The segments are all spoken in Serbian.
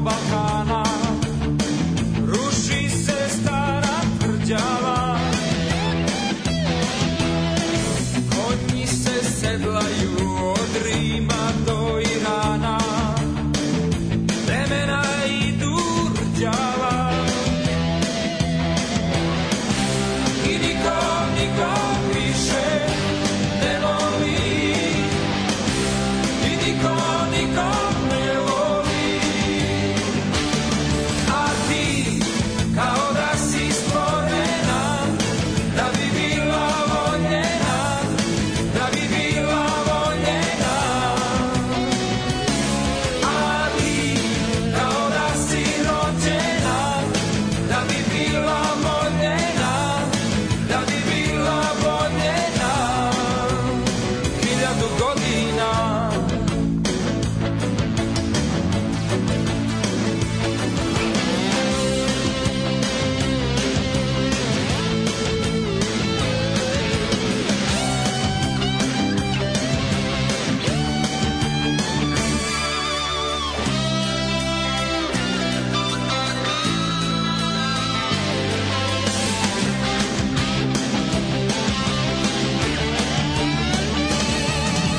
Balkana, ruši se stara tvrđava, konji se sedlaju od Rima do Irana, vremena idu rđava i nikom više ne voli, i nikom ne voli, a ti kao da si stvorena da bi bila voljena, da bi bila voljena, a ti kao da si rođena da bi bila voljena, da bi bila voljena 1000 godina.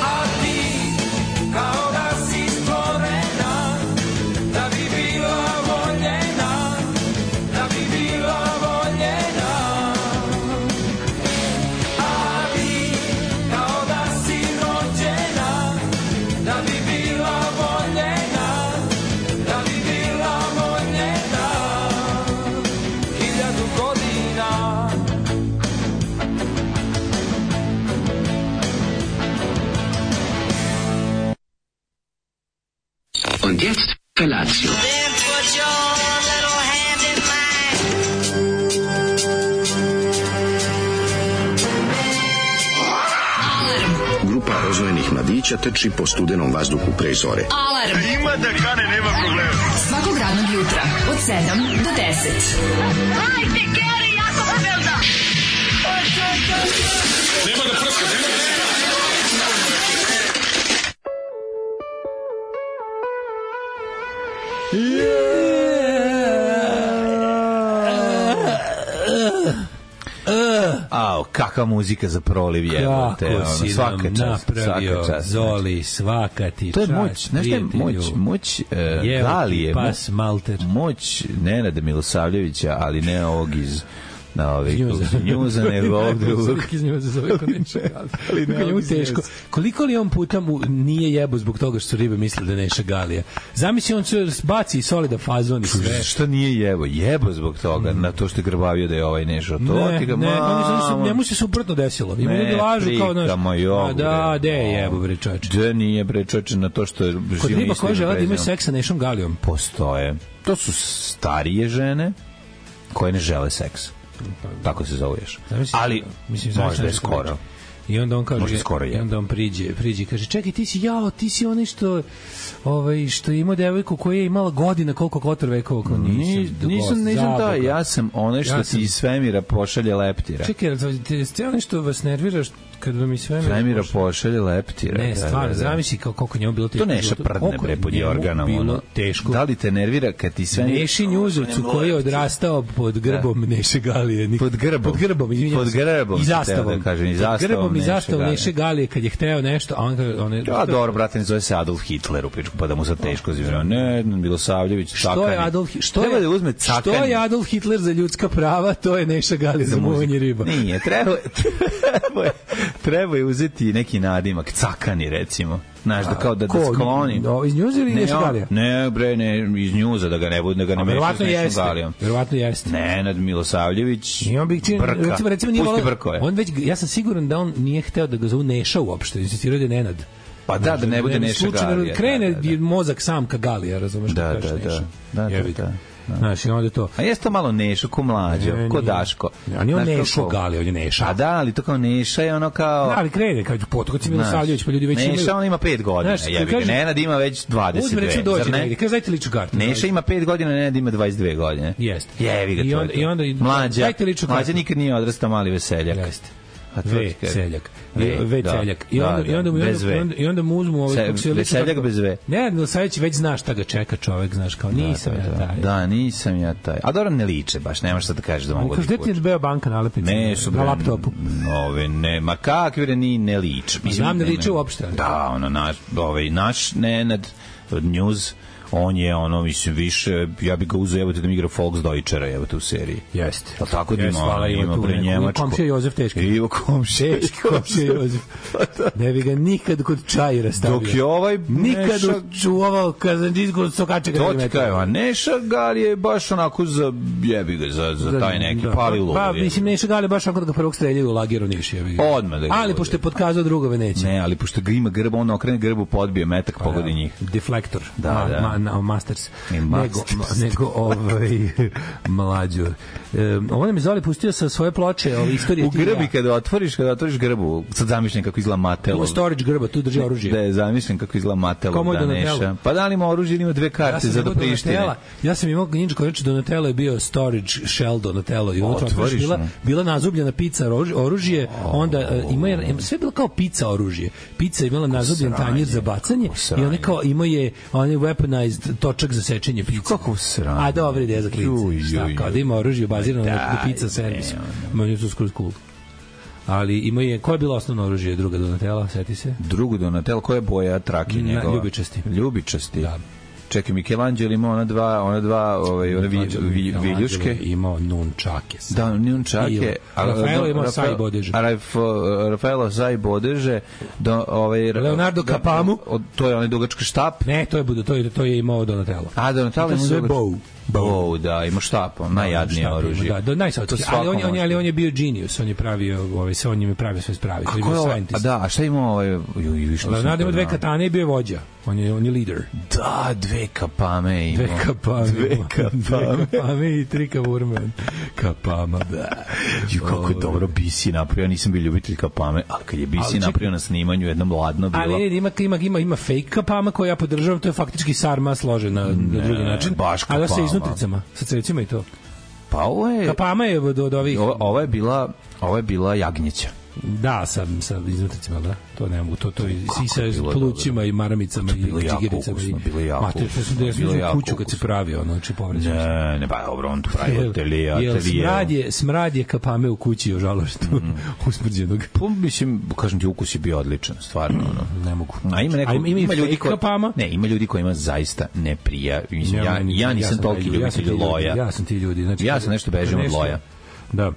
A ti kao da si stvorena da bi bila voljena, da bi bila voljena, a ti kao da si rođena da bi bila voljena, da bi bila voljena 1000 godina. Und jetzt Felatio. Then put your little hand in mine. Grupa rozvojenih mladića trči po studenom vazduhu pre zore. Alarm. Ima da kane, nema problema. Svakog radnog jutra od 7 do 10. Hajde, Geri, jako se velda. Ao, kakva muzika za proliv jebote. Kako si Svaka nam čast, napravio, svaka čast. Zoli, svaka ti To je čast, moć, znaš šta je moć Galije, pas Malter. moć Nenada Milosavljevića, ali ne ovog iz Njuza, nego ovog drugog. Iz Njuza zove ko Neša Galija. Kako njemu teško. Koliko li on puta mu nije jebo zbog toga što su ribe misle da Neša Galija? Zamisli, on se baci i solida fazon i sve. Šta nije jebo? Jebo zbog toga, na to što je grbavio da je ovaj Nešo. To ti ga, njemu se suprotno desilo. Ima ljudi lažu kao naš. Da, de je jebo, bre čoveče. Da nije, bre čoveče, na to što je kod riba koja žele da imaju seks sa Nešom Galijom. Postoje. To su starije žene koje ne žele seks. Tako se zoveš. Ali možda je skoro. I onda on kaže, i onda on priđe i kaže, čekaj, ti si onaj što je imao devojku koja je imala godina koliko Kotor vekova. Nisam taj, ja sam onaj što ti iz svemira pošalje leptira. Čekaj, ste onaj što vas nervira kad vam iz svemira pošalje leptira. Ne, stvarno, zamisli koliko njemu bilo teško. To Neša prdne bre pod jorganom. Bilo teško. Da li te nervira kad ti svemira... Neši Njuzovcu koji je odrastao pod grbom Neše Galije. Pod grbom, izvinjam se. I zastavom. Pod grbom i zastavom Neše Galije kad je hteo nešto, a on je... Ja, dobro, brate, ne zove se Adolf Hitler u pičku, pa da mu sad teško zivira. Ne, Milosavljević, Cakani. Treba da uzme Cakani. Što je Adolf Hitler za ljudska prava, to je Neša Galije za muvanje riba. Nije, treba je uzeti neki nadimak, Cakani, recimo. Znaš, da kao da skloni. Iz Njuza ili Neša Galija? Ne, bre, ne, iz Njuza, da ga ne bude, da ga ne meša s Nešom Galijom. Verovatno jeste. Nenad Milosavljević, Brka. Pusti Brkove. Ja sam siguran da on nije hteo da ga zovu Neša uopšte, insistirao da je Nenad. Pa da ne bude Neša Galija. Krene mozak sam ka Galija, razumeš? Da. Znaš, i onda to... A jeste to malo Nešo, ko Mlađo, ko Daško. A nije on Nešo Galija, on je Neša. A da, ali to kao Neša je ono kao... Da, ali krene, kao potokoci Milosavljević, pa ljudi već imaju... Neša, on ima 5 godina, jebi ga. Nenad ima već 22, uzme, reći, dođe negdje, kaže, dajte ličnu kartu. Neša ima 5 godina, Nenad ima 22 godine. Jeste. Jebi ga to. I onda, Mlađa nikad nije odrastao mali veseljak. Jeste. Seljak. Seljak. I onda mu uzmu Seljak bez V. Ne, sad već znaš šta ga čeka čovek, znaš, kao nisam ja taj. Da, nisam ja taj. A dobro ne liče baš, nemaš šta da kažeš da mogu da liče. Gde ti je Beobanka nalepnica na laptopu? Ove, ne, ma kakvi bre ni ne liče. Znam ne liče uopšte. Da, naš Nenad od News, on je mislim više, ja bih ga uzeo da mi igra Volksdeutschera u seriji. Jeste. Pa tako da ima pre Njemačku. Komšija Jozef teški. Ivo komšija Jozef. Ne bi ga nikad kod čajira stavio. Dok je ovaj nikad čuvao kazanđinsku sokača. To ti kaj, a Neša Gal je baš onako za jebi ga, za taj neki Palilov. Pa, mislim, Neša Gal je baš onako da ga prvog streljaju u lageru Niš. Odmah da ga. Ali pošto je pokazao drugove neće. Ne, ali pošto ga ima grb, on okrene grbu, podbije metak, pogodi njih. Deflektor. Da. Masters. Nego mlađo. Ovo nam je Zoli pustio sa svoje ploče istorije. U grbi kada otvoriš grbu, sad zamišljam kako izgleda Matelo. U storage grba, tu drži oružje. Da, zamišljam kako izgleda Matelo da Neša. Pa da li ima oružje ili ima dve karte za da Prištine? Ja sam imao Ninja Ković, Donatello je bio storage shell Donatello i unutra bila nazubljena pica oružje, onda sve bilo kao pica oružje. Pica je imala nazubljen tanjir za bacanje i on kao imao je weaponized točak za sečenje pice. Kako sranje. A dobra ideja za klince. Šta, kao da ima oružje bazirano na pizza servisu. Meni je to skroz cool. Ali ima je, koja je bila osnovno oružje druga Donatella, seti se? Drugo Donatella, koja je boja trake njegova? Ljubičasti. Da. Čekaj, Michelangelo ima ona dva viljuške. Imao nunčake. Da, nunčake. Rafaelo imao saj bodeže. Rafaelo saj bodeže. Leonardo Capamu. To je onaj dugački štap. Ne, to je imao Donatello. A, Donatello ima dugački. Da, ima štap, najjadnije oružje. Da, najsavjetski. Ali on je bio genius, on je pravio, on je pravio sve spravi. A šta ima Leonardo ima dve katane i bio je vođa. On je lider. Da, dve kapame ima. Dve kapame i tri kavurme. Kapama, da. Kako je dobro Bisi napravio, ja nisam bio ljubitelj kapame, ali kad je Bisi napravio na snimanju, jednom ladno bilo. Ali ima fake kapama koje ja podržavam, to je faktički sarma složen na drugi način. Baš kapama. Ali sa iznutricama, sa crecima i to. Pa ovo je... Kapama je od ovih... Ovo je bila jagnjeća. Da, sa iznutricama, da. To ne mogu, to i sa plućima i maramicama i čigiricama. Bilo jako ukusno. Ja sam kuću kad se pravio, znači povređeno. Ne, ba, dobro, on to pravi atelije. Smrad je kapame u kući, ožalost, usmrđenog. Mislim, kažem ti, ukus je bio odličan, stvarno. Ne mogu. A ima ljudi kapama? Ne, ima ljudi kojima zaista ne prija. Ja nisam toliki ljubitelj loja. Ja sam ti ljudi. Ja sam nešto bežim od loja. Da.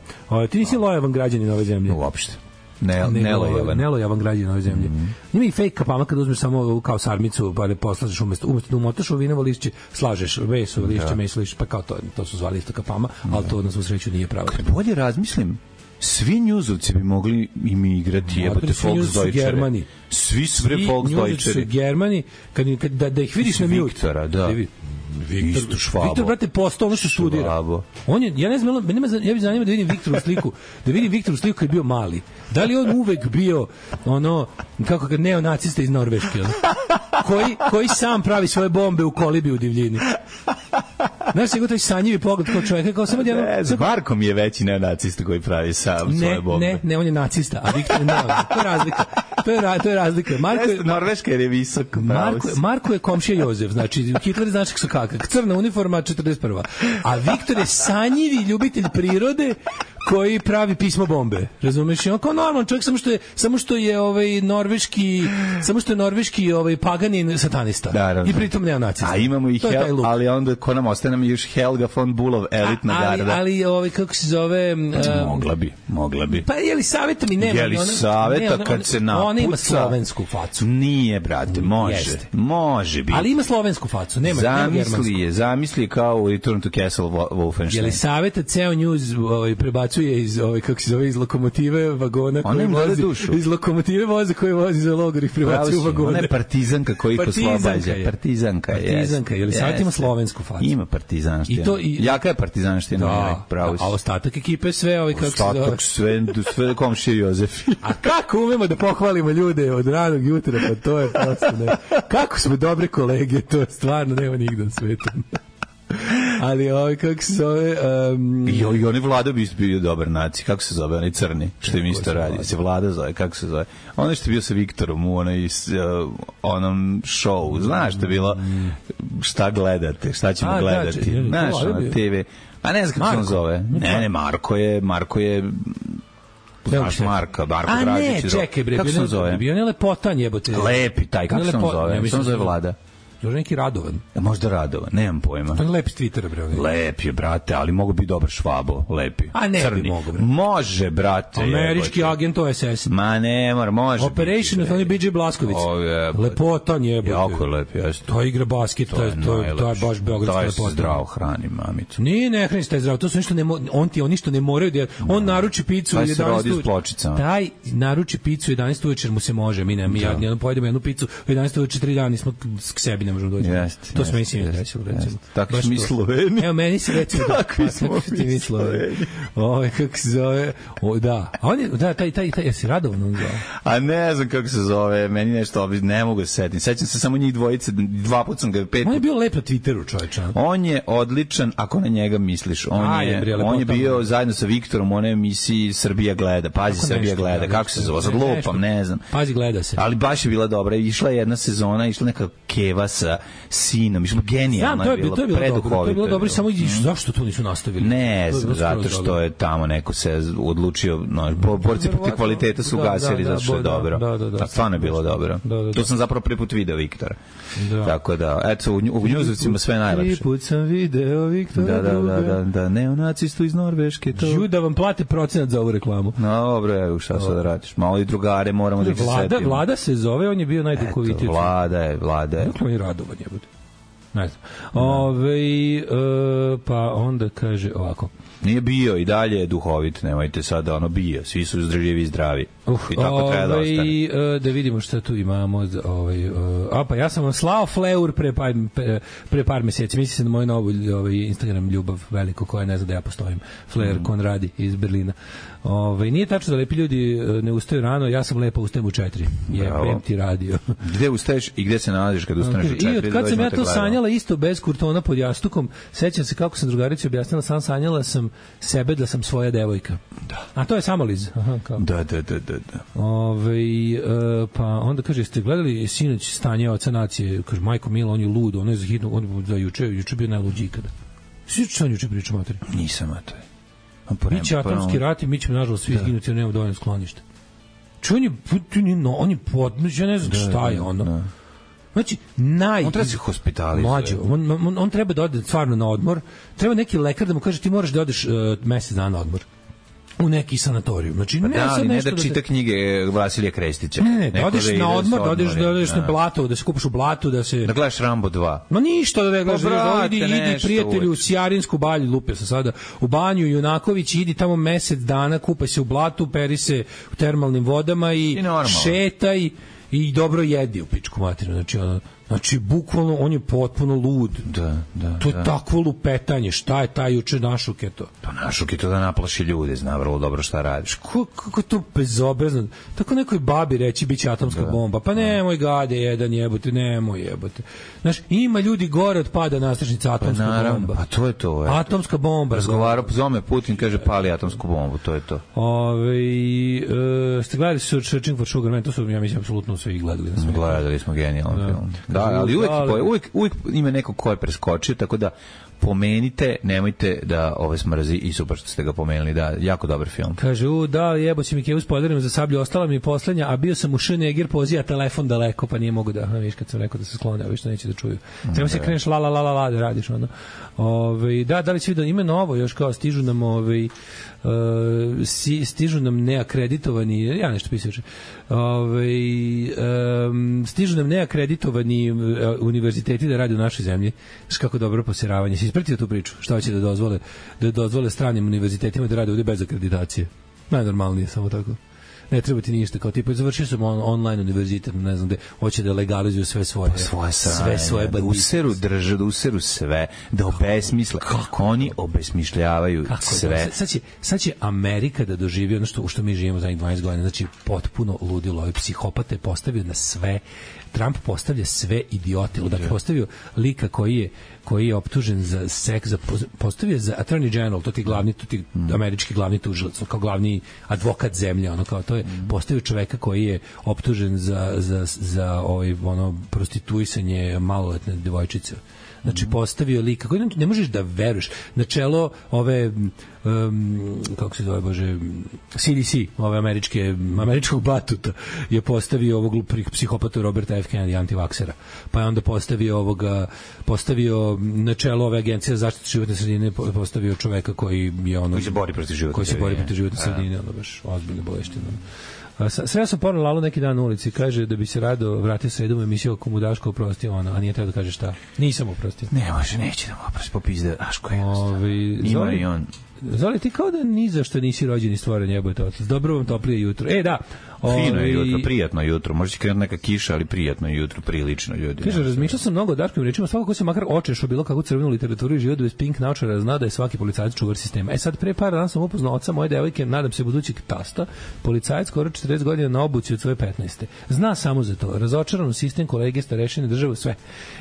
Ti nisi lojavan građanin ove zemlje? Uopšte. Nelojavan građanin ove zemlje. Ima i fake kapama kad uzmeš samo kao sarmicu pa da poslažeš umesto da umotaš u vinovo lišće, slažeš meso, lišće, meso, lišće, pa kao to su zvali isto kapama, ali to na svu sreću nije pravo. Bolje razmislim, svi njuzovci bi mogli im igrati jebote Volksdeutschere. Svi su Volksdeutschere. Germani, da ih vidiš na mute. Viktora, da. Viktor, brate, postao ono što studira. On je, ja ne znam, ja bih zanimao da vidim Viktoru sliku kad je bio mali. Da li on uvek bio ono, kako kad neonacista iz Norveške, koji sam pravi svoje bombe u kolibi u divljini. Znaš se taj sanjivi pogled kao čovjeka, kao samo jedno... Marko mi je veći neonacista koji pravi sam svoje bombe. Ne, on je nacista, a Viktor je neonacista. To je razlika. To je razlika. Norveška je visok. Marko je komšija Jozef, znači Hitler znaš kako su kakak. Crna uniforma 41. A Viktor je sanjivi ljubitelj prirode koji pravi pismo bombe. Razumeš? On kao normalan čovjek, samo što je norveški paganin satanista. Da, i pritom neonacista. A imamo i ali onda ko nam ostane nam još Helga von Bulov, elitna garda. Ali kako se zove... Mogla bi. Pa Jelisaveta mi nema. Jelisaveta kad se napuca... Ona ima slovensku facu. Nije, brate, može biti. Ali ima slovensku facu, nema germansku. Zamisli kao u Return to Castle Wolfenstein. Jelisaveta ceo news prebacuje iz lokomotive vagona koji vozi, iz lokomotive voza koji vozi za logor ih prebacuje u vagone. Ona je partizanka koji ih oslobađa. Partizanka, Jelisaveta ima slovensku facu. Ima partizanština. Jaka je partizanština. A ostatak ekipe sve ostatak sve komšije Jozef. A kako umemo da pohvalimo ljude od ranog jutra, pa to je prosto ne. Kako smo dobre kolege, to je stvarno nema nigde na svetu. Ali kako se zove... I oni Vlada bi bio dobar naci. Kako se zove? Onaj crni, što im isto radi. Se Vlada zove, kako se zove? Ono što je bio sa Viktorom u onom show. Znaš što je bilo? Šta gledate? Šta ćemo gledati? Znaš, ono TV... A ne znam kako se on zove. Ne, Marko je znaš Marko Dražić. A ne, čekaj bre, kako se on zove? Bio ne Lepotan jebote. Lepi taj, kako se on zove? Što on zove Vlada? Još neki Radovan. Možda Radovan, nemam pojma. To je lep s Twittera, bre. Lep je, brate, ali mogu biti dobar Švabo, lepi. A ne crni. Bi mogu, bre. Može, brate. Američki agent OSS. Ma ne mora, može. Operation of only BJ Blasković. Lepotan jebote. Jako lep, jeste. To igra basket, to je baš beogradska lepota. To je zdravo hrani, mamicu. Ne hrani se taj zdravo, to su ništa oni što ne moraju da on naruči picu u 11 Taj naruči picu u 11 uveče mu se može, mi ja pojedemo jednu picu u 11 uveče 3 dana nismo k sebi ne možemo doći. To smo mislim desilo recimo. Tako smo mi Sloveni. Evo meni se recimo tako smo mi Sloveni. Kako se zove? Da. A on je taj jesi Radovan on zove. A ne znam kako se zove, meni nešto ne mogu se setiti. Sećam se samo njih dvojice, 2 puta sam ga 5 puta. On je bio lep na Twitteru, čoveče. On je odličan ako na njega misliš. On je bio zajedno sa Viktorom u onoj emisiji Srbija gleda. Pazi Srbija gleda. Kako se zove? Sad lupam, ne znam. Pazi gleda se. Ali baš je bila dobra. Išla je jedna sezona, išla neka keva sa sinom, mislim genijalno je bilo, preduhovito. To je bilo dobro, samo zašto to nisu nastavili? Ne znam, zato što je tamo neko se odlučio, borci protiv kvaliteta su gasili, zato što je dobro. Da, stvarno je bilo dobro. To sam zapravo prvi put video Viktora. Tako da, eto, u Njuzovcima sve najlepše. Prvi put sam video Viktora. Da, neonacistu iz Norveške. Da vam plate procenat za ovu reklamu. Dobro, evo, šta sad da radiš? Malo i drugare moramo da ih se setimo. Vlada se zove, on je bio najduhovitiji. Vlada je. Dakle, on je Radovan, je bude. Ne znam. Pa onda kaže ovako. Nije bio i dalje je duhovit, nemojte sada bio. Svi su zdravljivi i zdravi. I tako treba da ostane. Da vidimo šta tu imamo. Pa ja sam vam slao fleur pre par meseci. Misli se na moju novu Instagram ljubav veliko koja ne zna da ja postojim. Flair Konradi iz Berlina. Nije tačno da lepi ljudi ne ustaju rano, ja sam lepa, ustajem u 4. Jebem ti radio. Gde ustaješ i gde se nalaziš kad ustaneš u 4? I od kad sam ja to sanjala isto bez kurtona pod jastukom, sećam se kako sam drugarici objasnila, sam sanjala sam sebe da sam svoja devojka. Da. A to je samoliz. Aha, kao. Da. Pa onda kaže, jeste gledali sinoć Stanje oca nacije? Kaže, majko mila, on je lud, on je za hitno, on za juče bio najluđi ikada. Sviđa što on juče priča materi? Nisam, a to je. Biće atomski rat i mi ćemo nažalost svi izginuti jer nemamo dovoljno skloništa. On je podnoć, ja ne znam šta je ono. Znači, on treba se hospitalizuje. On treba da ode stvarno na odmor. Treba neki lekar da mu kaže ti moraš da odeš mesec dana na odmor. U neki sanatorijum. Znači, ne da čita knjige Vasilija Krestića. Ne, da odeš na odmor, da odeš na blato, da se kupaš u blatu, da gledaš Rambo 2. Ma ništa da ne gledaš. Idi prijatelju u Sjarinsku balju, lupio sam sada, u banju Junaković, idi tamo mesec dana, kupaj se u blatu, peri se u termalnim vodama i šetaj i dobro jedi u pičku materinu. Znači, bukvalno, on je potpuno lud. Da. To je takvo lupetanje. Šta je taj juče našuk je to? Pa našuk je to da naplaši ljude, zna vrlo dobro šta radiš. Kako je to bezobrazno? Tako nekoj babi reći biće atomska bomba. Pa nemoj gade jedan jebote, nemoj jebote. Znaš, ima ljudi gore od pada nastrašnica atomska bomba. Pa to je to. Atomska bomba. Razgovarao, zove Putin, kaže pali atomsku bombu, to je to. Ste gledali Searching for Sugar Man? To su, ja mislim, apsolutno svi gledali. Gledali smo genijalan film. Da, ali uvek ima neko ko je preskočio, tako da pomenite, nemojte da ove smrzi i super što ste ga pomenuli, da, jako dobar film. Kaže, jebo si mi kevu s podarima za sablju, ostala mi poslednja, a bio sam u Schneeger pozija telefon daleko, pa nije mogu da, viš kad sam rekao da se sklone, a što neće da čuju. Treba se kreneš la da radiš, ono. Da li će da ima novo, još kao stižu nam stižu nam neakreditovani, ja nešto pisao, stižu nam neakreditovani univerziteti da rade u našoj zemlji. Znaš kako dobro posiravanje. Si ispratio tu priču? Šta hoće da dozvole stranim univerzitetima da rade ovde bez akreditacije? Najnormalnije, samo tako. Ne treba ti ništa, kao tipa završio sam online univerzitet, ne znam gde, hoće da legalizuju sve svoje bandite. Da useru sve, da obesmisle. Kako oni obesmišljavaju sve. Sad će Amerika da doživi ono što mi živimo za 20 godina, znači potpuno ludilo. Ovaj psihopat je postavio na sve Trump postavlja sve idiote. Dakle, postavio lika koji je optužen za seks, postavio za attorney general, to ti američki glavni tužilac, kao glavni advokat zemlje, ono kao to je postavio čoveka koji je optužen za prostituisanje maloletne devojčice. Znači, postavio lika koji ne možeš da veruješ. Na čelo ove kako se zove, bože, CDC, ove američkog batuta je postavio ovog psihopatu Roberta F. Kennedy, antivaksera. Pa je onda postavio na čelo ove agencije za zaštitu životne sredine, postavio čoveka koji je ono... Koji se bori protiv životne sredine, ono baš ozbiljne boleština. Sve sam porno Lalu neki dan na ulici, kaže da bi se rado vratio sredom u emisiju ako mu Daško oprostio, a nije treba da kaže šta. Nisam oprostio. Ne može, neće da mu oprosti, popizde Daško je. Ima i on. Zoli, ti kao da ni za što nisi rođen i stvoren, jebote otac. Dobro vam toplije jutro. Da. Fino je jutro, prijatno jutro. Može će krenuti neka kiša, ali prijatno jutro, prilično ljudi. Kaže, razmišljao sam mnogo o Daškovim rečima, svako ko se makar očešao bilo kakvu crvenu literaturu i život bez pink naučara zna da je svaki policajac čuvar sistema. Sad, pre par dana sam upoznao oca moje devojke, nadam se budućeg tasta, policajac skoro 40 godina na obuci od svoje 15. Zna samo za to. Razočaran u sistem, kolege, starešine, državu, sve.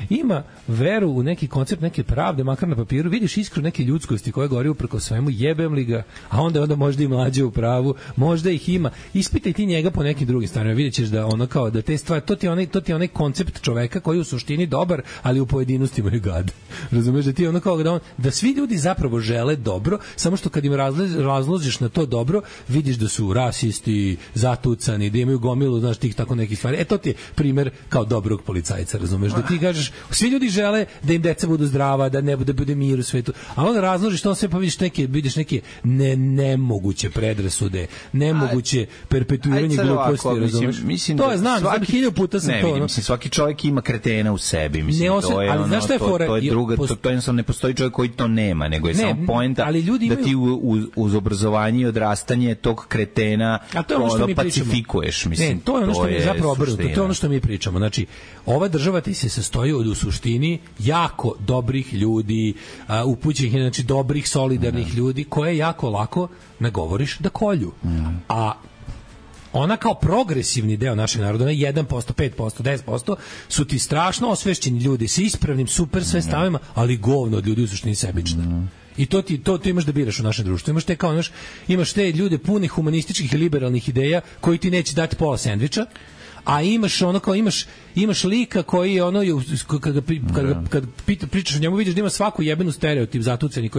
Ima veru u neki koncept, neke pravde, makar na papiru, vidiš iskru neke ljudskosti koje gori upreko svemu, jebem li ga, a onda možda i mlađe u pravu, možda ih ima. Ispitaj ti njega po nekim drugim stvarima, vidjet ćeš da ono kao da te stvari, to ti je onaj koncept čoveka koji u suštini dobar, ali u pojedinostima je gad. Razumeš da ti ono kao da svi ljudi zapravo žele dobro, samo što kad im razložiš na to dobro, vidiš da su rasisti, zatucani, da imaju gomilu, znaš, tih tako nekih stvari. To ti je primer kao dobrog policajca, razumeš, da ti kažeš, svi ljudi žele da im deca budu zdrava, da ne bude mir u svetu, a onda razložiš to sve, pa vidiš neke nemoguće predrasude, nemoguće perpetuiranje gluposti, razumeš? To je, znam, 1000 puta sam to. Mislim, svaki čovjek ima kretena u sebi, mislim, to je ono, to je druga, to jednostavno ne postoji čovjek koji to nema, nego je samo poenta da ti uz obrazovanje i odrastanje tog kretena pacifikuješ, mislim. To je ono što mi je zapravo obrnuto, to je ono što mi pričamo. Znači, ova država ti se sastoji u suštini jako dobrih ljudi, upućenih, znači dobrih, solidarnih ljudi, koje jako lako nagovoriš da kolju. A ona kao progresivni deo našeg naroda, 1%, 5%, 10%, su ti strašno osvešćeni ljudi sa ispravnim super sve stavima, ali govno od ljudi u suštini sebična. I to imaš da biraš u našem društvu. Imaš te ljude puni humanističkih i liberalnih ideja koji ti neće dati pola sendviča, a imaš lika koji je ono kad pričaš o njemu vidiš da ima svaku jebenu stereotip zatuceni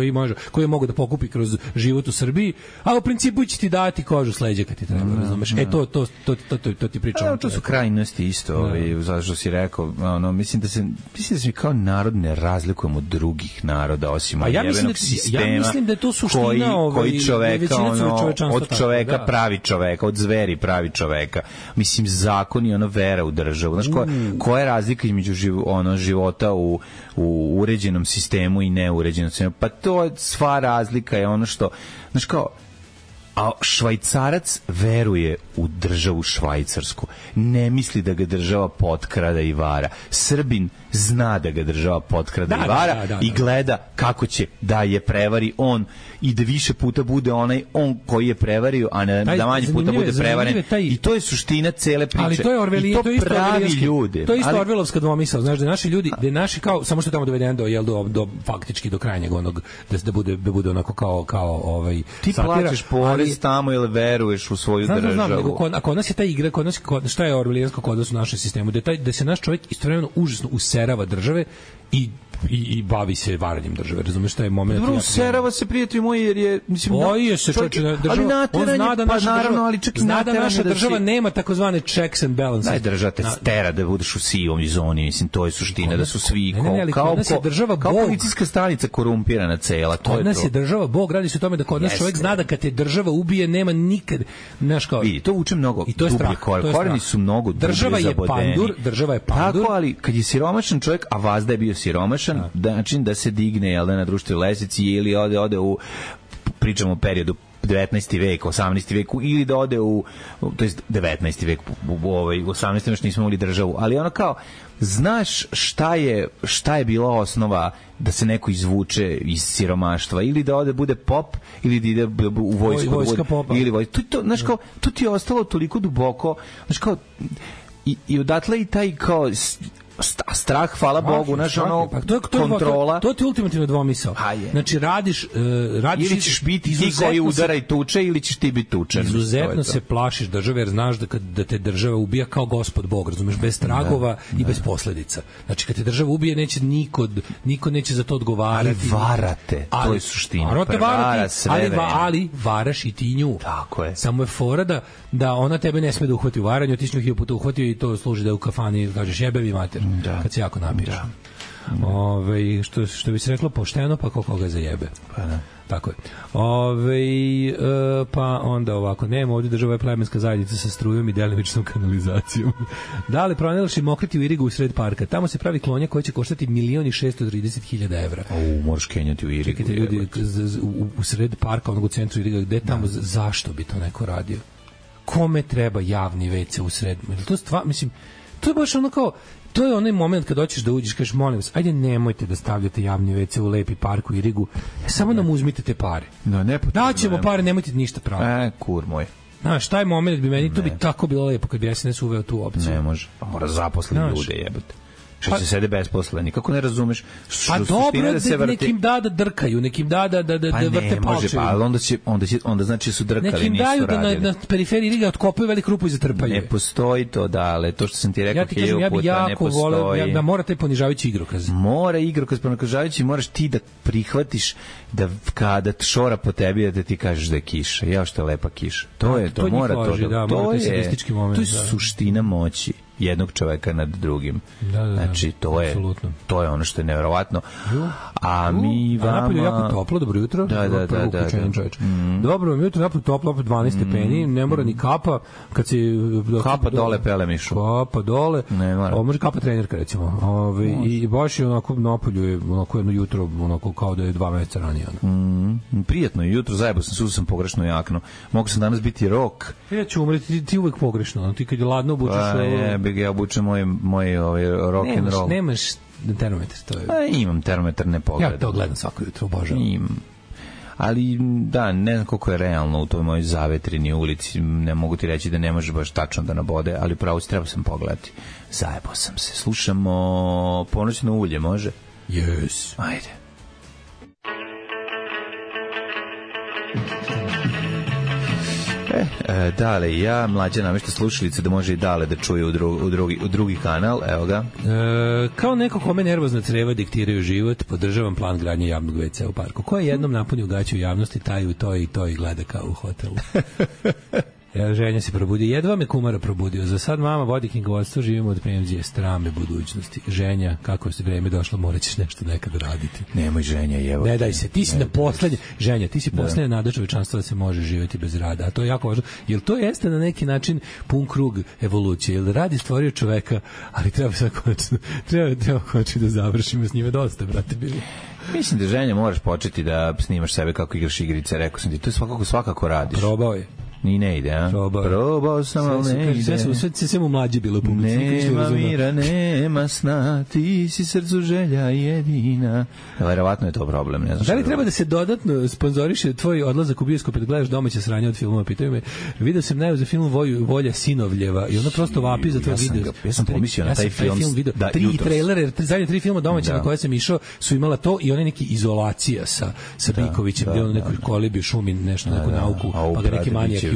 koji mogu da pokupi kroz život u Srbiji, a u principu će ti dati kožu s leđa kad ti treba, razumeš? To ti pričam. To su krajnosti isto, zašto si rekao, mislim da se kao narod ne razlikujemo od drugih naroda osim od jebenog sistema. Ja mislim da je to suština koji čoveka od čoveka pravi čoveka, od zveri pravi čoveka. Mislim, zakon i vera u državu. Znaš, koja je razlika između života u uređenom sistemu i neuređenom sistemu? Pa to je sva razlika je ono što, znaš, kao, a Švajcarac veruje u državu švajcarsku. Ne misli da ga država potkrada i vara. Srbin zna da ga država potkrada i vara i gleda kako će da je prevari on i da više puta bude on koji je prevario, a da manje puta bude prevaren. I to je suština cele priče. Ali to je I to pravi ljude. To je isto orvelovska dvomisao. Znaš, da naši ljudi, da naši kao, samo što je tamo doveden do faktički do krajnjeg onog, da bude onako kao ti plaćaš porez tamo ili veruješ u svoju državu. Znam, nego kod nas je ta igra, šta je orvelijansko kod nas u našem sistemu, da se naš čovjek istovremeno užasno userava države i bavi se varanjem države. Razumeš šta je moment? Dobro, userava se, prijatelj moj, jer je, mislim, boji se čovječe država. On zna da naša država nema takozvane checks and balances. Daj, država te stera da budeš u sivom zoni, mislim, to je suština, da su svi kao policijska stanica korumpirana cela. Kod nas je država Bog, radi se o tome da kod nas čovjek zna da kad te država ubije, nema nikad, znaš kao... Vidi, to uče mnogo dublje koreni su mnogo dublje zabodeni. Država je pandur. Tako, ali kad je siromašan čovjek, a Vazda je bio siromašan, način da se digne na društvenoj lestvici ili ode u, pričamo o periodu 19. vek, 18. veku, ili da ode to jest 19. vek, u 18. još nismo imali državu, ali ono kao, znaš šta je bila osnova da se neko izvuče iz siromaštva, ili da ode bude pop, ili da ide u vojsku, vojska popa. Ili znaš kao, to ti je ostalo toliko duboko, znaš kao, i odatle i taj kao strah, hvala Bogu, znaš, ono, kontrola. To ti je ultimativno dvomisao. Znači, radiš ili ćeš biti ti koji udara i tuče, ili ćeš ti biti tučen. Izuzetno se plašiš države, jer znaš da te država ubija kao gospod Bog, razumeš, bez tragova i bez posledica. Znači, kad te država ubije, neće niko neće za to odgovarati. Ali varate, to je suština. Ali varaš i ti nju. Tako je. Samo je fora da ona tebe ne sme da uhvati u varanju, ti si nju 1000 puta uhvatio i to služi da u kafani kažeš jebevi mater, kad se jako napiješ. Što bi se reklo pošteno, pa koga zajebe. Pa da. Tako je. Pa onda ovako, nema ovdje država je plemenska zajednica sa strujom i delimičnom kanalizacijom. Da li pronalaš mokriti u Irigu u sred parka? Tamo se pravi klonja koja će koštati 1.630.000 evra. Možeš kenjati u Irigu. Čekajte, ljudi, u sred parka, onog u centru Iriga, gde tamo, zašto bi to neko radio? Kome treba javni WC u sred? To je baš ono kao, to je onaj moment kad hoćeš da uđeš, kažeš, molim vas, ajde nemojte da stavljate javni WC u lepi park u Irigu, samo nam uzmite te pare. Daćemo pare, nemojte ništa praviti. Kur moj. Znaš, taj moment bi meni, to bi tako bilo lepo kad bi SNS uveo tu opciju. Ne može, pa mora zaposliti ljude, jebate. Što se sede besposleni, kako ne razumeš? Pa dobro, nekim da drkaju, nekim da vrte palče. Pa onda znači su drkali, nekim nisu radili. Nekim daju da na periferiji Riga otkopaju veliku rupu i zatrpaju. Ne postoji to, ale to što sam ti rekao 1000 puta ne postoji. Da mora taj ponižavajući igrokaz. Mora igrokaz ponižavajući, moraš ti da prihvatiš da kada šora po tebi da ti kažeš da je kiša. Ja što je lepa kiša. To je to, mora to. To je suština moći jednog čoveka nad drugim. Znači, to je ono što je neverovatno. A mi vama... napolju je jako toplo, dobro jutro. Da. Dobro vam jutro, napolju toplo, opet 12 stepeni, ne mora ni kapa. Kad si... Kapa dole, pele mišu. Kapa dole. Ne mora. Može kapa trenerka, recimo. I baš je onako napolju je onako jedno jutro, onako kao da je 2 meseca ranije. Prijatno je jutro, zajebo sam pogrešno jakno. Mogu sam danas biti rok. Ja ću umreti, ti uvek pogrešno. Ti kad je ladno obučeš... Ja obučem moj rock and roll. Nemaš termometar, to je... Imam termometar, ne pogledam. Ja to gledam svako jutro, obožavam. Ali da, ne znam koliko je realno u toj mojoj zavetrini ulici, ne mogu ti reći da ne može baš tačno da nabode, ali pravo si treba sam pogledati. Zajebao sam se. Slušamo Ponoćno ulje, može? Yes. Ajde. Dale, ja mlađa namešta slušalice da može i Dale da čuje u drugi kanal, evo ga. Kao neko kome nervozna creva diktiraju život, podržavam plan gradnje javnog WC u parku. Ko je jednom napunio gaće u javnosti, taj u to i gleda kao u hotelu. Ženja se probudio. Jedva me kumara probudio. Za sad mama vodi knjigovodstvo, živimo od penzije, strame budućnosti. Ženja, kako je vreme došlo, morat ćeš nešto nekada raditi. Nemoj Ženja, evo. Ne daj se, ti si na poslednje. Ženja, ti si poslednja nada čovečanstva da se može živjeti bez rada. A to je jako važno. Jer to jeste na neki način pun krug evolucije. Jer rad je stvorio čoveka, ali treba konačno da završimo s njime dosta, brate, bili. Mislim da Ženja moraš početi da snimaš sebe kako igraš igrice, rekao sam ti, to je svakako radiš. Probao je. Ni ne ide, a? Probao sam, ali ne ide. Sve mu mlađe bilo publici. Nema mira, nema sna, ti si srcu želja jedina. Verovatno je to problem. Ne znam da li treba da se dodatno sponzoriše tvoj odlazak u bioskop da gledaš domaće sranje od filmova? Pitaju me, vidio sam najavu za film Volja Sinovljeva i ona prosto vapi za tvoj video. Ja sam pomislio na taj film. Da, 3 trailere, zadnje 3 filma domaće na koje sam išao su imala to i one neki Izolacija sa Bikovićem, gde on nekoj kolibi šumi nešto, neku nauku, pa ga neki manijak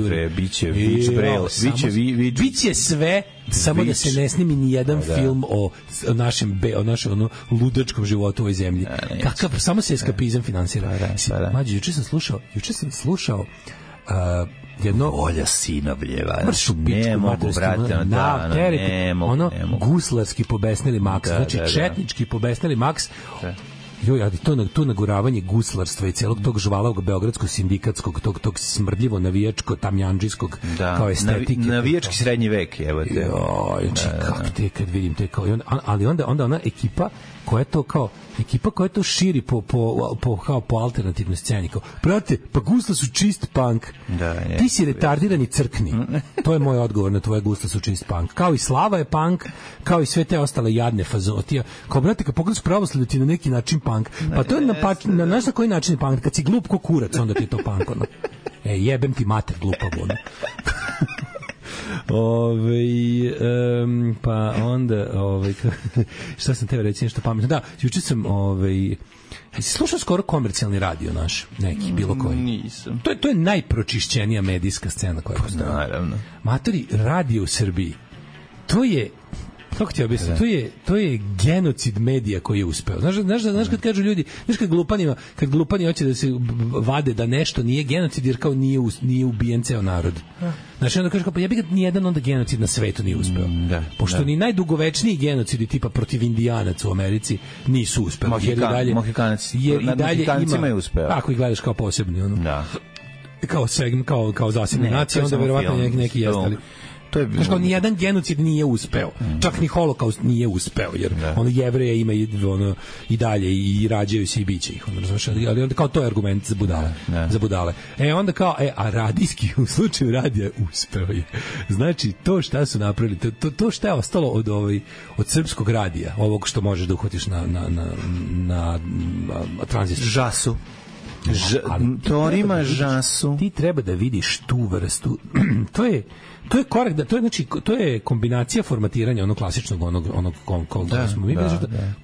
biće sve, samo da se ne snimi ni jedan film o našem ludačkom životu u ovoj zemlji. Kakav, samo se eskapizam finansira. Mađo, juče sam slušao jedno Volja Sinovljeva. Mršu pičku materstvu. Ono guslarski pobesnili Maks. Znači četnički pobesnili Maks. To naguravanje guslarstva i celog tog žvalavog beogradskog sindikatskog, tog smrdljivo navijačko tamjanđijskog kao estetike. Navijački srednji vek, evo te. Kako te kad vidim te kao... Ali onda ona ekipa koja je to širi po alternativnoj sceni. Brate, pa gusla su čist punk. Ti si retardirani crkni. To je moj odgovor na tvoje gusla su čist punk. Kao i Slava je punk, kao i sve te ostale jadne fazotija. Kao, brate, kad pogledaš pravoslavlje ti na neki način punk. Pa to je na koji način je punk? Kad si glup ko kurac, onda ti je to punk. Jebem ti mater glupa, ono. Pa onda šta sam teo reći nešto pametno. Da, juče sam slušao skoro komercijalni radio naš, neki, bilo koji. Nisam. To je najpročišćenija medijska scena koja postoji. Naravno. Matori, radio u Srbiji, to je, kako ti objasnim, to je genocid medija koji je uspeo. Znaš kad kažu ljudi, znaš kad glupani hoće da se vade da nešto nije genocid jer kao nije ubijen ceo narod. Znači onda kaže kao, pa ja bih nijedan onda genocid na svetu nije uspeo. Pošto ni najdugovečniji genocidi tipa protiv Indijanaca u Americi nisu uspeli. Mohikancima je uspeo. Ako ih gledaš kao posebni. Kao segment, kao zasebna nacija, onda verovatno neki jeste. Znaš kao, nijedan genocid nije uspeo. Čak ni holokaust nije uspeo, jer Jevreja ima i dalje i rađaju se i biće ih. Ali onda kao to je argument za budale. Onda kao, a radijski u slučaju radija uspeo je. Znači, to šta su napravili, to šta je ostalo od srpskog radija, ovog što možeš da uhvatiš na tranzistor. Žasu. Torima žasu. Ti treba da vidiš tu vrstu. To je korak, to je kombinacija formatiranja onog klasičnog onog koga smo mi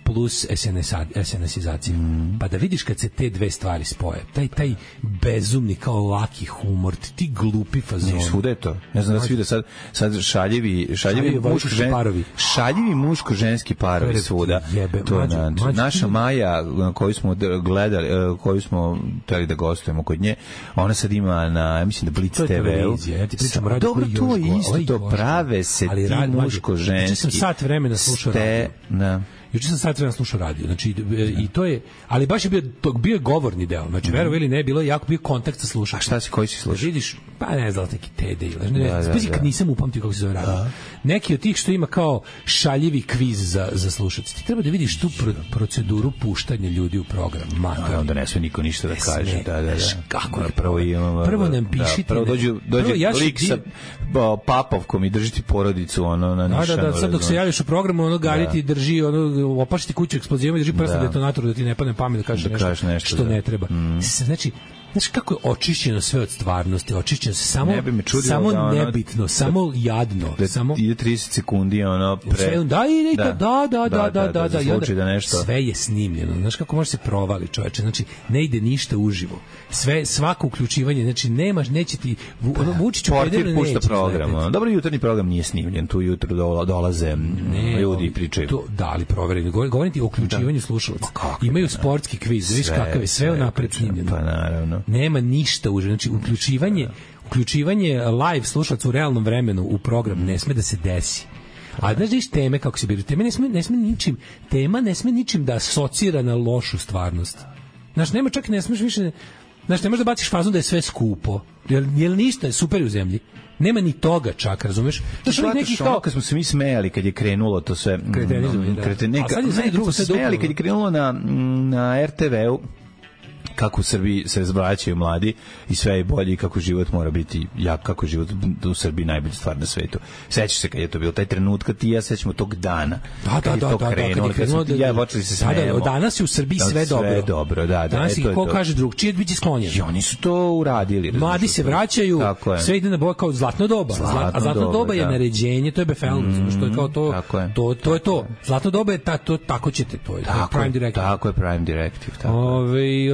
plus SNS-izacija. Pa da vidiš kad se te dve stvari spoje, taj bezumni kao laki humor, ti glupi fazon. Svuda je to. Ne znam da se vide sad šaljivi muško-ženski parovi svuda. Naša Maja koju smo gledali, koju smo hteli da gostujemo kod nje, ona sad ima na, mislim da Blitz TV-u. Dobro, to je isto, prave se ti muško-ženski. Juče sam sat vremena slušao radio. Znači, i to je, ali baš je bio govorni deo. Znači, verovo ili ne, bilo je jako bio kontakt sa slušačem. A koji si slušao? Vidiš, pa ne znam, neki TD ili spazi kad nisam upamtio kako se zove radio. Neki od tih što ima kao šaljivi kviz za slušaoce. Ti treba da vidiš tu proceduru puštanja ljudi u program. Onda ne sve niko ništa da kaže. Kako je prvo nam pišite. Prvo dođe lik sa papovkom i drži ti porodicu na nišanu. Da, sad dok se javiš u programu, Gari ti drži, opašiti kuću eksplozijama i drži prst detonator da ti ne padne pamet da kažeš nešto što ne treba. Znači, kako je očišćeno sve od stvarnosti, očišćeno se samo nebitno, samo jadno, samo ide 30 sekundi sve je snimljeno. Znaš kako može se provali, čoveče, znači ne ide ništa uživo. Svako uključivanje, znači neće ti Vučić portir pušta program. Dobro, jutarnji program nije snimljen, tu jutro dolaze ljudi i pričaju. Da, ali provereni. Govorim ti o uključivanju slušalaca. Imaju sportski kviz, vidiš kakav je sve unapred snimljeno. Pa naravno. Nema ništa uživo. Znači, uključivanje live slušalaca u realnom vremenu u program ne sme da se desi. A znaš da iš teme kako se biraju? Tema ne sme ničim da asocira na lošu stvarnost. Znaš, nema čak i ne smeš više... Znaš, ne možeš da baciš fazon da je sve skupo. Jer ništa je super u zemlji. Nema ni toga čak, razumeš? Kad smo se mi smejali kad je krenulo to sve... Kad se smejali kad je krenulo na RTV-u, kako u Srbiji se razbraćaju mladi i sve je bolje i kako život mora biti kako život u Srbiji najbolja stvar na svetu. Sećaš se kad je to bilo taj trenutak, ti ja sećamo tog dana. Danas je u Srbiji sve dobro. Danas ih ko kaže drugčije biće sklonjen. I oni su to uradili. Mladi se vraćaju, sve ide na boje kao zlatno doba. A zlatno doba je naređenje, to je BFL, što je kao to je to. Zlatno doba je tako ćete, to je Prime Directive. Tako je Prime Directive.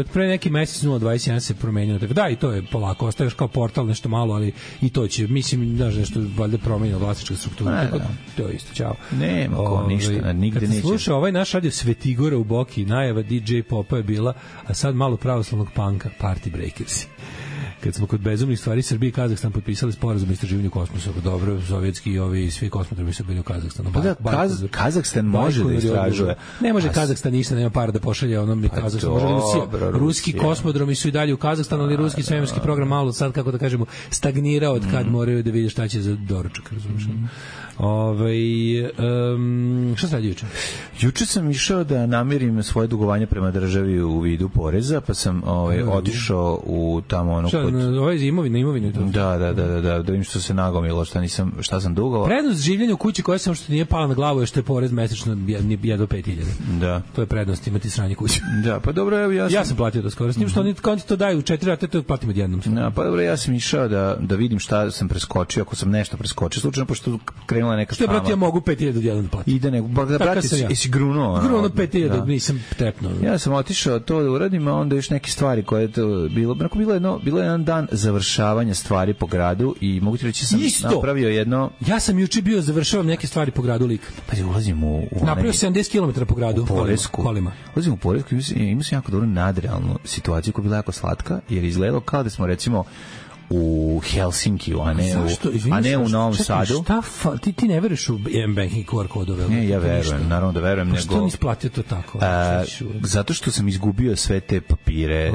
Od pre neki mesec 021 se promenilo. Da, i to je polako, ostaješ kao portal nešto malo, ali i to će, mislim, znaš, nešto valjda promenilo vlasnička struktura. To je isto, čao. Nema ko ništa, nigde neće. Kad se sluša ovaj naš radio Svetigora u Boki, najava DJ Popa je bila, a sad malo pravoslavnog panka, Party Breakers. Kad smo kod bezumnih stvari, Srbija i Kazahstan potpisali sporazum o istraživanju kosmosa. Dobro, sovjetski i ovi svi kosmodromi su bili u Kazahstanu. Kazahstan može da istražuje. Ne može Kazahstan ništa, nema para da pošalje onom Kazahstan. Može Rusija. Ruski kosmodromi su i dalje u Kazahstanu, ali ruski svemirski program malo sad, kako da kažemo, stagnirao od kad moraju da vide šta će za doručak, razumiješ? Šta se radi juče? Juče sam išao da namirim svoje dugovanje prema državi u vidu poreza, pa sam otišao u tamo ono kod... Ovo je imovina. Da vidim što se nagomilo, šta sam dugovao. Prednost življenja u kući koja sam što nije pala na glavu je što je porez mesečno jedno 5.000. Da. To je prednost imati sranje kuće. Da, pa dobro, evo ja sam platio to skoro. S njim što oni kao ti to daju 4 rate, to platim odjednom. Da, pa dobro, ja sam išao da vidim šta sam preskočio, ako sam nešto preskočio, slučajno pošto krenula neka što je, brate, ja mogu 5.000 odjednom da platim. Ide nego, brate, jesi grunuo? Grunuo 5.000, nisam trepnuo. Ja sam otišao to da uradim, a onda još neke stvari koje je to bilo jedan dan završavanja stvari po gradu i mogu ti reći sam napravio jedno... Ja sam juče bio završavam neke stvari po gradu lik. Pa ulazim u napravio 70 km po gradu. U Poresku. Kolima. Ulazim u Poresku i imao sam jako dobru nadrealnu situaciju koja je bila jako slatka, jer izgledalo kao da smo recimo u Helsinkiju, a ne u Novom Sadu. Ti ne veruješ u M-banking QR kodove? Ne, ja verujem, naravno da verujem. Pa što nisi platio to tako? Zato što sam izgubio sve te papire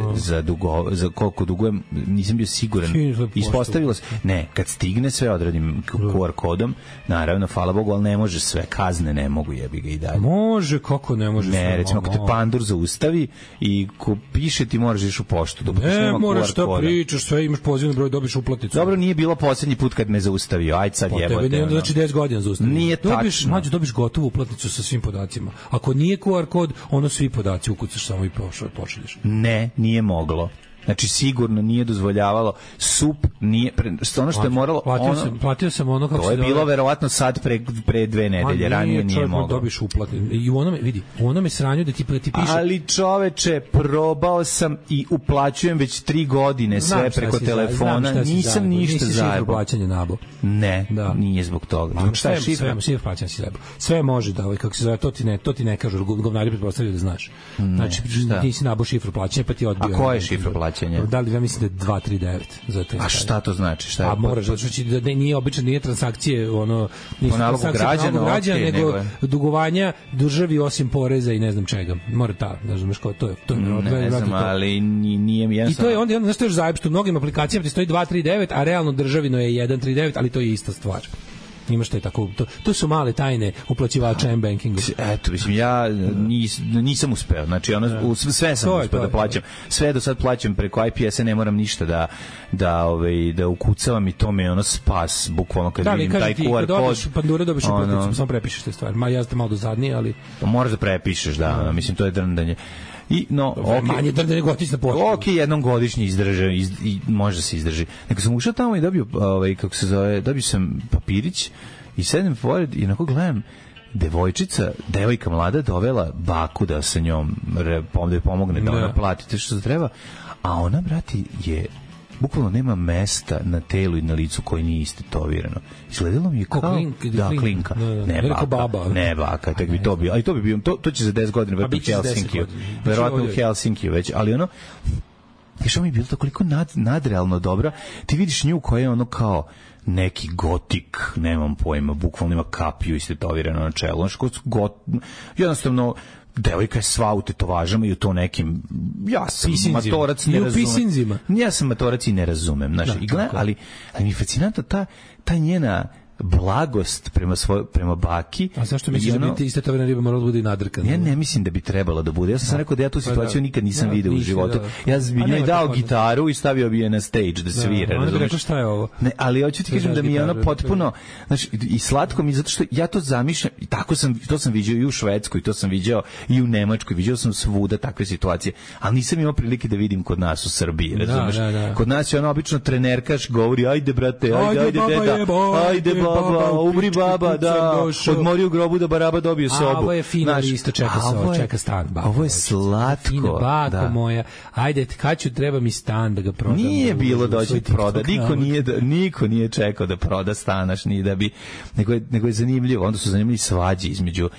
za koliko dugujem, nisam bio siguran. Ispostavilo se, ne, kad stigne sve odradim QR kodom, naravno, hvala Bogu, ali ne može sve, kazne ne mogu, jebi ga i dalje. Može, kako ne može? Ne, recimo, ako te pandur zaustavi i ko piše ti moraš ići u poštu. Ne, moraš šta pričaš, sve imaš pozivno broj, dobiš uplatnicu. Dobro, nije bilo poslednji put kad me zaustavio. Ajde sad jebote. Tebe znači 10 godina zaustavio. Nije tačno. Dobiš gotovu uplatnicu sa svim podacima. Ako nije QR kod, ono svi podaci ukucaš samo i pošalješ. Ne, nije moglo. Znači sigurno nije dozvoljavalo SUP nije ono što je moralo platio sam ono kako to je bilo verovatno sad pre 2 nedelje ranije nije moglo dobiš uplatnicu i u onome sranju da ti piše ali čoveče probao sam i uplaćujem već 3 godine sve preko telefona nisam ništa zajebao plaćanje nabo ne nije zbog toga šta je šifra plaćanje si zajebao sve može da kako se zove to ti ne kažu govnari pretpostavljaju da znaš znači ti si nabo šifru plaćanja pa ti odbio a koja je šifra plaćanja? Da li ja mislim da je 239 za to. A šta to znači? Šta je? A moraš da nije obično nije transakcije nisu građana nego dugovanja državi osim poreza i ne znam čega. Mora razumeš kao to je ne znam, ali nije mi jasno. I to je onda znaš što je zajeb što u mnogim aplikacijama ti stoji 239, a realno državino je 139, ali to je ista stvar. Imaš to je tako to su male tajne uplaćivača M-bankinga. Eto, mislim ja nisam uspeo. Znači sve sam uspeo da plaćam. Sve do sad plaćam preko IPS-a, ne moram ništa da ukucavam i to mi je spas bukvalno kad vidim taj QR kod. Pandure dobiš uplatnicu, samo prepišeš te stvari. Ja sam malo dozadnije, ali moraš da prepišeš, da, mislim to je drndanje. Manje drndanje nego otići na poštu. Jednom godišnje izdrže i može se izdrži. Nego sam ušao tamo i dobio kako se zove, dobio sam papirić i sedem pored i onako gledam devojka mlada dovela baku da sa njom da pomogne da ona plati te što se treba, a ona, brati, je bukvalno nema mesta na telu i na licu koji nije istetovirano. Izgledalo mi je kao klinka. Ne baka, tek bi to bio. Ali to bi bio, to će za 10 godina verovatno u Helsinkiju. Verovatno u Helsinkiju već, ali što mi je bilo toliko nadrealno dobro. Ti vidiš nju koja je ono kao neki gotik, nemam pojma, bukvalno ima kapiju istetovirano na čelu. Jednostavno devojka je sva u tetovažama i u to nekim ja sam matorac ne razumem. Ja sam matorac i ne razumem, ali mi je fascinantna ta njena blagost prema baki. A zašto misliš da bi istetovirana riba morala da bude i nadrkana? Ja ne mislim da bi trebala da bude. Ja sam rekao da ja tu situaciju nikad nisam video u životu. Ja bi njoj dao gitaru i stavio bi je na stage da svira. Ona bi rekao šta je ovo? Ne, ali hoću ti kažem da mi je ono potpuno i slatko mi, zato što ja to zamišljam i to sam viđao i u Švedskoj, to sam viđao i u Nemačkoj, viđao sam svuda takve situacije, ali nisam imao prilike da vidim kod nas u Srbiji, razumeš? Kod nas je ono obično trenerkaš govori ajde brate, ajde deda, ajde baba, umri baba, da, odmori u grobu da baraba dobije sobu. A ovo je fino isto, čeka stan. Ovo je slatko. Fino, bako moja, ajde, kad ću, treba mi stan da ga prodam. Nije bilo doći proda, niko nije čekao da proda stanaš, ni da bi, nego je zanimljivo, onda su zanimljivi svađe između,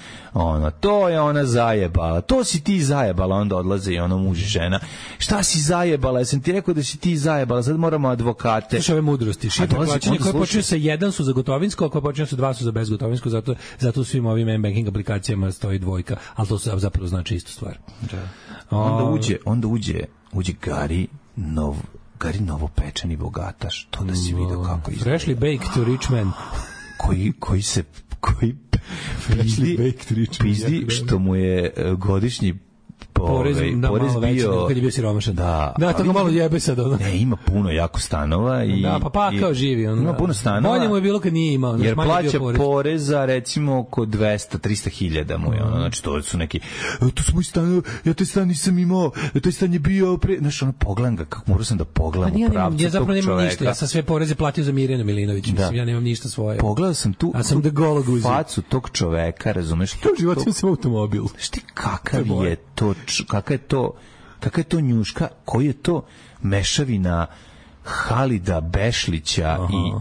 to je ona zajebala, to si ti zajebala, onda odlaze i muž i žena. Šta si zajebala, jesam ti rekao da si ti zajebala, sad moramo advokate. Slušaj ove mudrosti, šifre plaćanja koje počinju sa 1 su za gotovinsko, ako počinju sa 2 su za bezgotovinsko, zato u svim ovim M-banking aplikacijama stoji 2, ali to zapravo znači istu stvar. Onda uđe Gari novopečeni bogataš, to da si vidio kako izgleda. Freshly baked to rich man. pizdi što mu je godišnji porez bio kad je bio siromašan. Da, to ga malo jebe sad ono. Ne, ima puno jako stanova i pa kao živi on. Ima puno stanova. Bolje mu je bilo kad nije imao, jer plaća poreza recimo oko 200-300 mu je ono, znači to su neki to su moji stanovi, ja taj stan nisam imao, taj stan je bio znači ono pogledam ga, kako morao sam da pogledam u pravcu. Ja zapravo nemam ništa, ja sam sve poreze platio za Mirjanu Milinović, mislim, ja nemam ništa svoje. Pogledao sam tu, a sam da golog uzeo facu tog čoveka, razumeš? To život sam automobil. Šti kakav je to, kakva je to njuška, koji je to mešavina Halida Bešlića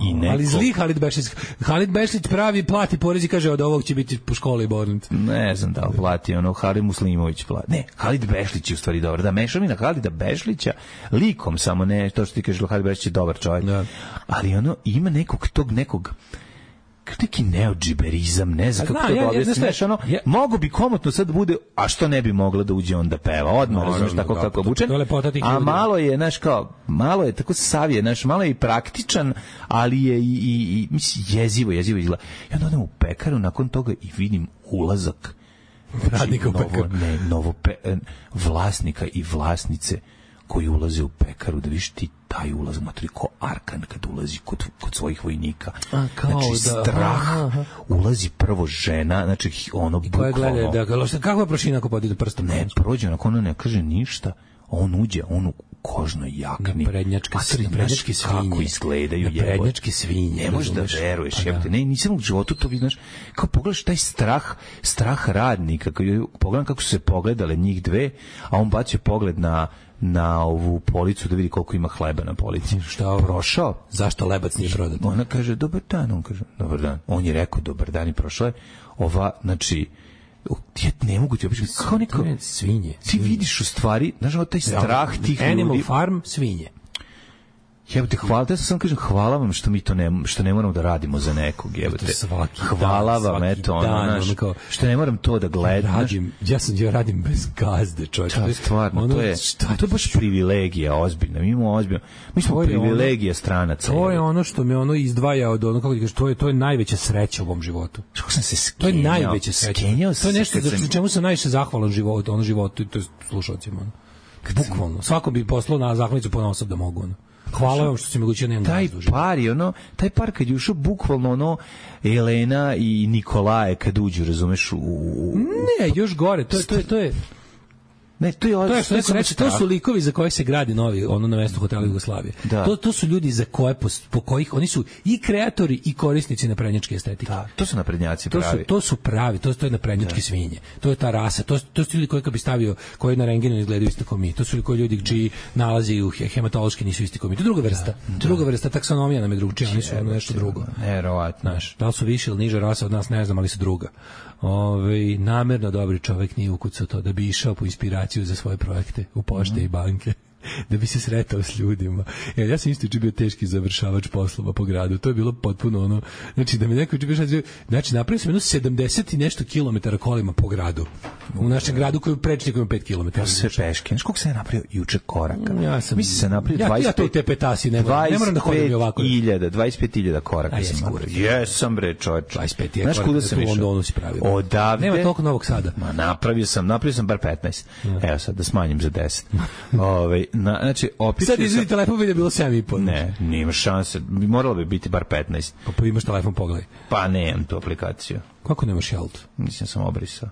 i neko... Ali zli Halid Bešlić. Halid Bešlić pravi, plati porez i kaže od ovog će biti po školi bornit. Ne znam da li plati, ono Halid Muslimović plati. Ne, Halid Bešlić je u stvari dobar. Da, mešavina Halida Bešlića likom, samo ne, to što ti kažeš, Halid Bešlić je dobar čovjek. Da. Ali ono, ima nekog neki neodžiberizam, ne znam kako to da objasniš, ono, mogo bi komotno sad bude, a što ne bi mogla da uđe on da peva, odmah, razumiješ, tako kako obučen, a malo je, znaš, kao, malo je tako savije, znaš, malo je i praktičan, ali je i mislim, jezivo izgleda. I onda odem u pekaru, nakon toga i vidim ulazak radnika u pekaru. Vlasnika i vlasnice koji ulaze u pekaru, da viš ti taj ulaz, matri, ko Arkan kad ulazi kod svojih vojnika. Znači, strah, ulazi prvo žena, znači, ono, bukvalno... Kako je prošina ako podi do prsta? Ne, prođe, onako ono ne kaže ništa, on uđe, on u kožnoj jakni. Prednjačke svinje. Kako izgledaju, prednjačke svinje. Ne možeš da veruješ, jebate. Ne, nisam u životu to vidiš, kao pogledaš taj strah radnika, pogledam kako su se pogledale njih dve, a on bacio pogled na ovu policu da vidi koliko ima hleba na polici. Šta prošao? Zašto lebac nije prodat? Ona kaže, dobar dan, on kaže, dobar dan. On je rekao, dobar dan i prošao je. Ova, znači, ja ne mogu ti opišati, kao neko... Svinje. Ti vidiš u stvari, znaš, taj strah tih ljudi... Animal Farm, svinje. Jebote, ja sam kažem, hvala vam što mi to što ne moramo da radimo za nekog, jebote. Hvala vam, eto, ono, što ne moram to da gledam. Ja radim bez gazde, čovječ. To je stvarno, to je baš privilegija, ozbiljna. Mi smo privilegija stranaca. To je ono što me ono izdvaja od ono, kako ti kažeš, to je najveća sreća u mom životu. Kako sam se skenjao. To je najveća sreća. To je nešto za čemu sam najviše zahvalan životu, to je slušalcima. Bukvalno. Svako bi poslao na zahvalnicu ponaosob da mogu, ono. Hvala vam što si mi gućio, nemam taj par kad je ušao bukvalno ono Elena i Nikolaje kad uđu, razumeš, Ne, još gore, to je Ne, to su likovi za koje se gradi novi, ono na mestu hotela Jugoslavije. To su ljudi za koje po kojih oni su i kreatori i korisnici naprednjačke estetike. Da, to su naprednjaci pravi. To su pravi, to je naprednjačke svinje. To je ta rasa, to su ljudi koji kad bi stavio, koji na rengenu izgledaju isto kao mi. To su koji ljudi čiji nalazi u hematološki nisu isti kao mi. To je druga vrsta. Druga vrsta, taksonomija nam je drugčija, oni su nešto drugo. Verovatno. Da li su više ili niža rasa od nas, ne znam, ali su druga. Namerno dobri čovjek nije ukucao to da bi išao po inspiraciju za svoje projekte u pošte i banke, da bi se sretao s ljudima. Ja sam isto bio teški završavač poslova po gradu. To je bilo potpuno ono, znači da mi neko znači napravio sam jedno 70 i nešto kilometara kolima po gradu. U našem gradu koji je prečnik ima 5 kilometara. Ja sam sve peške. Znaš koliko sam napravio juče koraka? Mislim se napravio 25. Ja to u te petasi ne moram da hodim ovako. 25.000 koraka sam napravio. Jesam bre, čovječ. 25 je koraka sam u Londonu si pravio. Odavde. Nema toliko Novog Sada. Ma napravio sam bar 15. Evo sad da smanjim za 10. Znači, sad izvini telefon vidi je bilo 7,5. Ne, nima šanse. Moralo bi biti bar 15. Pa imaš telefon, pogledaj. Pa nemam tu aplikaciju. Kako nemaš Jalt? Mislim sam obrisao.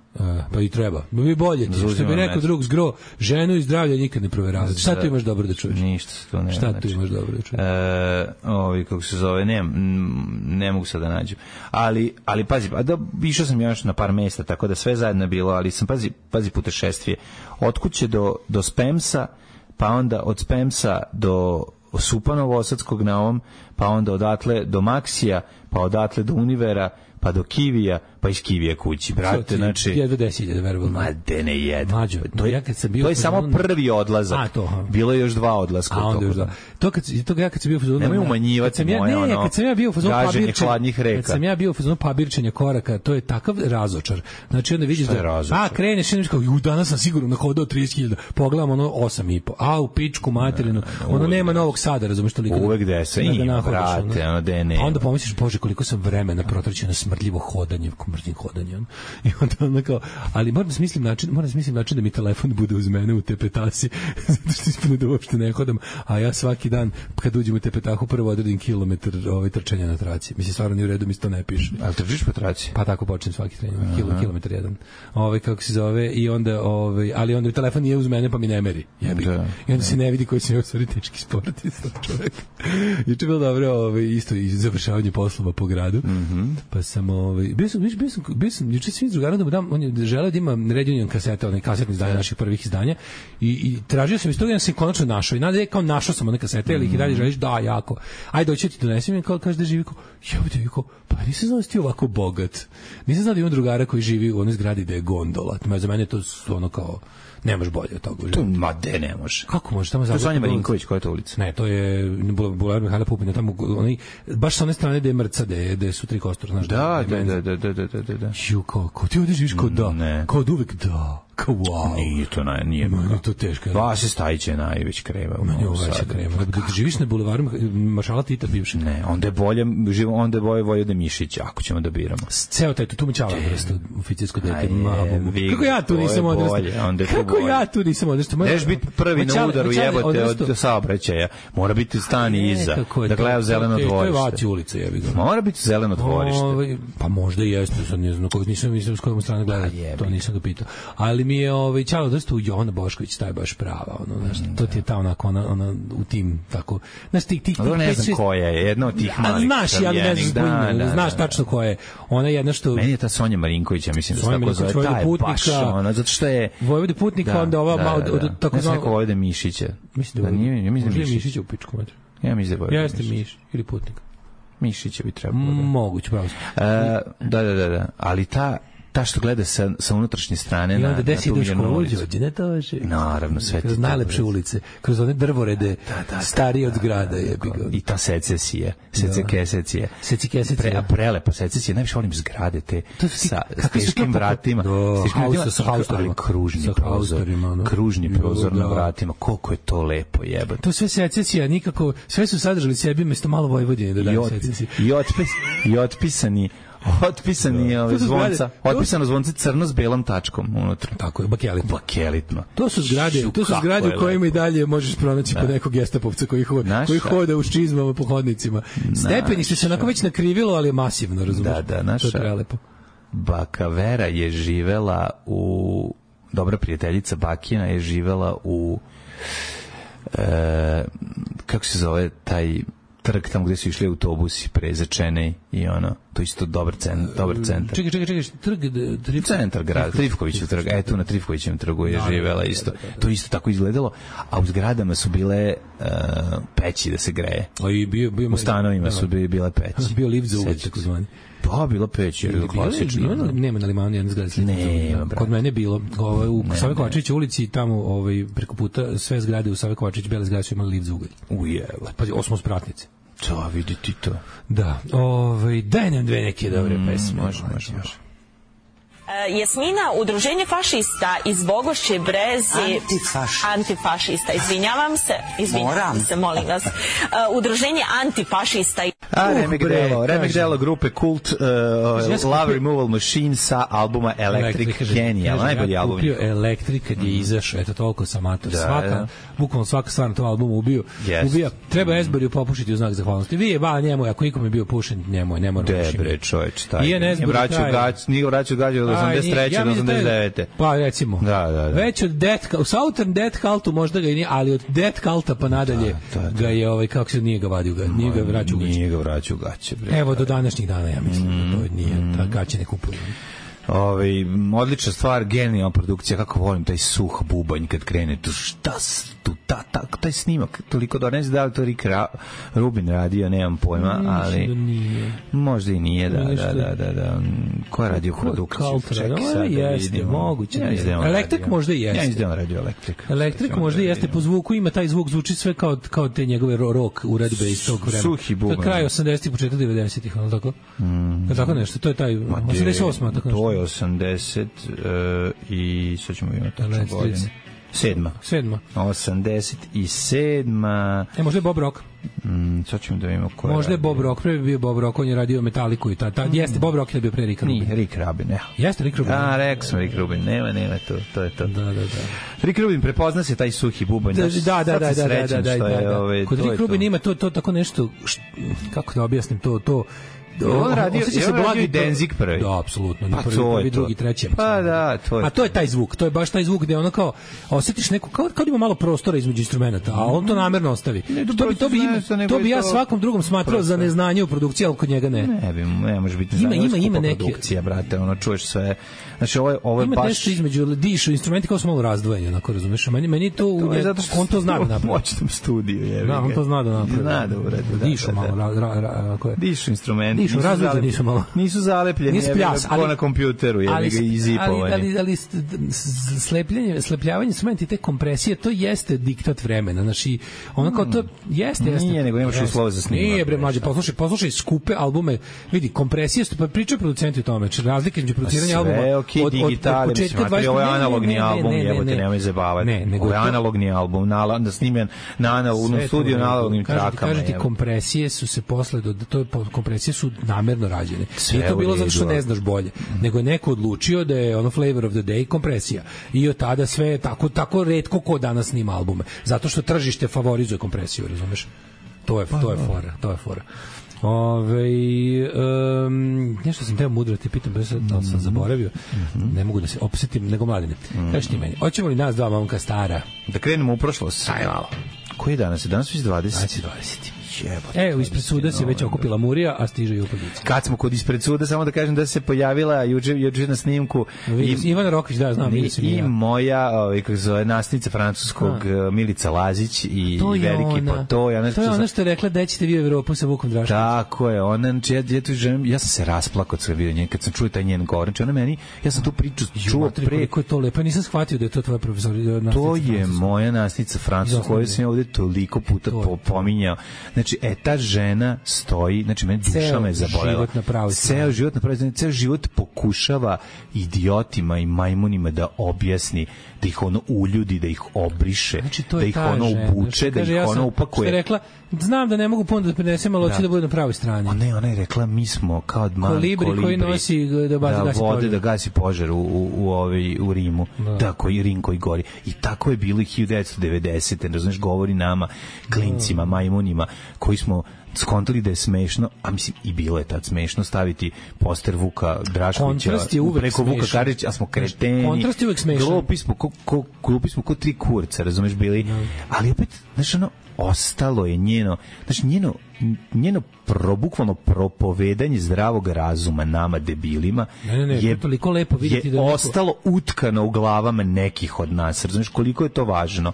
Pa i treba. No bi bolje ti. Što bi neko drug zgro, ženu i zdravlje nikad ne proveravati. Šta tu imaš dobro da čuješ? Ništa se to nema. Šta tu imaš dobro da čuješ? Kako se zove, ne mogu sad da nađem. Ali pazi, išao sam još na par mesta, tako da sve zajedno je bilo, ali sam, pazi putešestvije. Od kuće do Spemsa, pa onda od Spemsa do Supanovo-Osadskog na ovom, pa onda odatle do Maksija, pa odatle do Univera, pa do Kivija, pa iz Kivija kući, brate, znači... Jedva 10.000, verovatno. Ma, de ne jedva. Mađo, To je samo prvi odlazak. Bilo je još 2 odlaska. A onda još 2. To ja kad sam bio u fazonu... Nemoj umanjivati moje, ono, kad sam ja bio u fazonu hladnih reka. Kad sam ja bio u fazonu pabirčenja koraka, to je takav razočar. Znači, onda vidiš da... kreneš i kao, danas sam sigurno nahodao 30.000, pogledam ono 8,5. U pičku materinu, ono nema Novog Sada, razumeš toliko. Uvek gde se ima, brate, ono de ne. A onda pomisliš, bože, koliko sam vremena protraćio na smrdljivo hodanje, mrzim hodanje. I onda kao, ali moram da smislim način da mi telefon bude uz mene u tepetasi, zato što ispune da uopšte ne hodam, a ja svaki dan kad uđem u tepetahu prvo odredim kilometar trčanja na traci. Mislim, stvarno nije u redu, mi se to ne piše. Ali trčiš po traci? Pa tako počnem svaki trening, kilometar jedan. Kako se zove, i onda, ali onda telefon nije uz mene, pa mi ne meri. I onda se ne vidi koji se ne ostvari teški sportista čovjek. Juče bilo dobro, isto i završavanje poslova po gradu. Pa sam, bio sam juče svim drugarom da mu dam, on je želeo da ima reunion kasete, onaj kasetni izdanje naših prvih izdanja i tražio sam iz toga, ja sam konačno našao i nada kao našao sam one kasete, ali ih i dalje želiš, da, jako. Ajde, doći ti donesem i kaže da živi, pa nisam znao da si ti ovako bogat. Nisam znao da ima drugara koji živi u onoj zgradi da je gondola. Za mene to su ono kao, nemaš bolje od toga. To ma de ne može. Kako može? Tamo to je Sanja Marinković, koja je to ulica? Ne, to je Bulevar Mihajla Pupina, tamo onaj baš sa one strane da je Mrca, da su 3 kostora, znaš. Da. Ju, kako ti ovdje živiš kao da, kao uvek da. Kao wow. Nije to teško. Vase Stajić je najveć kreva. Meni ovo veća kreva. Da živiš na bulevaru Maršala Tita bivše. Ne, onda je bolje Vojvode Mišića, ako ćemo da biramo. Ceo taj, tu mi čala vrsta oficirsko dete. Kako ja tu nisam odrastao? Kako ja tu nisam odrastao? Neš biti prvi na udaru, jebote, od saobraćaja. Mora biti stani iza, da gleda zeleno dvorište. To je Vaci ulica, jebi ga. Mora biti zeleno dvorište. Pa možda i jeste, sad ne znam, nisam s kojom strane gledao, to nisam ga pitao. Ali mi je Ćalo dosta u Jovana Bošković, taj baš prava, ono, znaš, to ti je ta onako, ona u tim, tako, znaš, tih ne znam koja je, jedna od tih malih. Znaš, ja ne znam, znaš tačno koja je, ona je jedna što... Meni je ta Sonja Marinković, ja mislim da se tako zove, ta je baš, ona, zato što je... Vojvode Putnika, onda ova malo, tako znam... Neko Vojvode Mišića. Mislim da je Mišića u pičku metra. Ja mislim da je Vojvode Mišić. Jeste Miš, ili Putnik. Mišića bi trebalo. Moguće, pravo. Da, ali ta što gleda sa unutrašnje strane na tu Miljanu ulicu. Naravno, sve ti. Kroz najlepše ulice, kroz one drvorede starije od zgrada. I ta secesija, secesija. Prelepa secesija, najviše volim zgrade te sa teškim vratima. Sa haustorima. Kružni prozor na vratima. Koliko je to lepo, jebate. To sve secesija, nikako, sve su sadržali sebi mesto malo Vojvodine da daju secesiji. I otpisani zvonca, otpisano zvonce crno s belom tačkom unutra. Tako je, bakelitno. To su zgrade u kojima i dalje možeš pronaći po nekog gestapovca koji hoda u čizmama po hodnicima. Stepenište se onako već nakrivilo, ali je masivno, razumiješ? Da, naša baka Vera je živela u... Dobra prijateljica Bakina je živela u... kako se zove taj... trg tamo gde su išli autobusi prezečene i ono, to je isto dobar centar. Čekaj, centar grada, Trifkovićev trg, tu na Trifkovićevom trgu je živela isto. To isto tako izgledalo, a u zgradama su bile peći da se greje. U stanovima su bile peći. Bio lift za ugled, tako zvani. Pa, bila peć, je klasično. Nema na Limanu jedna zgrada slična. Kod mene je bilo. U Save Kovačevića ulici, tamo preko puta, sve zgrade u Save Kovačević, bele zgrade su imali lift za ugalj. Ujeva. Pa, 8 spratnice. To, vidi ti to. Da. Daj nam dve neke dobre pesme. Može. Jasmina, udruženje fašista iz Bogošće Brezi... Antifašista, izvinjavam se, molim vas. Udruženje antifašista... Remek delo grupe Kult, Love Removal Machine sa albuma Electric Genial, najbolji album. Kupio Electric kad je izašao, eto toliko sam ator. Bukvalno svaka stvar na tom albumu ubija. Treba Esberiju popušiti u znak zahvalnosti. Vi je njemu, ako ikom je bio pušen, njemu ne mora pušiti. Debre, čovječ, taj. Nije vraćao gađa od 83. do 89. Pa recimo. Da. Već od u Southern Death Cultu možda ga i nije, ali od Death Culta pa nadalje ga je, kako se nije ga vadio, nije ga vraćao u gaće. Nije ga vraćao u gaće. Evo do današnjih dana, ja mislim, to nije, ta gaće ne kupuju. Odlična stvar, genijalna produkcija, kako volim taj suh bubanj kad krene tu, taj snimak toliko da ne znam da li to Rick Rubin radio, nemam pojma, ali možda i nije, da. Ko je radio produkciju? Čekaj sad da vidimo. Moguće. Elektrik možda i jeste. Ja izdelam radio Elektrik. Elektrik možda i jeste, po zvuku ima taj zvuk, zvuči sve kao te njegove rock uredbe iz tog vremena. Suhi bubanj. To je kraj 80-ih, početak 90-ih, ali tako? Tako nešto, to je taj 88. tako nešto. To je 80 i sad ćemo imati tačno godinu. 7. 87. Možda je Bob Rock. Sad ćemo da vidimo ko je. Možda je Bob Rock, pre bi bio Bob Rock, on je radio Metaliku i jeste, Bob Rock je bio pre Rick Rubin. Nije, Rick Rubin, ne. Jeste Rick Rubin. Rekao sam Rick Rubin, nema, to je to. Da. Rick Rubin prepozna se taj suhi bubanj. Da. Kod Rick Rubin ima to tako nešto, kako da objasnim to, on radio Danzig prvi. Da, apsolutno. Pa prvi, drugi, treći. Pa da, to je. A to je taj zvuk, to je baš taj zvuk gde ono kao osetiš neko kao ima malo prostora između instrumenata, a on to namerno ostavi. To bi ja svakom drugom smatrao za neznanje u produkciji, al kod njega ne. Ne može biti ima neke produkcija, brate, ono čuješ sve. Znači ovo je ima baš nešto između dišu instrumenti kao su malo razdvojeni, onako razumeš. Meni to on to zna da napravi. Moćnom studiju, je. Da, on to zna da napravi. Zna da uredi. Dišu malo, dišu instrumenti. Nisu malo. Nisu zalepljeni, kao na kompjuteru, je ga izipovanje. Ali slepljavanje instrumenti, te kompresije, to jeste diktat vremena. Znači, ono kao to jeste. Nije, nego nemaš uslova za snimanje. Nije, bre, mlađe, poslušaj skupe albume, vidi, kompresije, pa pričaju producenti o tome, razlike između produciranja albuma od početka 20. Ovo je analogni album, jebote, nemoj zabavati. Ovo je analogni album, snimljen na analognom studiju, na analognim trakama. Kažete, kompresije su se posle, kompresije su namerno rađene. Nije to bilo zato što ne znaš bolje, nego je neko odlučio da je ono flavor of the day kompresija. I od tada sve je tako retko ko danas snima albume. Zato što tržište favorizuje kompresiju, razumeš? To je fora. Nešto sam teo mudro ti pitam, da sam zaboravio. Ne mogu da se opsetim, nego mladine. Kaži ti meni, hoćemo li nas dva momka stara? Da krenemo u prošlost? Aj malo. Koji je danas? Danas već 20. 20. Ispred suda se već okupila Murija, a stiže i upadnica. Kad smo kod ispred suda, samo da kažem da se pojavila juče na snimku Ivana Rokić, da, znam, i moja kako zove, nasnica francuskog Milica Lazić i veliki Potoj. To je ono što je rekla da ćete vi u Evropu sa Vukom Draškovićem. Tako je, ona, ja sam se rasplakao kad vidio njen, kad sam čuo taj njen govor. Ona meni, ja sam tu priču čuo pre. Koliko je to lepo, nisam shvatio da je to tvoja profesor. To je moja nasnica francuska koju sam ja ovde toliko puta pominjao. Znači, ta žena stoji, znači meni duša me zabolela. Ceo život napravi, ceo život pokušava idiotima i majmunima da objasni, da ih ono uljudi, da ih obriše, znači, da ih ono ubuče, da ih ono upakuje. Što je rekla, znam da ne mogu puno da prinesem, ali hoću da bude na pravoj strani. Ona je rekla, mi smo kao kolibri koji nosi da gasi požar u Rimu, da, Rim koji gori. I tako je bilo i 1990. Razumeš, govori nama, klincima, majmunima, koji smo skontali da je smešno, a mislim i bilo je tad smešno staviti poster Vuka Draškovića preko Vuka Karadžića, a smo kreteni. Kontrast je uvek smešan. Glupi smo ko tri kurca, razumeš, bili. Ali opet, znaš, ostalo je njeno bukvalno propovedanje zdravog razuma nama debilima je toliko lepo vidjeti da ostalo utkano u glavama nekih od nas. Razumiješ koliko je to važno?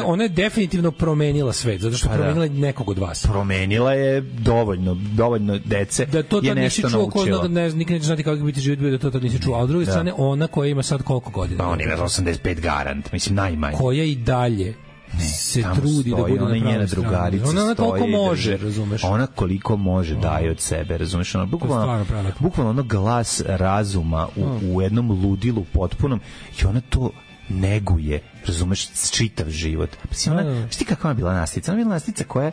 Ona je definitivno promenila svet, zato što promenila nekog od vas. Promenila je dovoljno dece da to je nešto naučila. Nikad neće znati kako biti život bio da to tad nisi čuo. A s druge strane, ona koja ima sad koliko godina? Pa on ima 85 garant, mislim najmanje. Koja i dalje se trudi da bude na njena drugarica ona koliko može, razumeš? Ona koliko može daje od sebe, razumeš? Ona bukvalno ono glas razuma u jednom ludilu potpunom i ona to neguje, razumeš, čitav život. Šti kakva je bila nastica? Ona je bila nastica koja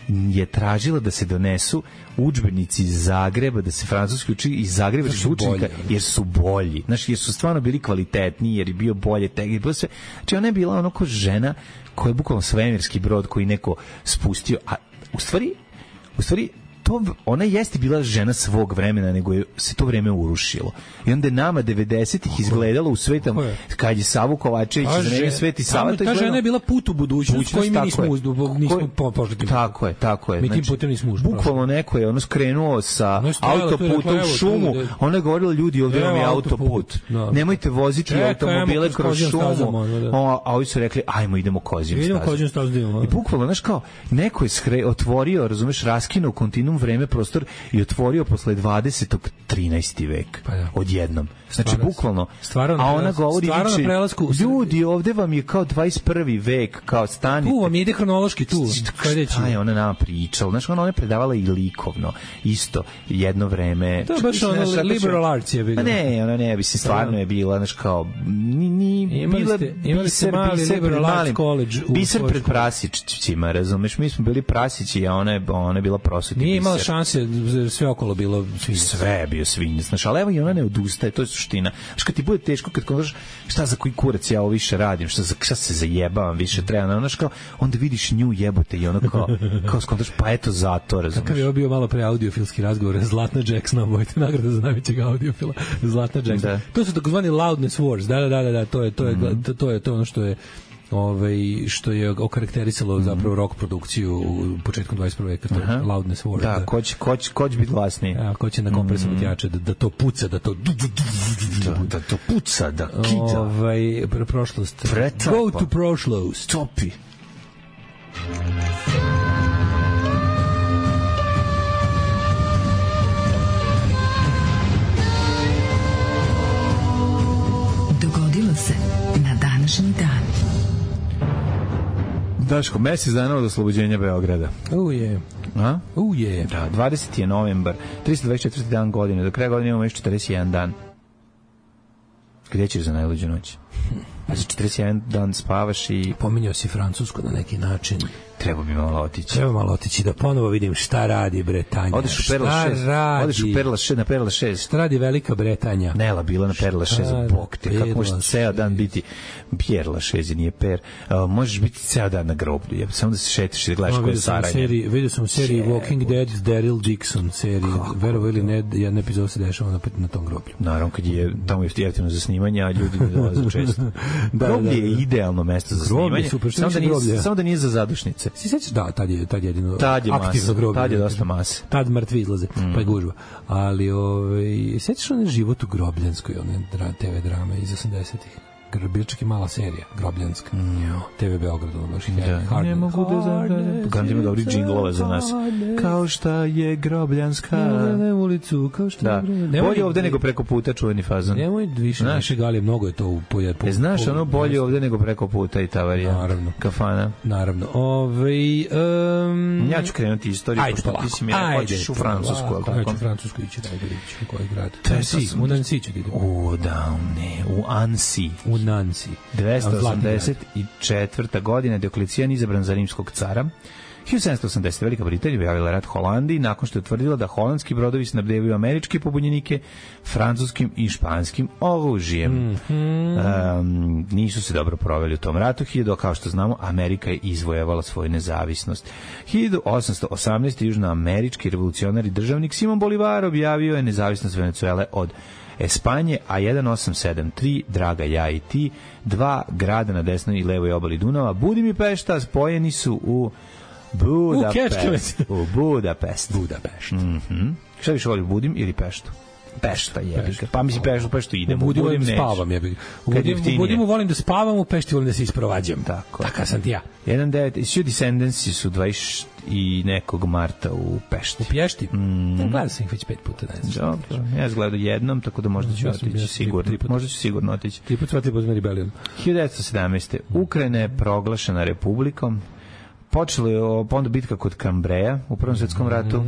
je tražila da se donesu udžbenici iz Zagreba, da se francuski uči iz Zagreba učenika, jer su bolji. Znači, jer su stvarno bili kvalitetniji, jer je bio bolje teg, bilo sve. Znači, ona je bila ono ko žena koja je bukvalno svemirski brod koji neko spustio, a u stvari ona jeste bila žena svog vremena, nego je se to vreme urušilo. I onda je nama 90-ih izgledalo u svetom, kad je Savu Kovačević izmenio svet i Sava, ta žena je bila put u budućnost koji mi nismo pošli. Tako je. Mi tim putem nismo ušli. Bukvalno neko je skrenuo sa autoputa u šumu, ona je govorila, ljudi, ovdje vam je autoput. Nemojte voziti automobile kroz šumu. A ovi su rekli, ajmo, idemo kozijom stazom. I bukvalno, znaš kao, neko je otvorio, razumeš, raskinuo kontinuum vreme, prostor i otvorio posle 20. 13. vek. Odjednom. Znači, bukvalno. A ona govori, ljudi, ovde vam je kao 21. vek, kao stanite. Tu vam ide hronološki, tu. Šta je ona nama pričala? Znaš, ona je predavala i likovno. Isto, jedno vreme. To je baš ono liberal arts je bilo. Ne, ona ne bi se stvarno je bila, znaš, kao, imali ste mali liberal arts college. Biser pred prasićima, razumeš? Mi smo bili prasići, a ona je bila prosuti biser. Nije imala šanse, sve okolo bilo svinjac. Sve je bio svinjac. Znaš, ali evo i ona ne odustaje, to je suština. Znaš, kad ti bude teško, kad kažeš šta za koji kurac ja ovo više radim, šta se zajebavam više treba, znaš, kao, onda vidiš nju jebote i ono kao skontaš, pa eto zato, razumeš. Kakav je ovo bio malo pre audiofilski razgovor, Zlatna Jacksona, obojte nagrada za najvećeg audiofila, Zlatna Jacksona. Da. To su takozvani loudness wars, da, to je ono što je okarakterisalo zapravo rock produkciju u početkom 21. veka, to je loudness war. Da, ko će biti glasniji? Ko će na kompresoru tjače, da to puca, da to puca, da kida. Prošlost. Go to prošlost. Topi. Dogodilo se na današnji dan. Daško, mesec dana od oslobođenja Beograda. Je. Da, 20. je novembar, 324. dan godine, do kraja godine imamo još 41 dan. Gdje ćeš za najluđu noć? Znači 41 dan spavaš i... Pominjao si Francusku na neki način. Treba bi malo otići. Treba malo otići da ponovo vidim šta radi Bretanja. Odeš u Perla 6. Odeš u Perla 6, na Perla 6. Šta radi Velika Bretanja? Nela bila na Perla 6, bog te. Kako možeš ceo dan biti Perla 6, nije Per. Možeš biti ceo dan na groblju. Samo da se šetiš i da gledaš koje saranje. Vidio sam u seriji Walking Dead Daryl Dixon seriji. Verovo ili ne, jedna epizoda se dešava na tom groblju. Naravno, kad je tamo jeftino za snimanje, a ljudi ne dolaze često. Groblje je idealno mesto za snimanje. Samo da nije za zadušnice. Si sećaš? Da, tad je jedino aktivno groblje. Tad je dosta mase. Tad mrtvi izlaze, pa je gužva. Ali, sećaš onaj Život u Grobljanskoj, one TV drame iz 80-ih? Bila čak i mala serija, Grobljanska. TV Beograd, ono baš ne mogu da zabrane. Gandhi ima dobri džinglove za nas. Kao šta je Grobljanska. Ne ulicu, kao šta je. Bolje ovde nego preko puta, čuveni fazon. Nemoj više galije, mnogo je to u pojedinu. Znaš, ono bolje ovde nego preko puta i ta varijanta. Naravno. Kafana. Naravno. Ja ću krenuti istoriju, pošto ti si mi rekao, hoćeš u Francusku. Ja ću u Francusku ići, najbolje ići u koji grad. U Nancy ću da idem. U Annecy. U Nancy. 284. godina Dioklecijan izabran za rimskog cara. 1780. Velika Britanija objavila rat Holandiji nakon što je utvrdila da holandski brodovi snabdevaju američke pobunjenike francuskim i španskim oružjem. Nisu se dobro proveli u tom ratu. Kao što znamo, Amerika je izvojevala svoju nezavisnost. 1818. južnoamerički revolucionarni državnik Simon Bolivar objavio je nezavisnost Venecuele od Espanje, a 1873, Draga ja i ti, dva grada na desnoj i levoj obali Dunava, Budim i Pešta, spojeni su u Budapest. Šta više voli, Budim ili Peštu? Pešta je. Pa mislim Peštu idemo. U Budimu volim da spavam. U Budimu volim da spavam, u Pešti volim da se isprovađam. Taka sam ti ja. 19. Descendants su 20 i nekog marta u Pešti. U Pješti? Gledao sam ih već 5 puta. Dobro. Ja sam gledao jednom, tako da možda ću otići sigurno. Možda ću sigurno otići. 3 puta pozme rebelion. 1917. Ukrajina je proglašena republikom. Počela je onda bitka kod Kambreja u Prvom svjetskom ratu.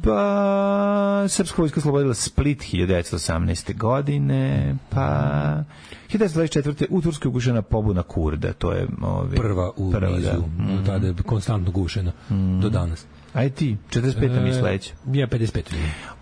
Pa srpska vojska oslobodila Split 1918. godine. Pa 1924. u Turskoj ugušena pobuna Kurda. To je prva u nizu. Tada je konstantno gušena do danas. Aj ti, 45. mi sledeće. Ja 55.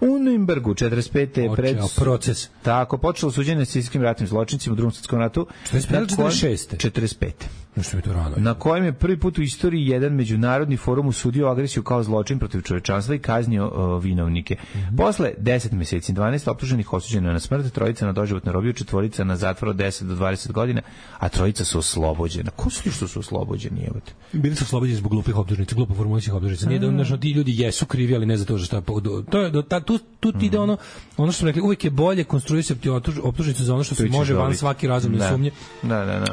U Nürnbergu 45. je proces. Tako, počelo suđenje nacistskim ratnim zločincima u Drugom svjetskom ratu. 45. 46. 45. Nešto mi to rano. Na kojem je prvi put u istoriji jedan međunarodni forum usudio agresiju kao zločin protiv čovečanstva i kaznio vinovnike. Posle 10 meseci 12 optuženih osuđeno na smrt, trojica na doživotnu robiju, četvorica na zatvor od 10 do 20 godina, a trojica su oslobođena. Ko su ti što su oslobođeni? Jebote? Bili su oslobođeni zbog glupih optužnica, glupo formulacijskih optužnica. Nije da ti ljudi jesu krivi, ali ne za to što to je tu ti ide ono što smo rekli, uvijek je bolje konstruisati optužnicu za ono što se može van svaki razumne sumnje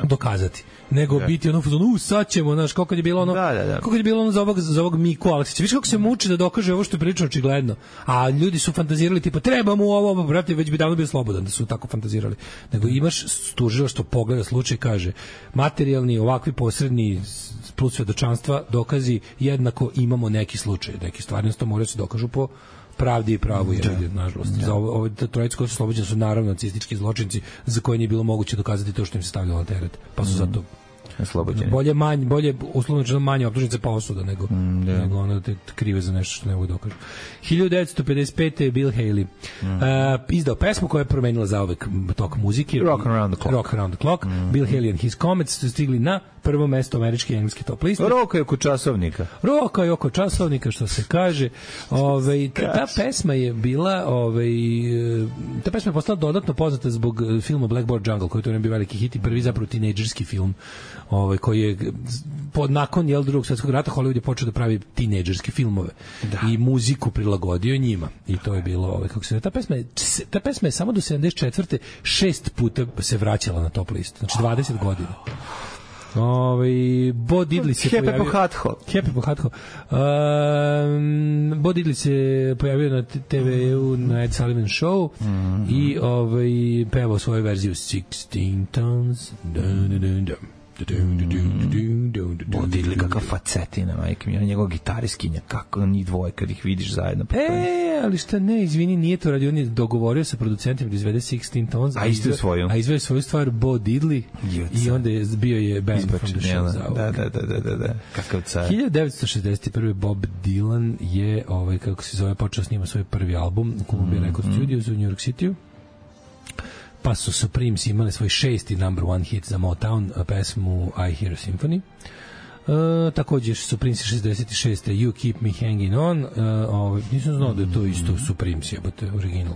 dokazati. Nego biti ono sad ćemo, znaš, kako je bilo ono kako je bilo ono za ovog Miku Aleksića. Viš kako se muči da dokaže ovo što je pričao očigledno. A ljudi su fantazirali tipa treba mu ovo, brate, već bi davno bio slobodan da su tako fantazirali. Nego imaš tužilaštvo pogleda slučaj, kaže materijalni, ovakvi posredni plus svedočanstva, dokazi jednako imamo neki slučaj, neki stvarnost moraju se dokažu po pravdi i pravu je nažalost. Za ovo trojica koji su oslobođeni su naravno nacistički zločinci za koje nije bilo moguće dokazati to što im se stavljalo na teret. Pa su zato oslobođeni. Bolje uslovno rečeno manje optužnice pa osuda nego ono te krive za nešto što ne mogu dokažu. 1955. je Bill Haley izdao pesmu koja je promenila zauvek tok muzike. Rock Around the Clock. Bill Haley and His Comets su stigli na prvo mesto američke i engleske top liste. Roka je oko časovnika, što se kaže. Ta pesma je bila ta pesma je postala dodatno poznata zbog filma Blackboard Jungle, koji to je bio veliki hit i prvi zapravo tinejdžerski film koji je nakon Drugog svjetskog rata Hollywood je počeo da pravi tinejdžerske filmove i muziku prilagodio njima i to je bilo kako se ta pesma je samo do 74. 6 puta se vraćala na top listu, znači 20 godina. Bo Diddley se pojavio Happy po Hatho. Bo Diddley se pojavio na TV-u na Ed Sullivan Show i pevao svoju verziju 16 Tons Diddley kakav facetina, majke mi, njegov gitariskinja, kako njih dvoje kad ih vidiš zajedno. Ali šta ne, izvini, nije to radio, on je dogovorio sa producentima da izvede 16 Tons, a izvede svoju stvar Bo Diddley i onda je bio je Band from the Show. Da. Kakav car. 1961. Bob Dylan je, kako se zove, počeo snima svoj prvi album u Columbia Record Studios u New York City-u. Pa su Supremes imali svoj 6. number one hit za Motown, pesmu I Hear a Symphony. Također Supremes 66. You Keep Me Hanging On. Nisam znao da je to isto Supremes, jebote, original.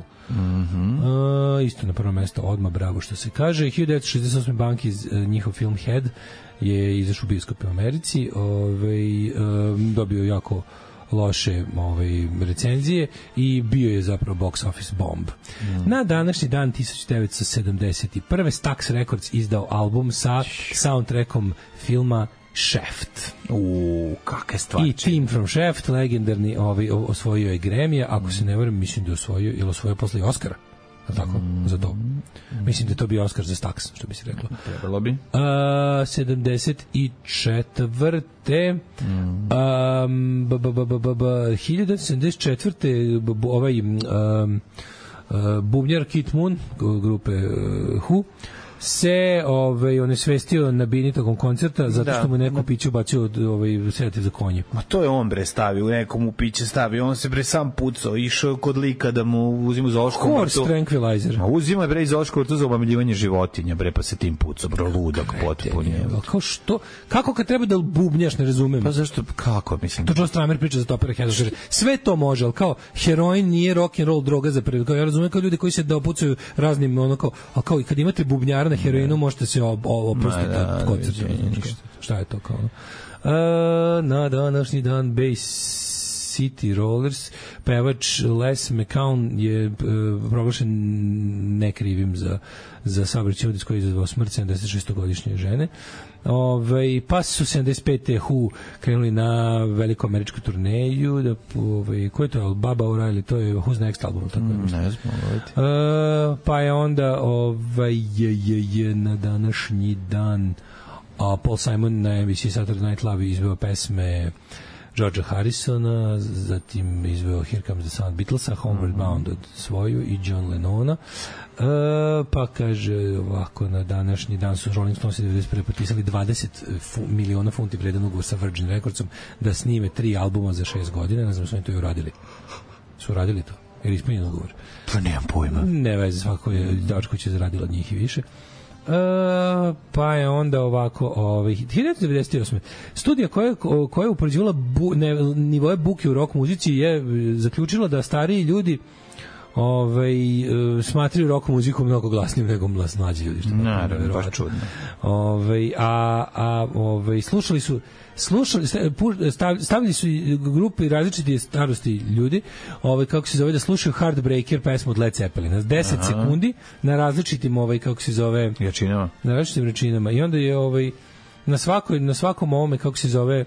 Isto na prvo mesto, odmah, bravo što se kaže. 1968. Banki, njihov film Head je izašao u bioskopu u Americi. Dobio jako loše recenzije i bio je zapravo box office bomb. Na današnji dan 1971. Stax Records izdao album sa soundtrackom filma Shaft. Kakve stvari. I Team from Shaft, legendarni, osvojio je Grammy, ako se ne varam, mislim da je osvojio, ili osvojio posle i Oscara. Tako, za to. Mislim da je to bio Oscar za Stax, što bi se reklo. Trebalo bi. 74. 1974. Bubnjar Kit Moon, grupe Who, se on je svestio na bini tokom koncerta zato što mu neko piće ubacio sedativ za konje. Ma to je on bre stavio, nekom u piće stavio, on se bre sam pucao, išao kod lika da mu uzima zoološku vrtu. Horse tranquilizer. Ma uzima bre zoološku vrtu za omamljivanje životinja, bre, pa se tim pucao, bro, ludak potpuno. Kao što? Kako kad treba da bubnjaš, ne razumem. Pa zašto, kako, mislim? To Joe Stramer priča za Topera Head. Sve to može, al kao heroin nije rock and roll droga za prvi. Ja razumem kao ljudi koji se dopucaju raznim al kao i kad imate bubnjara na heroinu možete se oprostiti od koncerta. Šta je to kao? Na današnji dan Bass City Rollers pevač Les McCown je proglašen nekrivim za saobraćajni udar koji je izazvao smrt 76-godišnje žene. Pa su 75. Who krenuli na veliku američku turneju, ko je to, Baba O'Reilly, to je Who's Next album, tako ne znam. Pa je onda na današnji dan Paul Simon na NBC Saturday Night Live izveo pesme Georgea Harrisona, zatim izveo Here Comes the Sun Beatlesa, Homeward Bound od svoju i John Lennona. Pa kaže ovako, na današnji dan su Rolling Stones 91. potpisali 20 miliona funti vredan ugovor sa Virgin Recordsom da snime 3 albuma za 6 godina. Ne znam su oni to i uradili. Su uradili to? Jer ispunjen ugovor? Pa nemam pojma. Ne veze, svako je Dačko će zaradila od njih i više. Pa je onda ovako 1998. Studija koja je upoređivala nivoe buke u rock muzici je zaključila da stariji ljudi smatraju rock muziku mnogo glasnijim nego mlađi ljudi, što naravno, baš čudno. Stavili su grupe različite starosti ljudi, kako se zove, da slušaju Heartbreaker pesmu od Led Zeppelina 10 sekundi na različitim kako se zove jačinama, na različitim jačinama, i onda je na svakom ovome, kako se zove,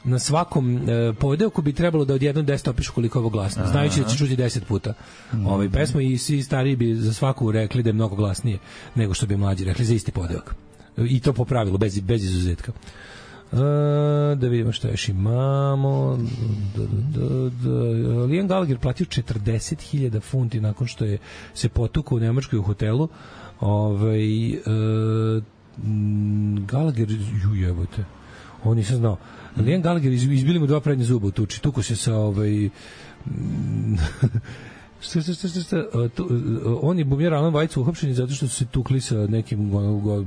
na svakom podeoku bi trebalo da odjednom 10 opišu koliko je ovo glasno, znajući da će čuti 10 puta pesmu, i svi stariji bi za svaku rekli da je mnogo glasnije nego što bi mlađi rekli za isti podeok, i to po pravilu, bez izuzetka. Da vidimo šta još imamo. Liam Gallagher platio 40.000 funti nakon što je se potukao u Nemačkoj u hotelu. Gallagher, jebote, ovo nisam znao. Liam Gallagher izbili mu 2 prednje zuba u tuči. Tuko se sa on je bubnjar Alan Weitz uhapšen zato što su se tukli sa nekim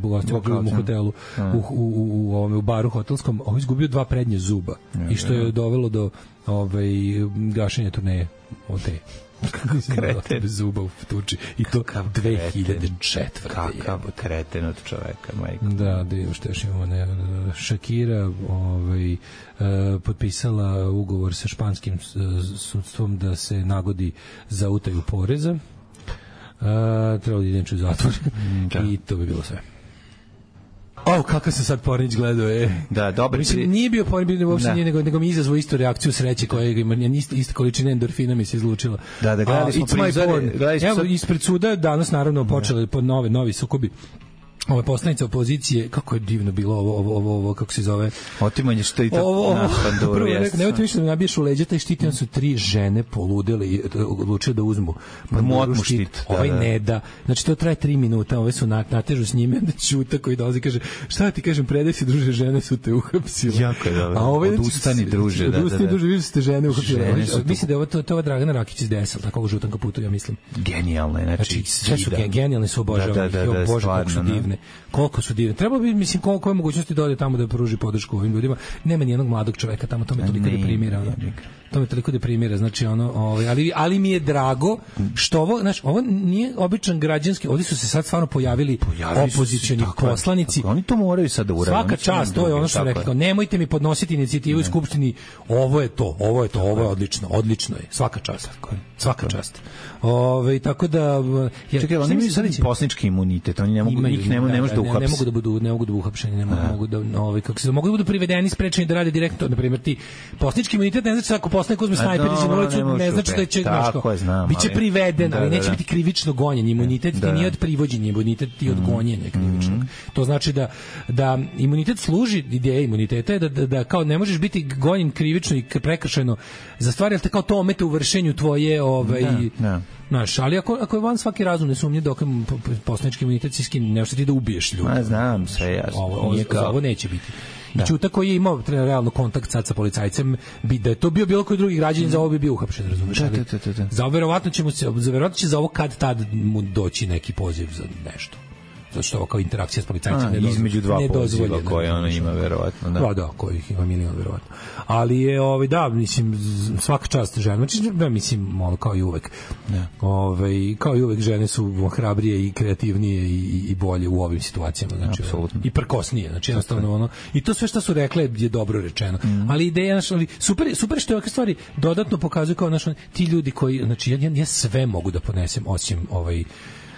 gostima u hotelu u baru hotelskom. On izgubio 2 prednje zuba i što je dovelo do gašenja turneje od te kreten bez zuba u tuči, i to 2004. Kakav kreten od čoveka, majko. Da što još imamo, Shakira potpisala ugovor sa španskim sudstvom da se nagodi za utaju poreza. Trebalo da idem u zatvor i to bi bilo sve. Kakav se sad Pornić gledao, Da, dobro. Mislim, nije bio Pornić, uopšte nije, nego mi izazvao istu reakciju sreće koja ima, ista količina endorfina mi se izlučila. Da, gledali smo prizore. Evo, ispred suda danas naravno počeli novi sukobi. Ove poslanice opozicije, kako je divno bilo ovo kako se zove, otimanje štita na panduru. Nemojte više da mi nabiješ u leđa taj štit, i on su 3 žene poludele i odlučile da uzmu panduru štit. Ne da. Znači to traje 3 minuta, ove su natežu s njime, onda Ćuta koji dolazi kaže, šta ti kažem, predaj se druže, žene su te uhapsile. Jako je dobro. Odustani druže. Odustani druže, vi ste žene uhapsile. Mislim da je ovo Dragana Rakić iz DSL, tako u žutom kaputu, ja mislim. Genijalno je, znači sve su genijalne, su obožavane. Bože, kako su divne. Koliko su divne. Trebalo bi, mislim, koliko je mogućnosti da ode tamo da pruži podršku ovim ljudima. Nema ni jednog mladog čoveka tamo, to me toliko deprimira. To me toliko deprimira, znači ali mi je drago što ovo nije običan građanski, ovdje su se sad stvarno pojavili opozicioni poslanici. Oni to moraju sad da urade. Svaka čast, to je ono što rekao. Nemojte mi podnositi inicijativu u Skupštini, ovo je odlično je. Svaka čast. Tako da čekaj, oni imaju sad poslanički imunitet, oni ne može da uhapse. Ne mogu da uhapšeni, mogu da budu privedeni, sprečeni da rade direktno, na primjer ti poslanički imunitet ne znači ako poslanik uzme snajper i na ulicu, ne znači da će biće priveden, ali neće biti krivično gonjen. Imunitet ti nije od privođenja, imunitet ti od gonjenja krivičnog. To znači da imunitet služi, ideja imuniteta je da kao ne možeš biti gonjen krivično i prekršajno za stvari, ali te kao to omete u vršenju tvoje ali ako je van svaki razum, ne sumnje dok poslanički imunitet si skin, nešto ti da ubiješ ljudi. Znam, sve jasno. Ovo neće biti. Ćuta koji je imao realno kontakt sad sa policajcem, da je to bio bilo koji drugi građanin, za ovo bi bio uhapšen, razumiješ? Za verovatno će za ovo kad tad mu doći neki poziv za nešto. Zato što ovo kao interakcija s policajcem između 2 poziva koje ona ima verovatno. Da, kojih ima milion verovatno. Ali je, mislim, svaka čast žena. Znači, mislim, kao i uvek. Kao i uvek žene su hrabrije i kreativnije i bolje u ovim situacijama. Znači, i prkosnije. Znači, jednostavno i to sve što su rekle je dobro rečeno. Ali ideja, super što je ovakve stvari dodatno pokazuju kao ti ljudi koji, znači, ja sve mogu da ponesem osim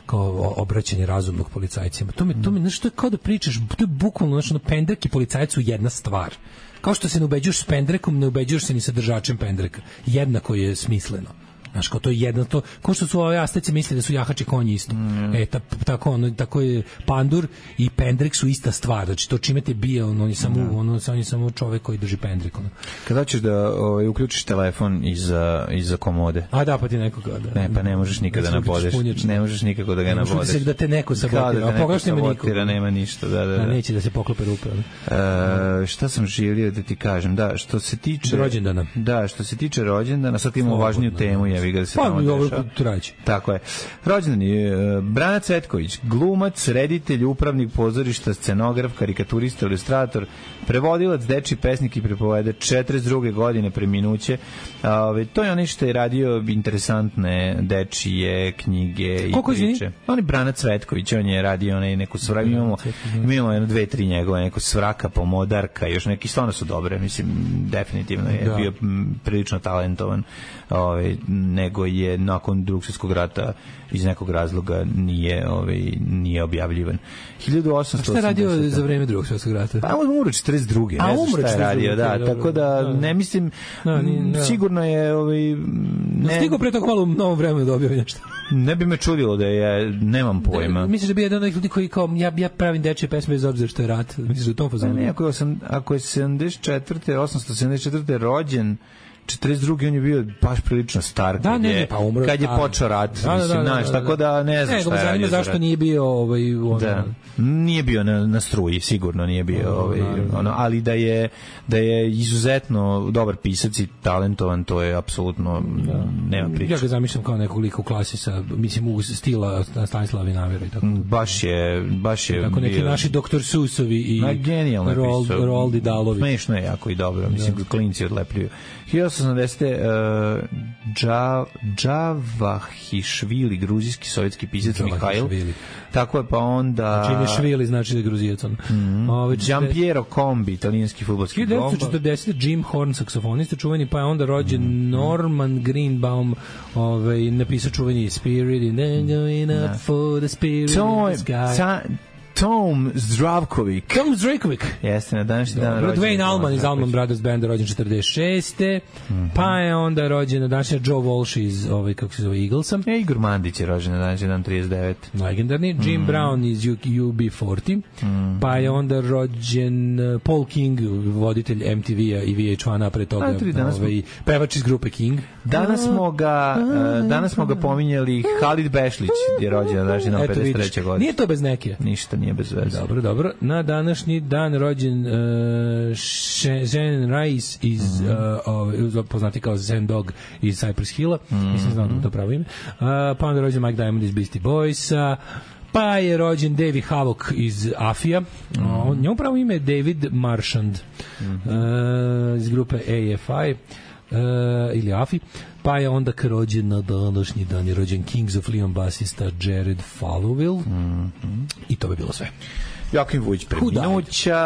kao obraćanje razumnog policajcima. To mi nešto je kao da pričaš, to je bukvalno pendrek i policajac su jedna stvar. Kao što se ne ubeđuješ s pendrekom, ne ubeđuješ se ni sa držačem pendreka. Jednako je smisleno. Znaš, kao to je jedno, kao što su ove Asteci misle da su jahači konji isto. Tako je pandur i pendrek su ista stvar. Znači, to čime te bije, on je samo čovek koji drži pendrek. Kada ćeš da uključiš telefon iza komode? Da, pa ti nekoga. Ne, pa ne možeš nikada nabodeš. Ne možeš nikako da ga nabodeš. Da te neko sabotira. A pogledaš nema nikoga. Nema ništa, da. Neće da se poklope rupe. Šta sam želio da ti kažem? Da, što se tiče rođendana. Da, što se tiče rođendana, sad imamo važniju temu, da se Pa tamo i ovo dešava. trajeće. Tako je. Rođendan je Brana Cvetković, glumac, reditelj, upravnik pozorišta, scenograf, karikaturista, ilustrator, prevodilac, dečiji pesnik i pripovedač, 42. godine preminuće. To je onaj što je radio interesantne dečije knjige i priče. On je Brana Cvetković, on je radio neku svraku, imamo jedno, dve, tri njegove, neku Svraka, Pomodarka, još neki stvarno su dobre, mislim, definitivno je bio prilično talentovan, nego je nakon Drugog svjetskog rata iz nekog razloga nije objavljivan. 1880. Šta je radio za vreme Drugog svjetskog rata? Pa on umro 42. Ne znam šta je radio, da, tako da ne mislim, sigurno je stigo pre toga malo u novom vremenu da objavim nešto. Ne bi me čudilo da je, nemam pojma. Misliš da bi jedan od ljudi koji kao ja pravim dečje pesme bez obzira što je rat? Misliš da je to fazon? Ne, ako je 874. rođen, 42. on je bio baš prilično star kad je počeo rat, mislim, znaš, tako da ne znam šta je radio. Zašto nije bio nije bio na struji, sigurno nije bio ali da je izuzetno dobar pisac i talentovan, to je apsolutno nema priče. Ja ga zamišljam kao nekog lika u klasi sa, mislim, u stila Stanislava Vinavera i tako. Baš je tako neki naši Dr. Susovi i Roldi Dalović. Smešno je jako i dobro, mislim, klinci odlepljuju. 1880. Džavahišvili, gruzijski sovjetski pisac Mihajl. Tako je, pa onda... Čim je švili, znači da je gruzijac. Giampiero Combi, italijanski fudbalski gol. 1940. Jim Horn, saksofonista čuveni, pa je onda rođen Norman Greenbaum, napisao čuveni Spirit in the going up for the spirit in the sky. Tom Zdravkovic. Jeste, na današnji dan rođen. Dwayne Allman iz Allman Brothers Banda, rođen 46. Pa je onda rođen na današnji Joe Walsh iz kako se zove, Eaglesa. Igor Mandić je rođen na današnji dan 39. Legendarni. Jim Brown iz UB40. Pa je onda rođen Paul King, voditelj MTV-a i VH1-a, pre toga pevač iz grupe King. Danas smo ga pominjali. Halid Bešlić je rođen na današnji dan 53. godine. Nije to bez neke. Ništa nije bez veze. Dobro. Na današnji dan rođen Zen Rice iz poznati kao Zen Dog iz Cypress Hilla. Mislim znam da to pravo ime. Pa onda rođen Mike Diamond iz Beastie Boysa. Pa je rođen Davey Havok iz Afija. Njemu pravo ime je David Marchand iz grupe AFI ili AFI. Pa je onda rođen na današnji dan je rođen Kings of Leon basista Jared Fallowill. I to bi bilo sve. Joakim Vujić preminuća,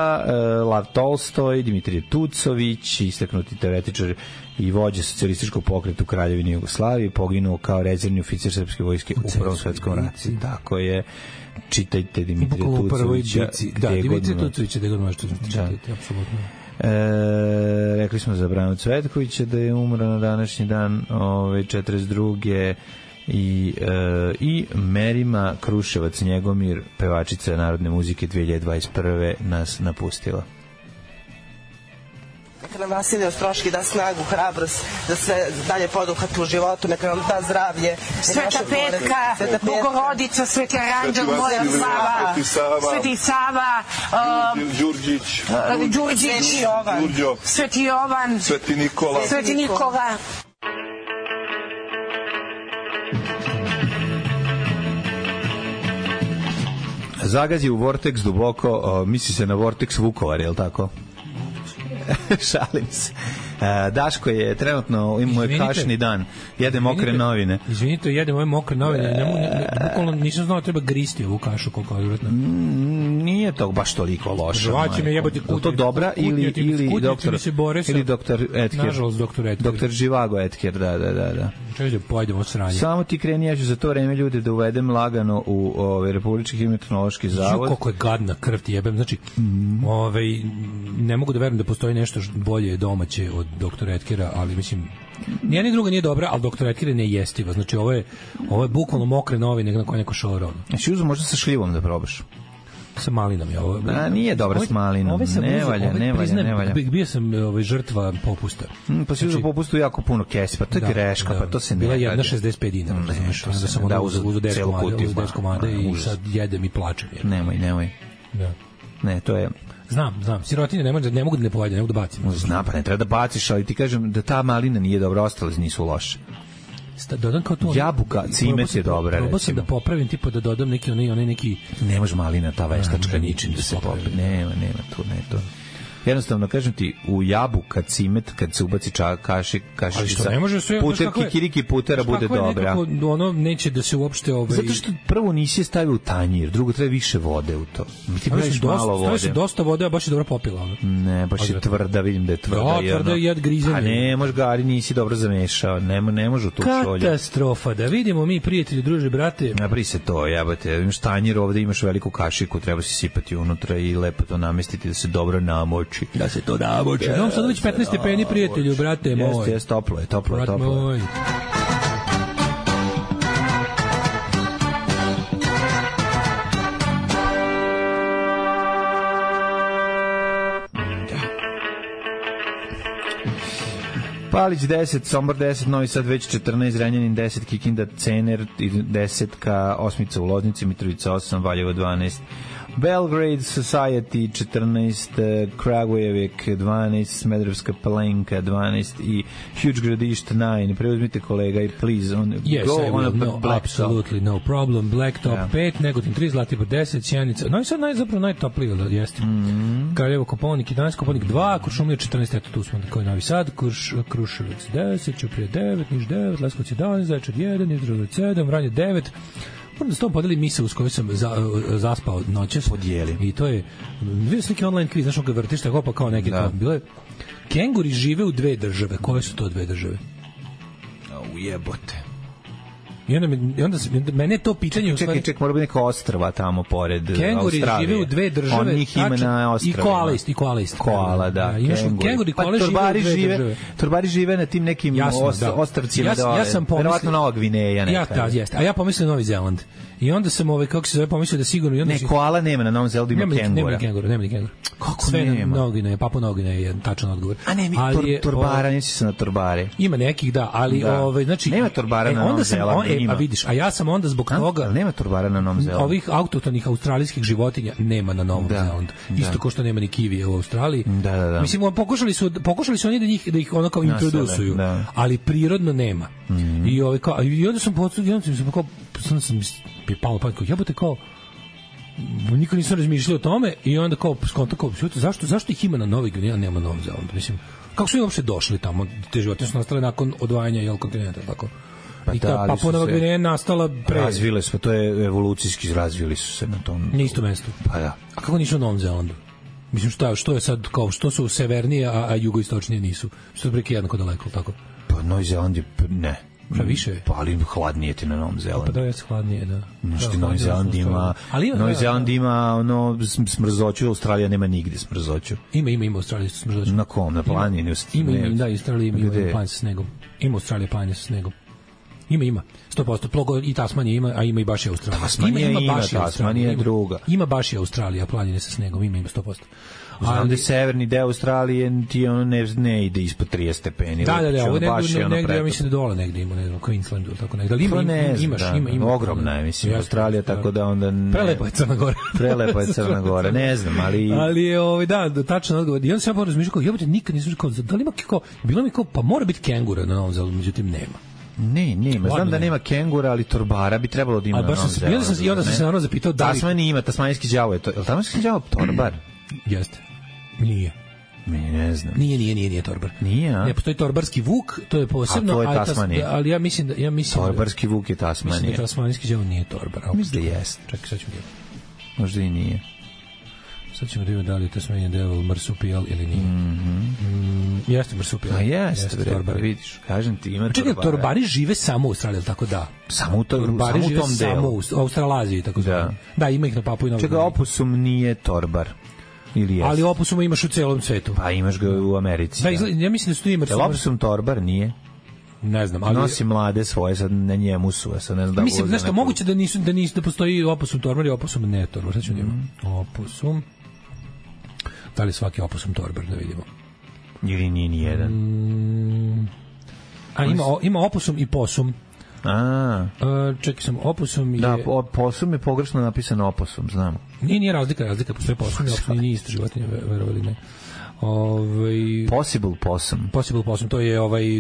Lav Tolstoj, Dimitrije Tucović, istaknuti teoretičar i vođa socijalističkog pokreta u Kraljevini Jugoslavije, poginuo kao rezervni oficir srpske vojske u Prvom svetskom ratu. Tako je, čitajte Dimitrije Tucovića. Dimitrije Tucovića, gde god možete čitati, apsolutno. Rekli smo za Branu Cvetkovića da je umro na današnji dan 42. I Merima Kruševac Njegomir, pevačica narodne muzike 2021. nas napustila. Neka nam Vasilij Ostroški da snagu, hrabrost, da sve dalje poduhati u životu, neka nam da zdravlje. Sveta Petka, Bogorodica, Sveti Aranđel, Moja Sava, Sveti Sava, Đurđić, Sveti Jovan, Sveti Nikola. Zagazi u Vortex duboko, misli se na Vortex Vukovar, je li tako? Šalim se. Daško je trenutno, imamo je kašni dan, jede mokre novine. Izvinite, jedem ove mokre novine, bukvalno nisam znao treba gristi ovu kašu koliko je vjerojatno. Nije to baš toliko loše. Žvaći me jebati kutnje. To dobra ili doktor Etker? Nažalost, doktor Etker. Doktor Živago Etker, da. Češ da pojedemo sranje. Samo ti kreni, ja ću za to vreme ljude da uvedem lagano u Republički hidrometeorološki zavod. Koliko je gadna krv ti jebem, znači ne mogu da verujem da postoji nešto bolje domaće od doktora Etkera, ali mislim nijedna druga nije dobra, ali doktor Etker je nejestiva. Znači ovo je bukvalno mokre novine na koje neko šoro. Znači uzem možda sa šljivom da probaš. Sa malinom je ovo. Nije dobra s malinom. Ne valja. Bio sam žrtva popusta. Pa si uzeo popustu jako puno kesi, pa to je greška, pa to se ne bila jedna 65 dinara. Da sam uzeo desku komade i sad jedem i plačem. Nemoj. Ne, to je... Znam, sirotine ne mogu da ne pojedem, ne mogu da bacim. Znam, pa ne treba da baciš, ali ti kažem da ta malina nije dobra, ostale nisu loše. dodam kao to. Jabuka, cimet je dobra, recimo. Probao sam da popravim, tipa da dodam neki onaj neki... Ne može malina, ta veštačka ničim da se popravi. Nema tu, ne to. Jednostavno, kažem ti, u jabuka, cimet, kad se ubaci kašičica, puter, kikiriki putera bude dobra. Nekako, ono neće da se uopšte... Zato što prvo nisi je stavio u tanjir, drugo treba više vode u to. Mi ti praviš malo vode. Stavio dosta vode, a baš je dobro popila. Ono. Ne, baš je tvrda, vidim da je tvrda. Da, tvrda je jad grizenje. A ne, može gari, nisi dobro zamešao, ne može u to šolje. Katastrofa, da vidimo mi, prijatelji, druže, brate. Napri se to, jebate, imaš tanjir ovde, imaš veliku kašiku, treba si sipati unutra i lepo to namestiti da se dobro namoči. Da se to namoči. Imam sad već 15 stepeni, prijatelju, brate moj. Jeste, toplo je. Moj. Palić 10, Sombor 10, Novi Sad već 14, Renjanin 10, Kikinda, Cener 10, Osmica u Loznici, Mitrovica 8, Valjevo 12, Belgrade Society 14, Kragujevik 12, Smederevska Palenka 12 i Huge Gradište 9. Preuzmite kolega i please go on a absolutely no problem. Blacktop 5, Negotin 3, Zlatibor 10, Sjenica. No i sad zapravo najtoplije da jeste. Kraljevo Koponik 11, Koponik 2, Kuršumlija 14, eto tu smo koji Novi Sad, Kruševac 10, Ćuprija 9, Niš 9, Leskovac 11, Zaječar 1, Izraelac 7, Vranje 9. Moram da s tom podeli misao s kojoj sam zaspao noćas. Podijeli. I to je, vidio sam neki online kviz, znaš ga vrtiš tako pa kao neke kao bile. Kenguri žive u 2 države. Koje su to 2 države? Ujebote. I onda mene to pitanje... Čekaj, mora biti neka ostrva tamo pored Kenguri Australije. Kenguri žive u 2 države. On njih ima na ostravima. I koalist. Koala, da. Kenguri koala žive u 2 države. Torbari žive na tim nekim ostrvcima. Ja sam pomislio... Verovatno Nova Gvineja neka. Jeste. A ja pomislio Novi Zeland. I onda sam kako se zove, pomislio da sigurno... Ne, koala nema na Novom Zelandu, ima kengura. Nema ni kengura. Kako nema? Novogine, Papua Novogine je tačan odgovor. A ne, torbara, nisi se na torbare. Ima nekih, da, ali znači... Nema torbara na Novom Zelandu, a vidiš, a ja sam onda zbog toga... Ali nema torbara na Novom Zelandu. Ovih autohtonih australijskih životinja nema na Novom Zelandu. Isto kao što nema ni kivije u Australiji. Da. Mislim, pokušali su oni da ih ono kao introdusuju, ali prirodno nema. I onda sam palo pa jebote kao nikad nisam razmišljao o tome i onda kao skonto kao zašto ih ima na Novoj Gvineji, a nema na Novom Zelandu, mislim kako su uopšte došli tamo, te životinje su nastale nakon odvajanja kontinenta, tako i ta Papua Nova Gvineja nastala razvile su, to je evolucijski razvili su se na tom na istom mestu. Pa da. A kako nisu na Novom Zelandu? Mislim što je sad kao što su severnije, a jugoistočnije nisu, što je preki jednako daleko, tako? Pa Novi Zeland je ne. Šta više? Pa ali hladnije ti na Novom Zelandu. Pa da je hladnije, da. Znači Novi Zeland ima, Novi Zeland ima ono smrzoću, Australija nema nigde smrzoću. Ima Australija smrzoću. Na kom? Na planini? Da, Australija ima planine sa snegom. Ima Australija planine sa snegom. Ima. 100%. Plogo i Tasmanija ima, a ima i baš i Australija. Tasmanija je druga. Ima baš i Australija planine sa snegom, ima 100%. Znam da je severni deo Australije ti ono ne ide ispod 30 stepeni. Da, ovo negdje, ja mislim da dole negdje ima, ne znam, Queensland ili tako negdje. Ali ima. Ogromna je, mislim, Australija, tako da onda... Prelepa je Crna Gora. Ne znam, ali... Ali je, da, tačan odgovor. I onda sam ja razmišljao, kao, jebote, nikad nisam kao, da li ima kao, bilo mi kao, pa mora biti kengura na Novom Zelandu, međutim nema. Nema. Znam da nema kengura, ali torbara bi trebalo da ima na Novom Zelandu. I onda sam se naravno zapitao da li... Tasmanija ima, tasmanijski đavo je to. Je li tasmanijski đavo torbar? Jeste. Nije. Ne znam. Nije torbar. Nije, a? Ne, postoji torbarski vuk, to je posebno, a to je Tasmanija. Ali ja mislim torbarski vuk je Tasmanija. Mislim da tasmanijski đavo nije torbar. Mislim da jeste. Čekaj, sad ćemo da... Možda i nije. Sad ćemo da vidimo da li je Tasmanian Devil marsupijal ili nije. Jeste marsupijal. A jeste, vidiš. Kažem ti, ima torbara. Čekaj, torbari žive samo u Australiji, tako da? Samo u tom delu. Torbari žive samo u Australaziji, tako da. Da, ima ih na Papui Novoj Gvineji. Čekaj, opusum nije torbar. Ali opusuma imaš u celom svetu. Pa imaš ga u Americi. Da, ja mislim da su tu ima. Opusum torbar nije. Ne znam, ali nosi mlade svoje, sad na njemu su, sad ne znam da. Mislim, nešto moguće da postoji opusum torbar i opusum ne torbar. Sad ću opusum. Da li svaki opusum torbar, da vidimo. Ili nije ni jedan. A ima opusum i posum. Čekaj sam, Opusom je... Da, Posum je pogrešno napisano Opusom, znam. Nije razlika, postoje Posum i Opusum, nije ista životinja, verovali ne. Possible Possum,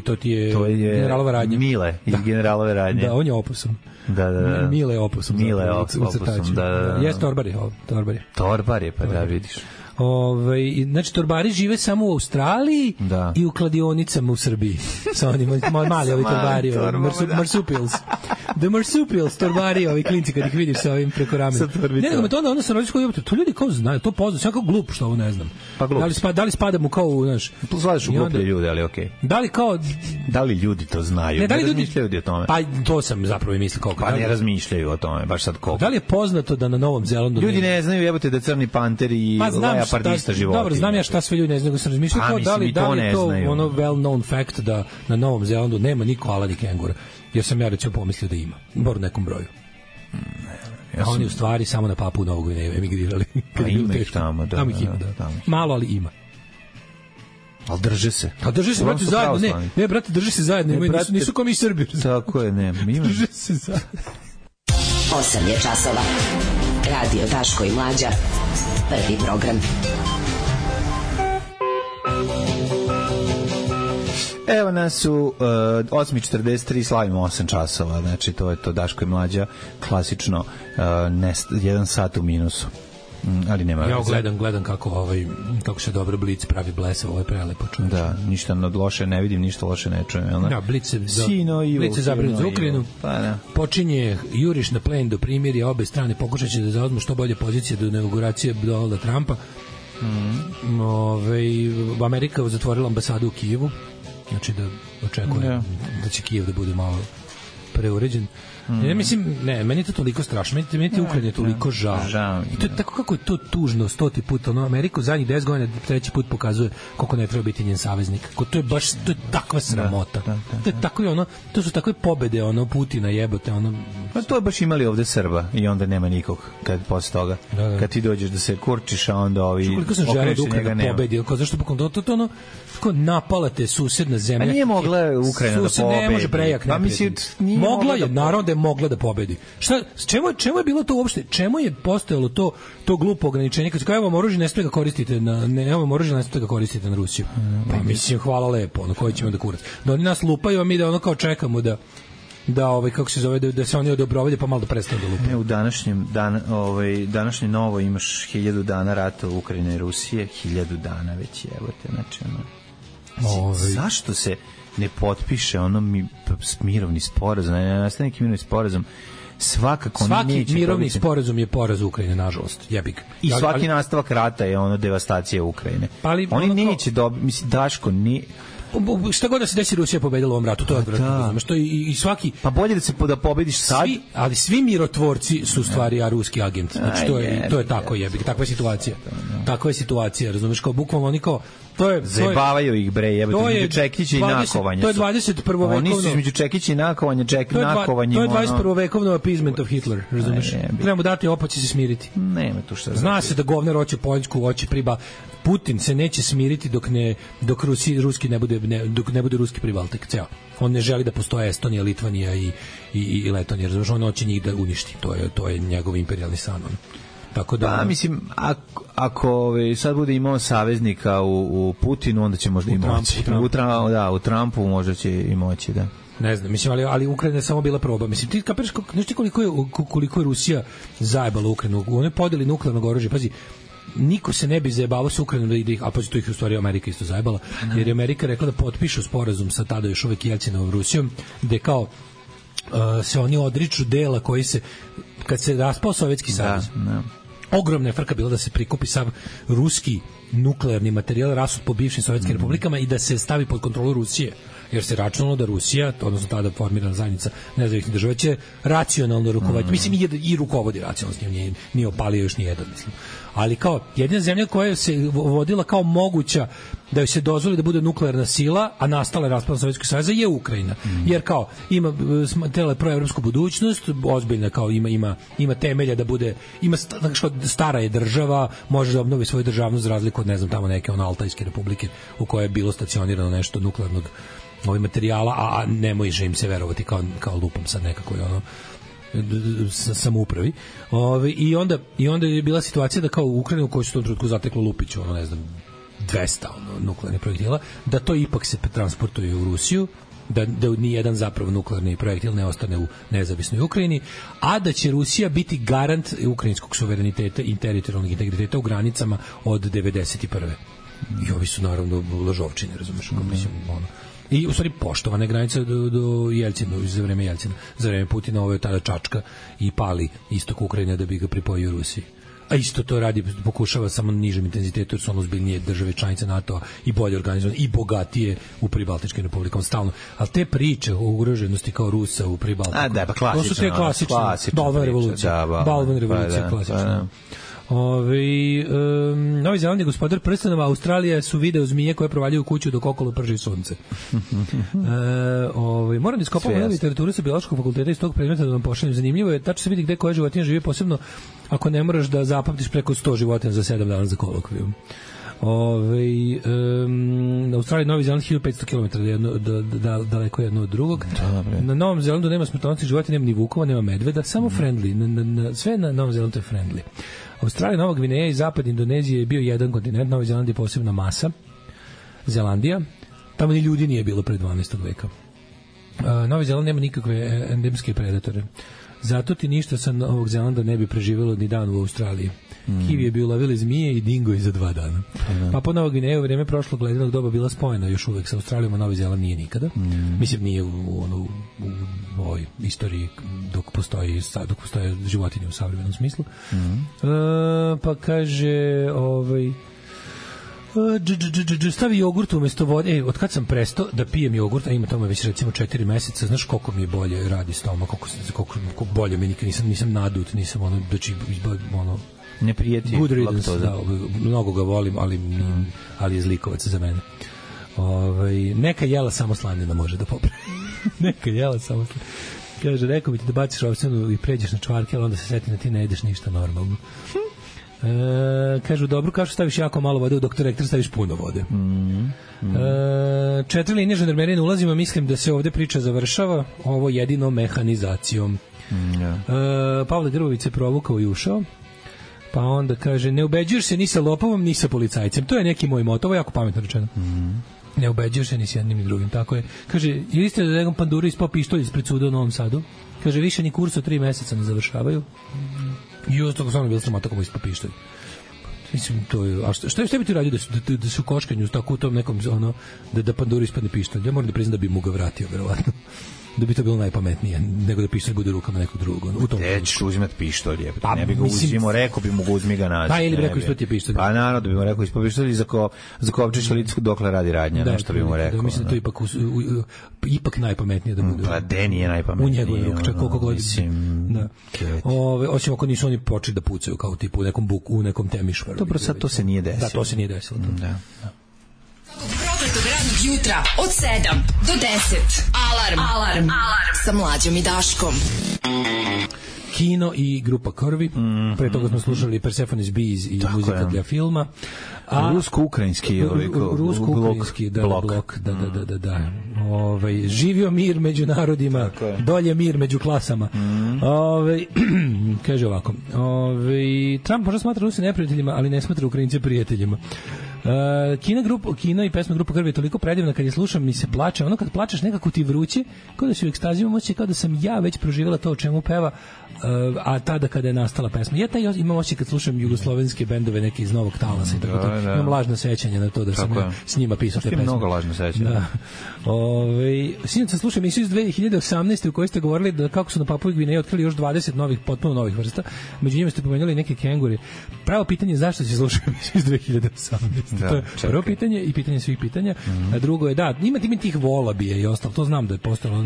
to ti je generalova radnja. Mile iz generalove radnje. Da, on je Opusum. Da. Mile je Opusum. Da. Jes Torbar je. Torbar je, pa da vidiš. Znači, torbari žive samo u Australiji i u kladionicama u Srbiji. Sa onim mali torbari, marsupils. The marsupils, torbari, ovi klinci kad ih vidiš sa ovim preko ramena. Ne, nego me to onda se rodiš koji to ljudi kao znaju, to poznaju, sam kao glup što ovo ne znam. Pa glup. Da li spadamo kao u, znaš... Zvališ u gluplje ljude, ali okej. Da li ljudi to znaju? Ne razmišljaju o tome. Pa to sam zapravo i mislio koliko. Pa ne razmišljaju o tome, baš sad koliko. Da li je poznato da na Novom Zelandu... Ljudi ne znaju, jebote, da crni panter i leopardista životinja. Dobro, znam ja šta sve ljudi ne znaju, sam razmišljao kao da li je to ono well known fact da na Novom Zelandu nema ni koala ni kengura. Jer sam ja recimo pomislio da ima, bar u nekom broju. A oni u stvari samo na Papu Novu Gvineju emigrirali. Pa ima ih tamo, da. Tamo ih ima, da. Malo, ali ima. Ali drže se. A drže se, brate, zajedno. Ne, brate, drže se zajedno. Nisu kao mi Srbi. Tako je, ne. Drže se zajedno. 8 je časova. Radio Daško i Mlađa. Prvi program. Evo nas u 8:43, slavimo 8 časova, znači to je to Daško i Mlađa, klasično 1 sat u minusu. Ali nema ja gledam kako se dobro Blic pravi blesav, ovo je prelepo čovječe. Da, ništa od loše ne vidim, ništa loše ne čujem, jel' ne? Da, Blic je zabrinut za Ukrajinu, počinje juriš na plen do primirja, obe strane pokušaće da zauzmu što bolje pozicije do inauguracije Donalda Trumpa. Amerika zatvorila ambasadu u Kijevu, znači da očekuje da će Kijev da bude malo preuređen. Ja mislim, meni je to toliko strašno, meni je Ukrajina toliko žao. I to je tako kako je to tužno 100 puta, Ameriku zadnjih 10 godina treći put pokazuje koliko ne treba biti njen saveznik. To je baš, to je takva sramota. To je tako to su takve pobede Putina jebote Pa to je baš imali ovde Srba i onda nema nikog kad posle toga. Kad ti dođeš da se kurčiš, a onda ovi koliko sam želeo da Ukrajina pobedi, zašto pokom to tako napalate susedna zemlja. A nije mogla Ukrajina da pobedi. Ne može prejak. Mogla je, naravno da je mogla da pobedi. Čemu je bilo to uopšte? Čemu je postojalo to glupo ograničenje? Kad se kao, evo oružje ne smije ga koristite na Rusiju. Pa mislim, hvala lepo, koji ćemo da kurac. Da oni nas lupaju, a mi da kao čekamo da kako se zove, da se oni odobrovaju pa malo da prestanu da lupaju. U današnjem novo imaš 1000 dana rata u Ukrajine i Rusije, 1000 dana već, evo te, znači zašto se ne potpiše mirovni sporazum, ne nastane neki mirovni sporazum, svakako svaki mirovni sporazum je poraz Ukrajine, nažalost, jebik. I svaki nastavak rata je devastacija Ukrajine. Oni neće mislim, Daško, šta god da se desi, Rusija je pobedila u ovom ratu, to je odvratno. Što i svaki, pa bolje da pobediš sad. Ali svi mirotvorci su stvari ruski agent. Znači to je tako jebik, takva je situacija. Takva je situacija, razumeš, kao bukvalno oni kao zajebavaju ih bre, jebote, između Čekića i nakovanja. To je 21. vekovno. Oni su između Čekića i nakovanja, nakovanje. To je 21. vekovno appeasement of Hitler, razumeš? Treba mu dati opet će se smiriti. Nema tu šta. Zna se da govnar hoće Poljsku, hoće priba. Putin se neće smiriti dok ruski ne bude ruski pribaltik, ceo. On ne želi da postoje Estonija, Litvanija i Letonija, razumeš? On hoće njih da uništi. To je njegov imperijalni san. Tako da, pa mislim, ako sad bude imao saveznika u Putinu, onda će možda i moći. U Trumpu možda će i moći, da. Ne znam, mislim, ali Ukrajina je samo bila proba. Mislim, ti kapiraš koliko je Rusija zajebala Ukrajinu. One podeli nuklearnog oružja, pazi, niko se ne bi zajebavao sa Ukrajinom da ih, a pa to ih u stvari Amerika isto zajebala, jer je Amerika rekla da potpišu sporazum sa tada još uvek Jelcinovom Rusijom, gde kao se oni odriču dela koji se, kad se raspao Sovjetski savez, ogromna je frka bila da se prikupi sav ruski nuklearni materijal rasut po bivšim sovjetskim republikama i da se stavi pod kontrolu Rusije, jer se računalo da Rusija, odnosno tada formirana zajednica nezavisnih država, će racionalno rukovoditi, mislim i rukovodi racionalno, s njim nije opalio još nijedan, mislim. Ali kao jedina zemlja koja se vodila kao moguća da joj se dozvoli da bude nuklearna sila, a nastala je raspadom Sovjetskog saveza, je Ukrajina. Jer kao ima tele proevropsku budućnost, ozbiljna, kao ima temelja da bude, ima stara je država, može da obnovi svoju državnost za razliku od, ne znam, tamo neke Altajske republike u kojoj je bilo stacionirano nešto nuklearnog materijala, a ne može im se verovati kao lupom sad nekako je ono samoupravi. I onda je bila situacija da kao u Ukrajinu koji su u tom trenutku zateklo Lupiću, ono ne znam 200 nuklearnih projektila, da to ipak se transportuje u Rusiju, da ni jedan zapravo nuklearni projektil ne ostane u nezavisnoj Ukrajini, a da će Rusija biti garant ukrajinskog suvereniteta i teritorijalnog integriteta u granicama od 91. I ovi su naravno lažovčine, razumeš, mislim, ono. I u stvari poštovane granice do Jelcina, za vreme Jelcina, za vreme Putina, ovo je tada čačka i pali istok Ukrajine da bi ga pripojio Rusiji. A isto to radi, pokušava samo na nižem intenzitetu, jer su ono ozbiljnije države članice NATO-a i bolje organizovane i bogatije u pribaltičkim republikama stalno. Ali te priče o ugroženosti kao Rusa u Pribaltiku, to su te klasične Balvan revolucija, klasična. Novi Zeland je gospodar prstenova, Australija su video zmije koje provaljuju kuću dok okolo prži sunce. Moram da iskopam u literaturu sa biološkog fakulteta iz tog predmeta da vam pošaljem. Zanimljivo je, tačno se vidi gde koja životinja živi, posebno ako ne moraš da zapamtiš preko 100 životinja za 7 dana za kolokvijum. Australija i Novi Zeland 1500 km daleko jedno od drugog. Na Novom Zelandu nema smrtonosnih životinja, nema ni vukova, nema medveda, samo friendly. Sve na Novom Zelandu je friendly. Australija, Nova Gvineja i zapad Indonezije je bio jedan kontinent, Novi Zeland je posebna masa. Zelandija, tamo ni ljudi nije bilo pre 12. veka. Novi Zeland nema nikakve endemske predatore. Zato ti ništa sa Novog Zelanda ne bi preživjelo ni dan u Australiji. Kiwi je bio ulovili zmije i dingo za 2 dana. Papua Nova Gvineja u vrijeme prošlog ledenog doba bila spojena još uvek sa Australijom, a Novi Zeland nije nikada. Mislim, nije u ovoj istoriji dok postoje životinje u savremenom smislu. Pa kaže stavi jogurt umesto vode. Od kad sam prestao da pijem jogurt, a ima tamo već recimo 4 meseca, znaš koliko mi je bolje radi stomak, koliko bolje mi nikad nisam nadut, nisam ono, ono ne prijeti laktoza. Mnogo ga volim, ali je zlikovac za mene. Neka jela samo slanina može da popravi. Neka jela samo slanina. Kaže, rekao bi ti da baciš ovsenu i pređeš na čvarke, ali onda se seti da ti ne jedeš ništa normalno. Kažu, dobro, kao što staviš jako malo vode, u Dr. Rektor staviš puno vode. 4 linije žandarmerije ne ulazimo, mislim da se ovde priča završava, ovo jedino mehanizacijom. Pavle Grbović se provukao i ušao. Pa onda kaže, ne ubeđuješ se ni sa lopovom, ni sa policajcem. To je neki moj moto, ovo je jako pametno rečeno. Ne ubeđuješ se ni s jednim ni drugim, tako je. Kaže, ili ste da nekom panduru ispao pištolj ispred suda u Novom Sadu? Kaže, više ni kurs od 3 meseca ne završavaju. I uz toga stvarno bilo sramota kako ispao pištolj. Mislim, to je... A šta bi ti radio da su koškanju tako u tom nekom, ono, da panduru ispadne pištolj? Ja moram da priznam da bi mu ga vratio, verovatno. Da bi to bilo najpametnije, nego da pištolj bude u rukama nekog drugog. Gde ćeš uzimati pištolj? Ne bi ga uzimo, rekao bi mu ga uzmi ga nađi. Pa ili bi rekao ispati pištolj. Pa naravno da bi mu rekao ispati pištolj i zakopčiš licu dokle radi radnja, nešto bi mu rekao. Da, mislim da to ipak najpametnije da bude. Pa de nije najpametnije. U njegovoj ruku, čak koliko god. Osim ako nisu oni počeli da pucaju kao tipu u nekom temišvaru. Dobro, sad to se nije desilo. Da, to se nije desilo. Da. Prokletog radnog jutra od 7 do 10. Alarm. Sa Mlađom i Daškom. Kino i grupa Krvi. Pre toga smo slušali Persephone's Bees i muzika dla filma. Rusko-ukrajinski blok. Da. Živio mir među narodima, dolje mir među klasama. Kaže ovako. Trump možda smatra Rusi neprijateljima, ali ne smatra Ukrajince prijateljima. Kino i pesma grupa Krvi je toliko predivna, kad je slušam mi se plače, ono kad plačeš nekako ti vruće, kao da si u ekstazi, imam osjećaj kao da sam ja već proživjela to o čemu peva, a tada kada je nastala pesma. Ja imam osjećaj kad slušam jugoslovenske bendove neke iz Novog Talasa i tako to. Imam lažno sećanje na to da sam ja s njima pisao te pesme. Mnogo lažno sećanje. Da. Sinoć sam slušao emisiju iz 2018. u kojoj ste govorili da kako su na Papui Gvineji otkrili još 20 potpuno novih vrsta. Među njima ste pomenuli neke kenguri. Pravo pitanje je zašto se slušao emisiju iz 2018. To je prvo pitanje i pitanje svih pitanja. A drugo je, da, ima tih volabija i ostalo. To znam da je postalo.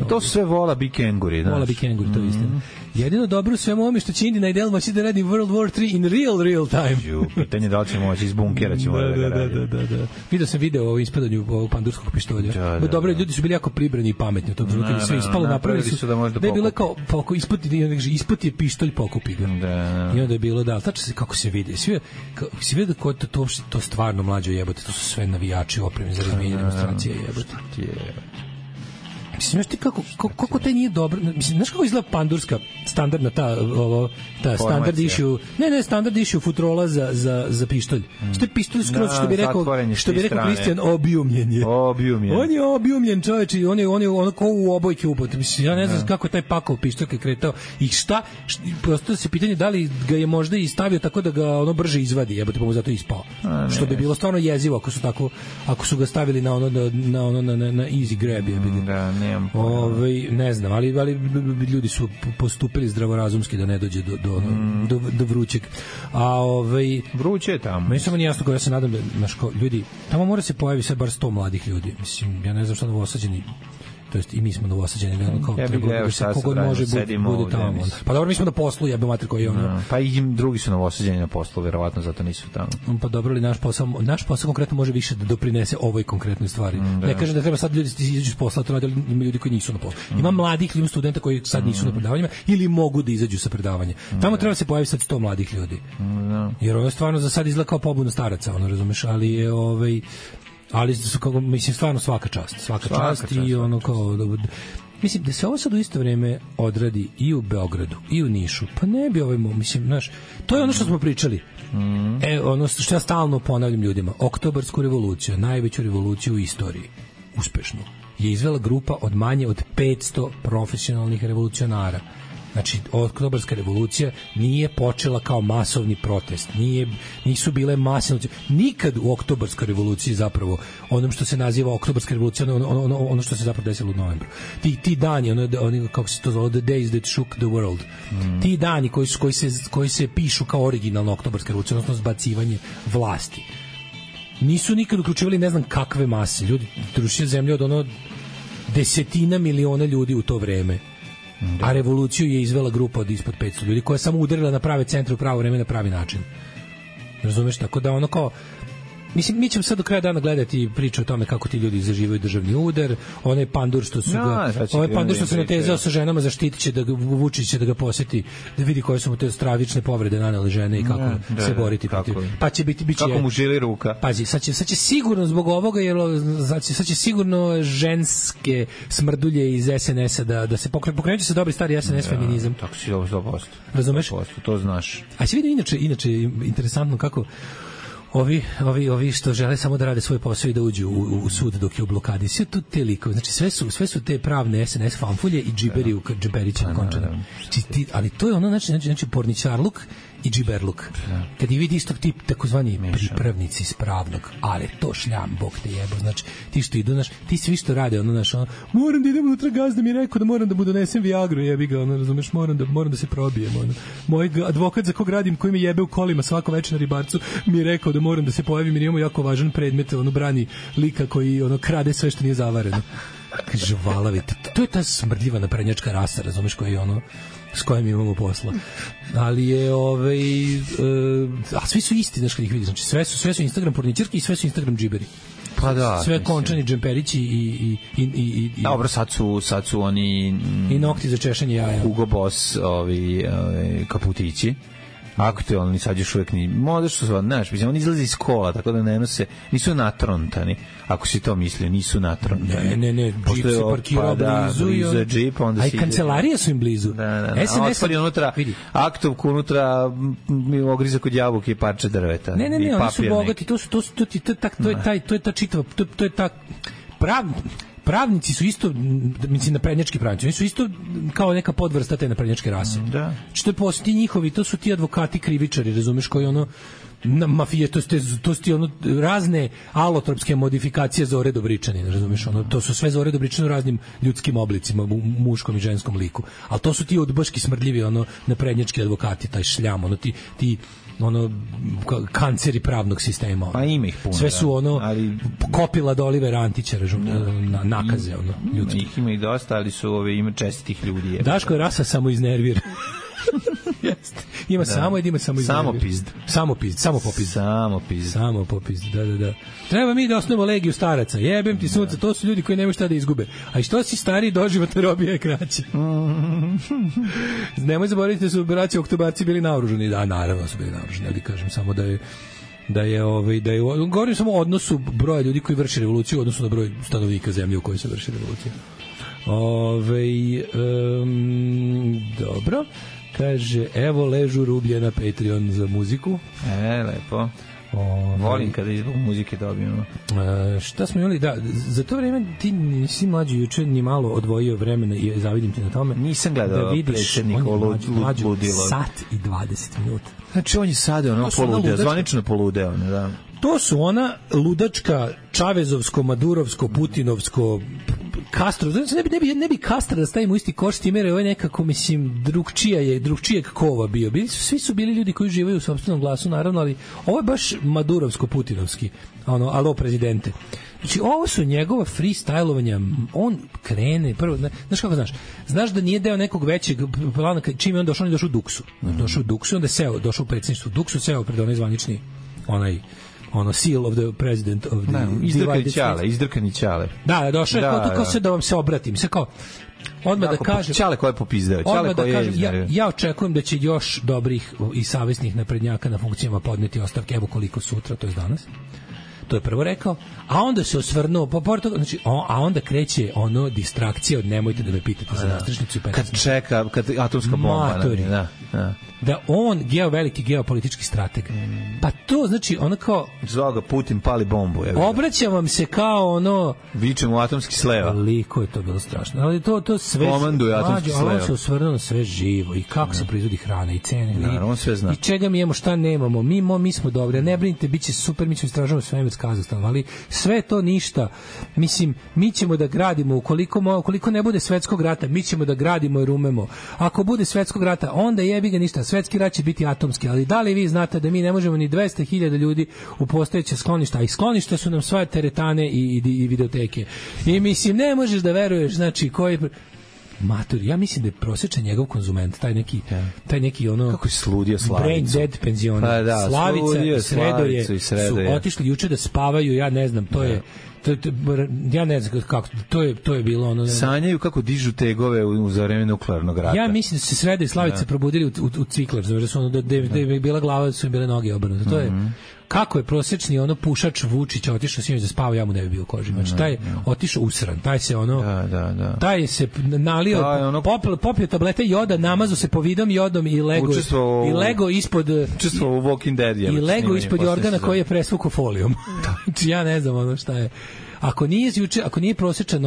To su sve volabi kenguri. Volabi kenguri, to je istina. Jedino dobro u svemu ovome što će Indina i Del moći da radi World War 3 in real time. Pitanje da li će moći iz bunkera ćemo da ga radi. Da. Vidio sam video o ispadanju ovog pandurskog pištolja. Dobro, ljudi su bili jako pribrani i pametni u tom trenutku, sve ispalo, napravili su da je bilo kao ispod je pištolj, pokupi ga. I onda je bilo, tačno se kako se vidi. Svi vidi ko to stvarno mlađo jebote, to su sve navijači opremi za razmijenje demonstracije jebote. Mislim, znaš ti kako taj nije dobro, mislim, znaš kako izgleda pandurska standardna ta standard issue, standard issue futrola za pištolj. Što je pištolj skroz, što bi rekao Kristijan, objumljen je. On je objumljen, čoveč, i on je ono kao u obojke upot. Mislim, ja ne znam kako je taj pakao pištolj kretao i šta, prosto se pitanje da li ga je možda i stavio tako da ga ono brže izvadi, jebote, pa mu zato ispao. Što bi bilo stvarno jezivo ako su ga stavili na easy grab, jebote. Ne znam, ali ljudi su postupili zdravorazumski da ne dođe do vrućeg. Vruće je tamo. Meni samo nije jasno, ja se nadam da ljudi, tamo mora se pojavi sve bar 100 mladih ljudi. Mislim, ja ne znam šta Novosađeni, to jest i mi smo Novosađeni, kao kogod može bude tamo. Pa dobro, mi smo na poslu, jebe mater koji je ono. Pa i drugi su Novosađeni na poslu, verovatno zato nisu tamo. Pa dobro, ali naš posao konkretno može više da doprinese ovoj konkretnoj stvari. Ne kažem da treba sad ljudi izađu s posla, to radi, ima ljudi koji nisu na poslu. Ima mladih ljudi, studenta koji sad nisu na predavanjima ili mogu da izađu sa predavanja. Tamo treba se pojaviti sad 100 mladih ljudi. Jer ovo je stvarno za sad izgleda kao pobuna staraca, ono, razumeš, ali je ali su kako, mislim, stvarno svaka čast i ono kao mislim da se ovo sad u isto vrijeme odradi i u Beogradu i u Nišu, pa ne bi mislim, znaš, to je ono što smo pričali. Ono što ja stalno ponavljam ljudima, Oktobarsku revoluciju, najveću revoluciju u istoriji, uspešnu, je izvela grupa od manje od 500 profesionalnih revolucionara. Znači, Oktobarska revolucija nije počela kao masovni protest, nisu bile masovne. Nikad u Oktobarskoj revoluciji, zapravo, onom što se naziva Oktobarska revolucija, ono što se zapravo desilo u novembru. Ti dani, kako se to zove, the days that shook the world. Ti dani koji se pišu kao originalna Oktobarska revolucija, odnosno zbacivanje vlasti. Nisu nikad uključivali ne znam kakve mase. Ljudi rušili zemlju od desetina miliona ljudi u to vreme. A revoluciju je izvela grupa od ispod 500 ljudi koja je samo udarila na prave centre u pravo vreme na pravi način. Razumeš? Tako da ono kao, mislim, mi ćemo sad do kraja dana gledati priču o tome kako ti ljudi zaživaju državni udar, onaj pandur što su se natezao sa ženama, zaštitit će Vučić će da ga poseti, da vidi koje su mu te stravične povrede nanele žene i kako se boriti protiv. Pa će biti kako mu žili ruka. Pazi, sad će sigurno zbog ovoga, jer sad će sigurno ženske smrdulje iz SNS-a da se pokreće se dobri stari SNS feminizam. Tako si 100%. Razumeš? To znaš. A si vidio inače interesantno kako ovi što žele samo da rade svoj posao i da uđu u sud dok je u blokadi. Sve tu te likove, znači sve su te pravne SNS fanfulje i džiberi u džemperići na končana. Ali to je ono, znači porničarluk i džiberluk. Kad je vidi istog tip, takozvani pripravnici iz pravnog, ali to šljam, bog te jebo, znači ti što idu, ti svi što rade, moram da idem unutra, gazda mi je rekao da moram da mu donesem Viagru, jebi ga, razumeš, moram da se probijem, moj advokat za kog radim, koji me jebe u kolima svako večer na Ribarcu, mi je rekao da moram da se pojavim jer imamo jako važan predmet, brani lika koji krade sve što nije zavareno. Kaže, valavi, to je ta smrdljiva naprednjačka rasa, razumeš, koja je s kojim imamo posla. Ali je a svi su isti, znaš kad ih vidiš, znači sve su Instagram porničarki i sve su Instagram džiberi. Pa da. Sve končani džemperići i dobro, sad su oni i nokti za češanje jaja. Hugo Boss, kaputići. Aktualni, sad još uvijek možda što su, znaš, oni izlaze iz kola, tako da ne nose, nisu natrontani, ako si to mislio, nisu natrontani. Ne, džip se parkirao blizu je džip, onda i kancelarije su im blizu. SNS otvori unutra, aktovku unutra, ogriza kod jabuke i parče drveta. Ne, oni su bogati, to je ta čitava, to je ta pravnici su isto, mislim, naprednjački pravnici, oni su isto kao neka podvrsta te naprednjačke rase. Da. Što je posti njihovi, to su ti advokati krivičari, razumeš, koji mafije, to su ti razne alotropske modifikacije Zore Dobričanina, razumeš, to su sve Zore Dobričanina u raznim ljudskim oblicima, u muškom i ženskom liku. Ali to su ti udbaški smrdljivi, naprednjački advokati, taj šljam, ono kanceri pravnog sistema. Pa ima ih puno. Sve su ono ali kopila do Olivera Antića, na nakaze ono ljudski. Ima ih dosta, ali su ima čestitih ljudi. Daško je rasa samo iznervira. Jeste. Ima samo samopizd. Samo popizd. Da. Treba mi da osnovimo legiju staraca. Jebem ti sunce, to su ljudi koji nemaju šta da izgube. A i što si stariji, doživotna robija je kraća. Nemoj zaboraviti da su braći oktobarci bili naoružani. Da, naravno su bili naoružani, ali kažem samo da je govorim samo o odnosu broja ljudi koji vrši revoluciju u odnosu na broj stanovnika zemlje u kojoj se vrši revolucija. Dobro. Kaže, evo ležu rublje na Patreon za muziku. Lepo. Volim kada izbog muzike dobijemo. Šta smo imali? Da, za to vreme ti nisi mlađi juče ni malo odvojio vremena i zavidim ti na tome. Nisam gledao predsjednikovo ludilo. Sat i 20 minuta. Znači on je sada poludeo, zvanično poludeo. Da. To su ona ludačka, čavezovsko, madurovsko, putinovsko, Castro, znači ne bi Castro da stavimo u isti koš s tim, jer ovo je nekako, mislim, drugčijeg kova bio. Svi su bili ljudi koji živaju u sopstvenom glasu, naravno, ali ovo je baš madurovsko-putinovski, alo prezidente. Znači, ovo su njegova freestylovanja, on krene, prvo, znaš kako znaš? Znaš da nije deo nekog većeg plana, čim je on došao u Duksu. Došao u Duksu, onda je došao u predsjedništvu Duksu, seo pred onaj zvanični, seal of the president of the izdrkani ćale. Da, došao je kao se da vam se obratim. Se kao odmah da kažem ćale koje je popizdeo, ćale koje je ja očekujem da će još dobrih i savesnih naprednjaka na funkcijama podneti ostavke, evo koliko sutra, to je danas. To je prvo rekao, a onda se osvrnuo, znači, a onda kreće distrakcija od nemojte da me pitate za nastrešnicu i 15. Kad atomska bomba. Da on, veliki geopolitički strateg. Pa to znači, kao... Zvao ga Putin, pali bombu. Obraćam vam se kao vičem u atomski sleva. Koliko je to bilo strašno. Ali to sve... Komanduje atomski sleva. On se osvrnuo na sve živo i kako se proizvodi hrana i cene. On sve zna. I čega mi imamo, šta nemamo. Mi smo dobri. Ne brinite, bit će super, mi ćemo istražavati svemir s Kazahstanom, ali sve to ništa. Mislim, mi ćemo da gradimo, ukoliko ne bude svetskog rata, mi ćemo da gradimo jer umemo. Ako bude svetskog rata, onda jebi ga ništa. Svetski rat će biti atomski, ali da li vi znate da mi ne možemo ni 200.000 ljudi u postojeće skloništa, a i skloništa su nam sva teretane i videoteke. I mislim, ne možeš da veruješ, znači, koji... Matur, ja mislim da je prosječan njegov konzument, taj neki kako je sludio Slavicu. Brain dead penzioner. Slavica i Sredo su otišli juče da spavaju, ja ne znam, ja ne znam kako, to je bilo sanjaju kako dižu tegove za vreme nuklearnog rata. Ja mislim da su se Sredo i Slavica probudili u ciklar, znači da je bila glava, da su im bile noge obrnute. To je kako je prosječni pušač Vučić otišao sinoć da spava, ja mu ne bi bio koži. Znači taj otišao usran, taj se taj se nalio, popio tablete joda, namazao se povidom jodom i lego ispod učestvovao u Walking Dead i lego ispod organa koji je presvukao folijom. Znači ja ne znam šta je. Ako nije prosječan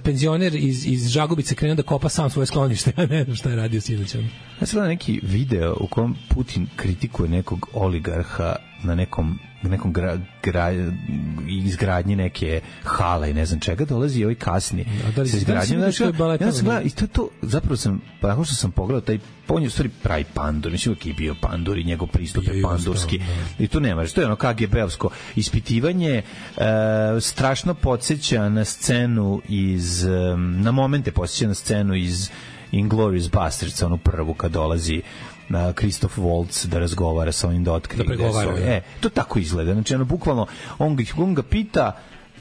penzioner iz Žagubice krenuo da kopa sam svoje sklonište, ja ne znam šta je radio sinoć. Ja sam gledao neki video u kom Putin kritikuje nekog oligarha na nekom izgradnji neke hale i ne znam čega, dolazi ovaj kasni sa izgradnjom. Ja sam gledao i to zapravo sam, nakon što sam pogledao taj, on je u stvari pravi pandur, mislim uvijek je bio pandur i njegov pristup je pandurski i tu nema, to je KGB-ovsko ispitivanje, strašno podsjeća na scenu na momente podsjeća na scenu iz Inglourious Basterds, onu prvu kad dolazi na Christoph Waltz da razgovara sa ovim da otkrije to tako izgleda, znači bukvalno on ga pita,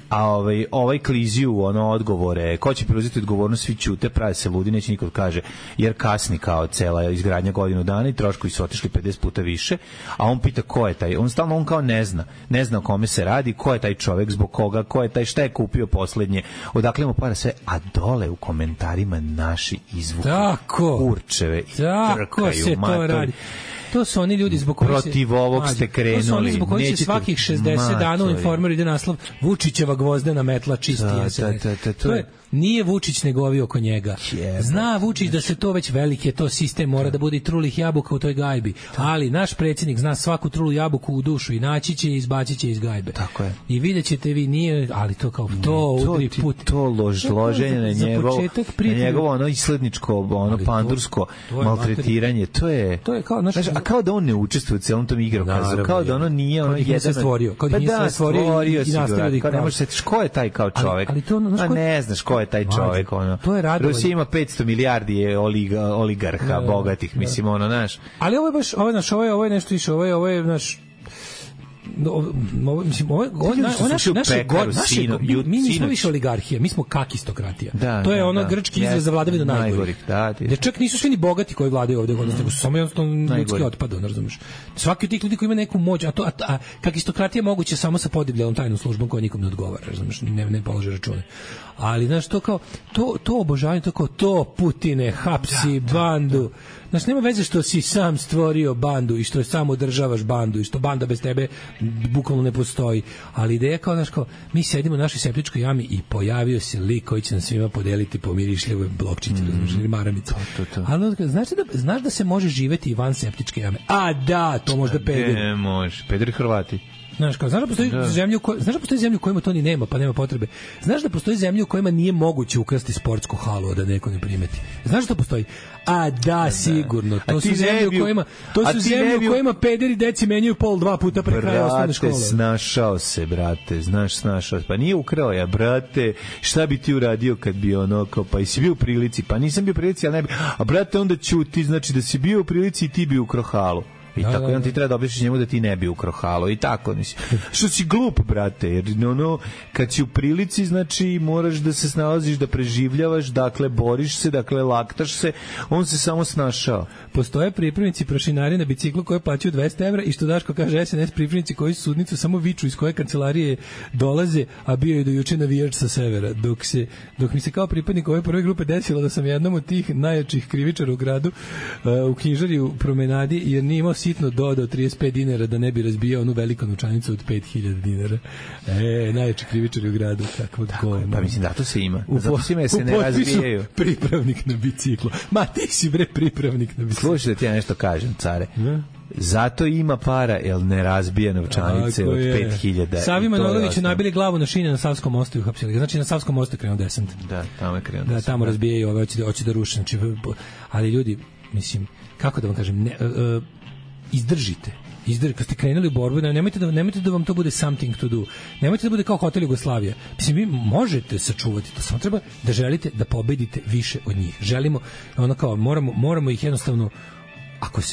a ovaj kliziju odgovore, ko će preuzeti odgovornost, svi ćute, prave se ludi, neće niko kaže, jer kasni kao cela izgradnja godinu dana i troškovi su otišli 50 puta više, a on pita ko je taj, on kao ne zna o kome se radi, ko je taj čovek, zbog koga, ko je taj, šta je kupio poslednje, odakle mu para sve, a dole u komentarima naši izvuku kurčeve i trkaju matori. To su oni ljudi zbog kojih protiv ovog ste krenuli. To su oni zbog kojih se svakih 60 dana u Informeru ide naslov Vučićeva gvozdena metla čisti SNS. To je nije Vučić nego ovi oko njega. Zna Vučić da se to već veliki to sistem, mora da bude i trulih jabuka u toj gajbi. Ali naš predsjednik zna svaku trulu jabuku u dušu i naći će i izbacit će iz gajbe. Tako je. I vidjet ćete vi, nije, ali to kao to udri put. To loženje na njegovo isledničko, pandursko maltretiranje. To je kao, znaš, A kao da on ne učestvuje u celom tom igrokazu, kao da ono nije ono jedan stvorio, kao da nije sve stvorio i nastavio da ih ne možeš se ko je taj kao čovjek. Ali to a ne znaš ko je taj čovjek, ono. Rusija ima 500 milijardi oligarha bogatih, mislim, ono, znaš. Ali ovo je baš, ovo je nešto više, ovo je naš mi nismo više oligarhija, mi smo kakistokratija. To je ono grčki izraz za vladavinu najgorih. Da čak nisu svi ni bogati koji vladaju ovde, nego su samo jednostavno ljudski otpad, razumeš. Svaki od tih ljudi koji ima neku moć, a kakistokratija moguće samo sa podibljenom tajnom službom koja nikom ne odgovara, razumeš, ne polaže račune. Ali znaš, to kao to obožavanje, to kao to Putine hapsi bandu. Znaš, nema veze što si sam stvorio bandu i što samo održavaš bandu i što banda bez tebe bukvalno ne postoji. Ali ideja kao, znaš, kao, mi sedimo u našoj septičkoj jami i pojavio se lik koji će nam svima podeliti po mirišljivoj blokčići, ili maramicu. Ali znaš da se može živeti i van septičke jame? A da, to možda pederi. Ne može, pederi Hrvati. Znaš da postoji zemlja u kojima to ni nema, pa nema potrebe. Znaš da postoji zemlja u kojima nije moguće ukrasti sportsku halu, da neko ne primeti. Znaš da to postoji? A da, sigurno. To su zemlje u kojima pederi deci menjaju pol 2 puta pre kraja osnovne škole. Snašao se, brate, snašao se. Pa nije ukrao ja, brate, šta bi ti uradio kad bi ono, kao, pa jesi bio u prilici? Pa nisam bio u prilici, ali ne bi. A brate, onda ćuti, znači da si bio u prilici i ti bi ukrao halu. I tako on ti treba da objasniš njemu da ti ne bi ukrao halu i tako, što si glup, brate, jer ono, kad si u prilici, znači moraš da se snalaziš, da preživljavaš, dakle boriš se, dakle laktaš se, on se samo snašao. Postoje pripravnici prašinari na biciklu koje plaćaju 200 evra i što Daško kaže SNS pripravnici koji su sudnicu samo viču iz koje kancelarije dolaze, a bio je do juče navijač sa severa. Dok mi se kao pripadnik ove prve grupe desilo da sam jednom od tih najjačih krivičara u gradu u knjižari u promenadi, jer nije imao sitno dodao 35 dinara da ne bi razbijao onu veliku novčanicu od 5000 dinara. Najjači krivičari u gradu. Pa mislim da to se ima. Zato se ne razbijaju. Pripravnik na biciklu. Ma ti si bre pripravnik na biciklu. Slušaj da ti ja nešto kažem, care. Zato ima para, jer ne razbija novčanice od 5000. Savi Manojlović je nabili glavu na šine na Savskom mostu i uhapsili. Znači na Savskom mostu je krenuo desant. Da, tamo je krenuo desant. Da, tamo razbijaju ove, hoće da ruše. Znači, ali ljudi, mislim, kako da vam kažem, izdržite, kad ste krenuli u borbu, nemojte da vam to bude something to do. Nemojte da bude kao Hotel Jugoslavija. Mislim, vi možete sačuvati to, samo treba da želite da pobedite više od njih. Želimo, ono kao, moramo ih jednostavno,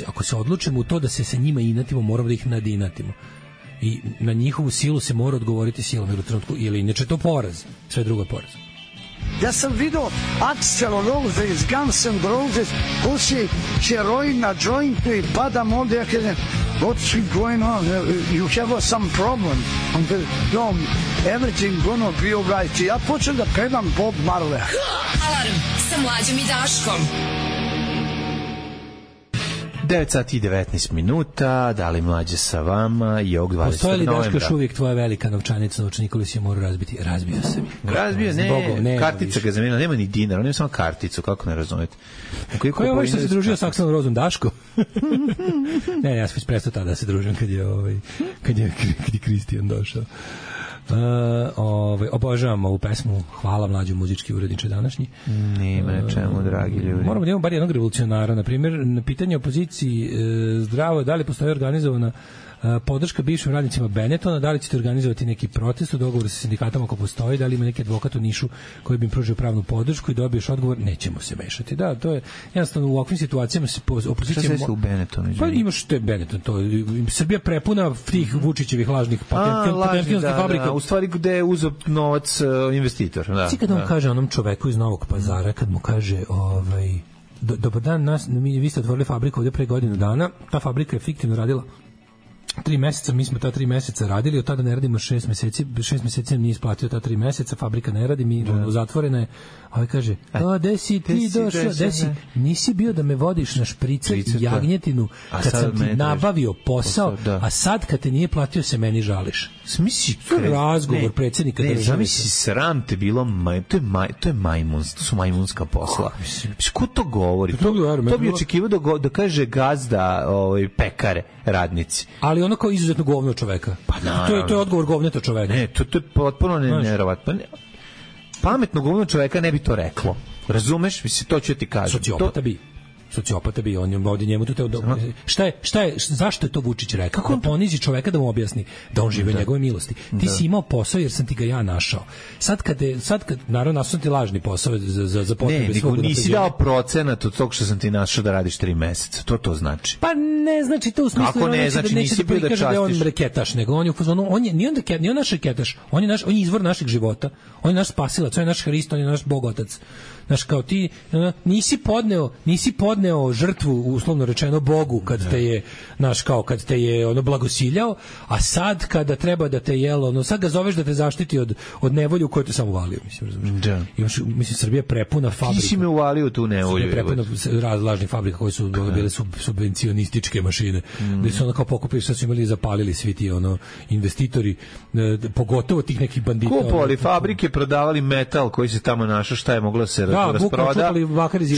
ako se odlučimo u to da se sa njima inatimo, moramo da ih nadinatimo. I na njihovu silu se mora odgovoriti silom ili u trenutku, ili inače to poraz. Sve drugo je poraz. Ja sam vidio Axl Rose iz Guns N' Roses, puši heroin na jointu i padam ovdje, ja kažem, what's going on? You have some problem. No, everything gonna be alright. Ja počnem da pevam Bob Marley. Alarm sa Mlađom i Daškom. 9 sati i 19 minuta, da li Mlađe sa vama i ovog 20. novembra. Postoji li, Daško, još uvijek tvoja velika novčanica, novčanik koji si je morao razbiti? Razbio se mi. Razbio, ne, kartica ga zamenila, nema ni dinar, on ima samo karticu, kako ne razumete. Ko je ovaj što se družio sa Akselom Rozom, Daško? Ne, ja sam prestao tada da se družim kad je Kristijan došao. Obožavamo ovu pesmu. Hvala Mlađu, muzički uredniče današnji. Nema na čemu, dragi ljudi. Moramo da imamo bar jednog revolucionara. Na primjer, na pitanje opoziciji zdravo, da li postoji organizovana podrška bivšim radnicima Benetona, da li ćete organizovati neki protest u dogovoru sa sindikatom ako postoji, da li ima neki advokat u Nišu koji bi im pružio pravnu podršku i dobiješ odgovor, nećemo se mešati. Da, to je jednostavno u ovakvim situacijama se opozicija... Šta se u Benetonu? Pa imaš te Benetton, to Srbija prepuna tih Vučićevih lažnih patentnih fabrika. U stvari gde je uzeo novac investitor. Svi kad on kaže onom čoveku iz Novog Pazara, kad mu kaže dobar dan, vi ste otvorili fabriku ovdje pre godinu dana, ta fabrika je fiktivno radila 3 meseca, mi smo ta 3 meseca radili, od tada ne radimo 6 meseci, 6 meseci nam nije isplatio ta 3 meseca, fabrika ne radi, mi zatvorena je, a ovaj kaže, gde si ti došao, nisi bio da me vodiš na šprice i jagnjetinu, kad sam ti nabavio posao, a sad kad te nije platio se meni žališ. Smisli, razgovor predsjednika države. Zamisli, sram te bilo, to je majmunstvo, to su majmunska posla. Ko to govori? To bi očekivao da kaže gazda pekare, radnici. Ali ono kao izuzetno govno čoveka. Pa to je odgovor govneta čoveka. Ne, to je potpuno neverovatno. Pametno govno čoveka ne bi to reklo. Razumeš? Mislim, to ću ti kažem. Sociopata bi. sociopata bi on ovdje njemu tu teo zašto je to Vučić rekao? Kako on ponizi čoveka da mu objasni da on žive njegove milosti. Ti si imao posao jer sam ti ga ja našao. Sad kad naravno sam ti lažni posao za potrebe svog. Ne, nisi dao procenat od tog što sam ti našao da radiš 3 meseca. To znači. Pa ne znači to u smislu. Kako ne, znači nisi bio da častiš. Da on reketaš, nego on je u fazonu, nije naš reketaš, on je izvor našeg života. On je naš spasilac, on je naš Hrist, on je naš Bogotac. Znaš, kao ti nisi podneo žrtvu, uslovno rečeno, Bogu kad te je ono blagosiljao, a sad kada treba da te sad ga zoveš da te zaštiti od nevolje u kojoj te samo uvalio, mislim, razumiješ? Mislim, Srbija je prepuna fabrika. Ti si me uvalio tu nevolju. Prepuna lažnih fabrika koje su bile subvencionističke mašine, gde su ono kao pokupili, sad su imali i zapalili svi ti investitori, pogotovo tih nekih bandita. Kupovali fabrike, prodavali metal koji se tamo našao, šta je moglo se rasproda,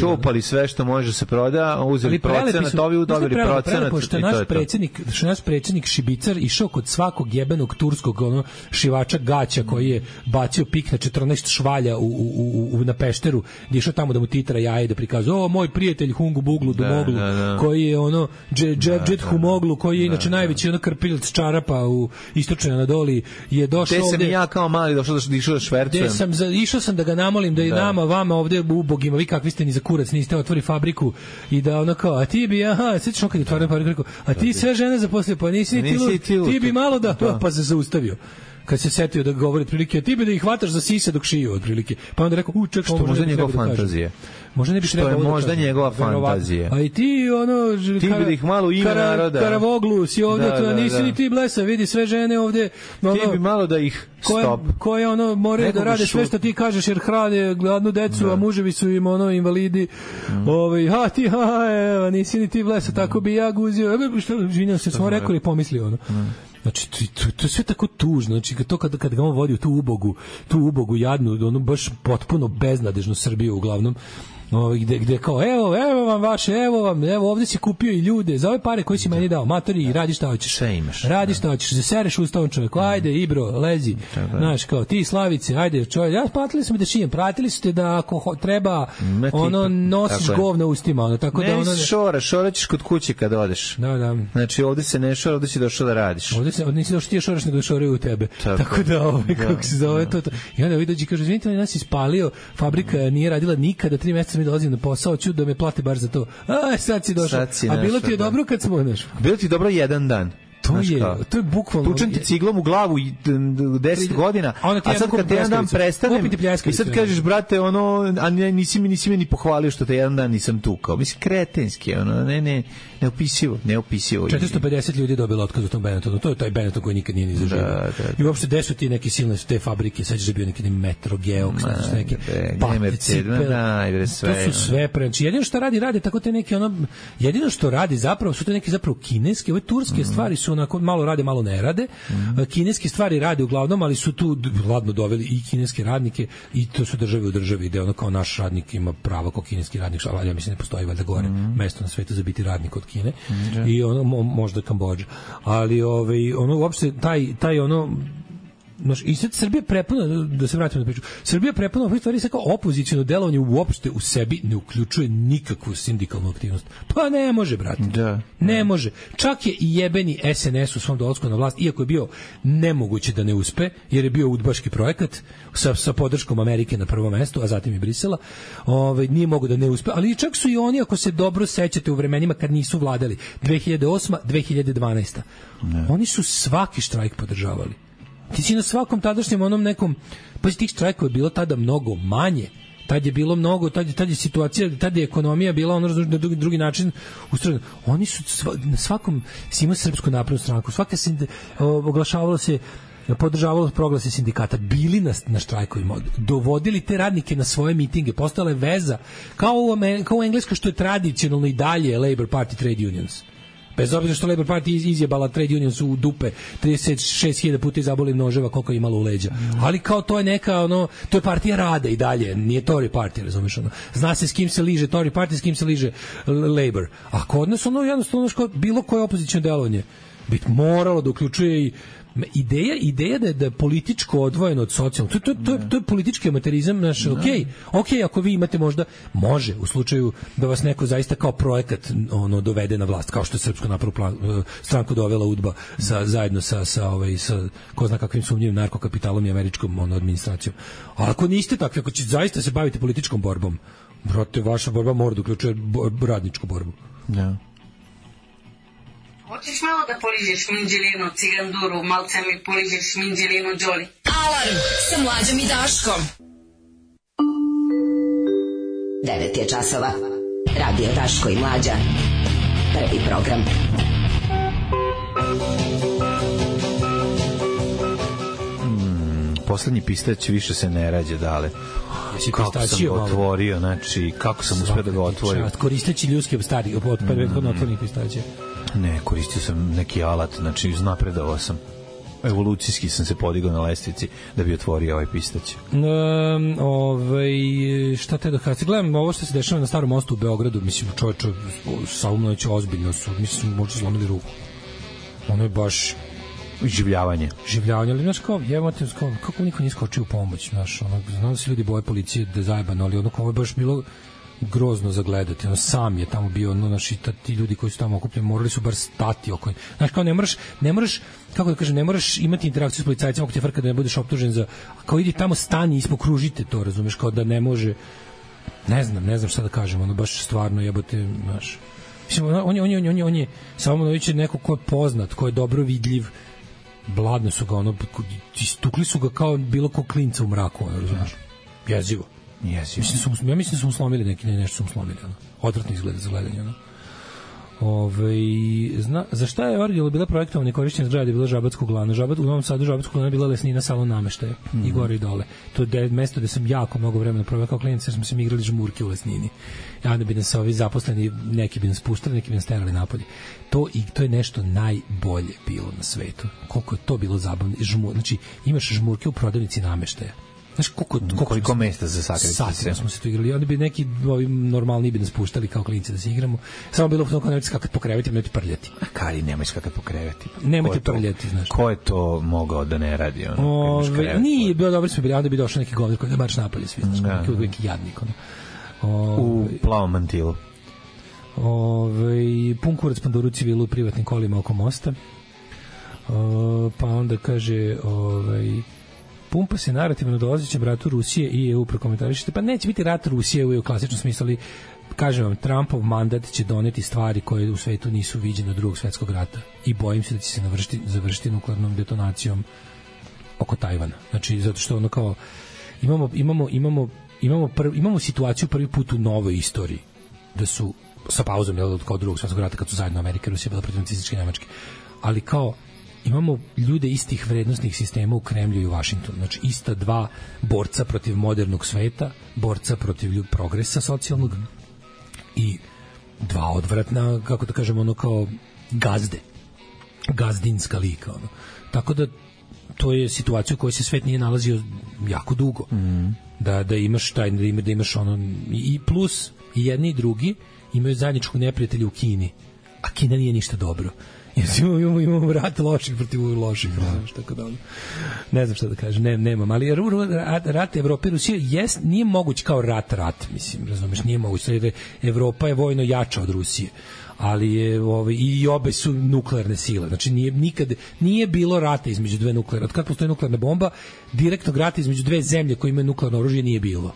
čupali sve što može se proda, uzeli procenat, ovi udobili procenat i to je to. Što naš predsjednik Šibicar išao kod svakog jebenog turskog šivača gaća koji je bacio pik na 14 švalja na Pešteru, gdje išao tamo da mu titra jaje da prikazuje, moj prijatelj Hungu Buglu Dumoglu, koji je Džedžet Humoglu, koji je inače najveći krpiljac čarapa u istočnoj Anadoliji, je došao ovde. Te sam ja kao mali došao da švercujem. Išao sam da ga namolim da i nama, vama ovde ubogima, vi kakvi ste ni za kurac, niste otvori fabriku i da ono kao, a ti bi, sjetiš on kad je otvorio fabriku, a ti sve žene zaposlio, pa nisi ti bi malo pa se zaustavio. Kad se setio da govori otprilike, ti bi da ih hvataš za sise dok šiju otprilike. Pa onda rekao, ček, što možda njegova fantazija. Možda ne bi što je možda njegova fantazija. A i ti ti bi da ih malo ime naroda. Karavoglu si ovde, to nisi ni ti blesa, vidi sve žene ovde. Ti bi malo da ih stop. Koje moraju da rade sve što ti kažeš jer hrane gladnu decu, a muževi su im invalidi. Ti nisi ni ti blesa, tako bi ja guzio. Što žinjam se, smo rekli i pomislio Znači, to je sve tako tužno. Znači, to kad ga on vodi u tu ubogu jadnu, baš potpuno beznadežnu Srbiju uglavnom, gde kao, evo vam vaše, evo ovdje si kupio i ljude, za ove pare koje si meni dao, matori, i radi šta hoćeš. Sve imaš. Radi šta hoćeš, zasereš ustavom čovjeku, ajde, Ibro, lezi, znaš, kao, ti Slavice, ajde, čovjek, platili smo da šijem, pratili ste da ako treba, nosiš govna ustima, tako da šora ćeš kod kuće kad odeš. Da. Znači, ovdje se ne šora, ovdje si došao da radiš. Ovdje nisi došao ti je šoraš, nego da šoraju u tebe. Tako da, kako se zove to. I onda vi dođi, kaže, izvinite, nas ispalio, fabrika nije radila nikada, 3 mjeseca mi dolazim na posao, ću da me plati bar za to. Sad si došao. A bilo ti je dobro kad smo, bilo ti dobro jedan dan. To je bukvalno. Tučem ti ciglom u glavu 10 godina, a sad kad te jedan dan prestanem i sad kažeš, brate, a nisi me ni pohvalio što te jedan dan nisam tukao. Mislim, kretenski, neopisivo. 450 ljudi dobilo otkaz u tom Benettonu. To je taj Benetton koji nikad nije ni zaživio. I uopšte gde su ti neki silne te fabrike, sad je bio neki Metro, Geox, neki to su sve preći. Jedino što radi tako te neki jedino što radi zapravo su te neki zapravo kineske, ove turske stvari su onako malo rade, malo ne rade. Kineske stvari rade uglavnom, ali su tu ladno doveli i kineske radnike i to su države u državi gde kao naš radnik ima pravo kao kineski radnik, ja mislim ne postoji valjda gore mesto na svetu za biti radnik od Kine i možda Kambodža, ali uopšte taj i sad Srbija prepuna, da se vratimo na priču, Srbija prepuna ovih stvari sa kao opoziciono delovanje uopšte u sebi ne uključuje nikakvu sindikalnu aktivnost. Pa ne može, brate. Ne može. Čak je i jebeni SNS u svom dolasku na vlast, iako je bio nemoguće da ne uspe, jer je bio udbaški projekat sa podrškom Amerike na prvom mestu, a zatim i Brisela, nije mogo da ne uspe, ali čak su i oni, ako se dobro sećate u vremenima kad nisu vladali, 2008. 2012. Oni su svaki štrajk podržavali. Ti si na svakom tadašnjem nekom, pa tih štrajkova je bilo tada mnogo manje. Tad je bilo mnogo, tad je situacija, tad je ekonomija bila na drugi način ustrojena. Oni su na svakom si imao Srpsku naprednu stranku, svaka se oglašavalo se, podržavalo proglase sindikata, bili na štrajkovima, dovodili te radnike na svoje mitinge, postala je veza, kao u Engleskoj što je tradicionalno i dalje Labour Party Trade Unions. Bez obzira što Labour Party izjebala Trade Unions u dupe 36.000 puta izaboli noževa koliko je imalo u leđa. Ali kao to je neka, to je partija rada i dalje, nije Tory Party, razumiješ, zna se s kim se liže Tory Party, s kim se liže Labour. A kod nas jednostavno bilo koje opozicijno delovanje. bi moralo da uključuje i ideja da je političko odvojeno od socijalnog, to je politički amaterizam naš, okej, ako vi imate možda, može u slučaju da vas neko zaista kao projekat dovede na vlast, kao što je Srpsku naprednu stranku dovela UDBA zajedno sa ko zna kakvim sumnjivim narkokapitalom i američkom administracijom. A ako niste takvi, ako će zaista se baviti političkom borbom, brate, vaša borba mora da uključuje radničku borbu. Da. Hoćeš malo da poližeš minđelinu, ciganduru, malce mi poližeš minđelinu, Đoli. Alarm sa Mlađom i Daškom. 9 je časova. Radio Daško i Mlađa. Prvi program. Poslednji pistać više se ne rađe, Dale. Kako sam ga otvorio, znači, kako sam uspio da ga otvorim. Koristeći ljudske stari, od prethodno otvornih pistaća. Ne, koristio sam neki alat, znači iznapredovao sam. Evolucijski sam se podigao na lestvici da bi otvorio ovaj pistać. Šta te da kada? Gledam ovo što se dešava na Starom mostu u Beogradu, mislim, čovječe, sa Umnović ozbiljno su, mislim, možda slomili ruku. Ono je baš... Življavanje, ali znaš kao, kako niko nije skočio u pomoć, znaš, znam da se ljudi boje policije da je zajebano, ali ono kao ovo je baš bilo grozno za gledati, sam je tamo bio, znaš, i ti ljudi koji su tamo okupljeni morali su bar stati oko, znaš, kao ne moraš, kako da kažem, ne moraš imati interakciju s policajcima ako ti je frka da ne budeš optužen za, kao idi tamo stani i ispokružite to, razumeš, kao da ne može, ne znam šta da kažem, ono baš stvarno jebote, znaš, mislim, on je samo Nović je neko ko je poznat, ko je dobro vidljiv, bladno su ga, istukli su ga kao bilo ko klinca u mraku, razumiješ? Jezivo. Ja mislim da su mu slomili nešto su mu slomili, odvratno izgleda za gledanje, za šta je originalno bila projektovana i korišćena zgrada je bila Žabatska uglana. U Novom Sadu Žabatska uglana je bila lesnina salon nameštaja i gore i dole. To je mesto gde sam jako mnogo vremena proveo kao klinac, jer smo se igrali žmurke u lesnini. I onda bi nas ovi zaposleni, neki bi nas puštali, neki bi nas terali napolje. To je nešto najbolje bilo na svetu. Koliko je to bilo zabavno. Znači, imaš žmurke u prodavnici nameštaja. Znaš, koliko mesta za sakriti se. Satima smo se tu igrali. Onda bi neki normalni bi nas puštali kao klinci da se igramo. Samo bilo kao nemojte skakati po kreveti, nemojte prljati. A Kari, nemoj skakati po kreveti. Nemojte prljati, znaš. Ko je to mogao da ne radi? Nije, bilo dobro smo bili. Onda bi došao neki govor koji da baš napolje svi. Neki jadnik. U plavom mantilu. Pun kurac Pandoru civilu u privatnim kolima oko mosta. Pa onda kaže... Pumpa se narativno dolazećem ratu Rusije i EU prokomentarišite, pa neće biti rat Rusije u klasičnom smislu, ali kažem vam, Trumpov mandat će doneti stvari koje u svetu nisu viđene od Drugog svjetskog rata i bojim se da će se završiti nuklearnom detonacijom oko Tajvana. Znači, zato što ono kao imamo situaciju prvi put u novoj istoriji da su sa pauzom kao Drugog svjetskog rata kad su zajedno Amerika i Rusija bila protiv nacističke Nemačke, ali kao imamo ljude istih vrednostnih sistema u Kremlju i u Vašingtonu. Znači, ista dva borca protiv modernog sveta, borca protiv progresa socijalnog i dva odvratna, kako da kažemo, ono kao gazdinska lika. Ono. Tako da to je situacija u kojoj se svet nije nalazio jako dugo. Da imaš da imaš ono, i plus i jedni i drugi imaju zajedničkog neprijatelja u Kini, a Kina nije ništa dobro. Imamo rat loših protiv loših, tako da ne znam šta da kažem, nemam, ali rat Evrope i Rusije nije moguć kao rat, mislim, razumeš, nije moguć, jer Evropa je vojno jača od Rusije, ali je i obe su nuklearne sile, znači nije bilo rata između dve nuklearne, od kad postoji nuklearna bomba, direktnog rata između dve zemlje koje imaju nuklearno oružje nije bilo.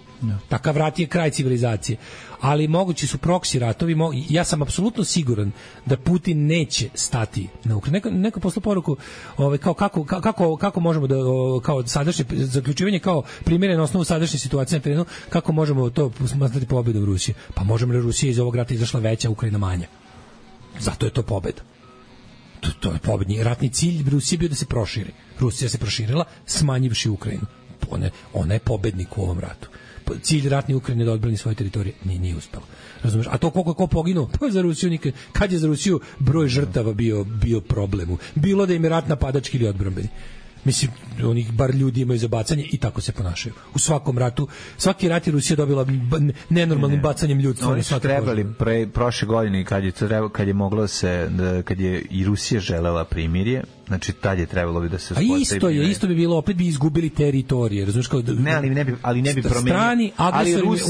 Takav rat je kraj civilizacije, ali mogući su proksi ratovi. Ja sam apsolutno siguran da Putin neće stati na Ukrajinu. Neko poslao poruku kako možemo da kao sadašnje zaključivanje kao primjere na osnovu sadašnje situacije na terenu, kako možemo to smatrati pobedom Rusije. Pa možemo da Rusija iz ovog rata izašla veća, Ukrajina manja. Zato je to pobeda. To je pobedni ratni cilj Rusije bio da se proširi. Rusija se proširila smanjivši Ukrajinu. Ona je pobednik u ovom ratu. Cilj ratne Ukrajine da odbrani svoje teritorije nije uspelo. Razumeš? A to koliko ko poginuo, pa za Rusiju nikad. Kad je za Rusiju broj žrtava bio problemu? Bilo da im je rat napadački ili odbrambeni. Mislim, onih bar ljudi imaju za bacanje i tako se ponašaju. U svakom ratu, svaki rat je Rusija dobila nenormalnim bacanjem ljudstva. Oni su trebali prošle godine kad je moglo se, kad je i Rusija želela primirje, znači tad je trebalo bi da se uspostavi. A isto bi bilo, opet bi izgubili teritorije, razumiješ kao da, ali ne bi promenio. Ali Rus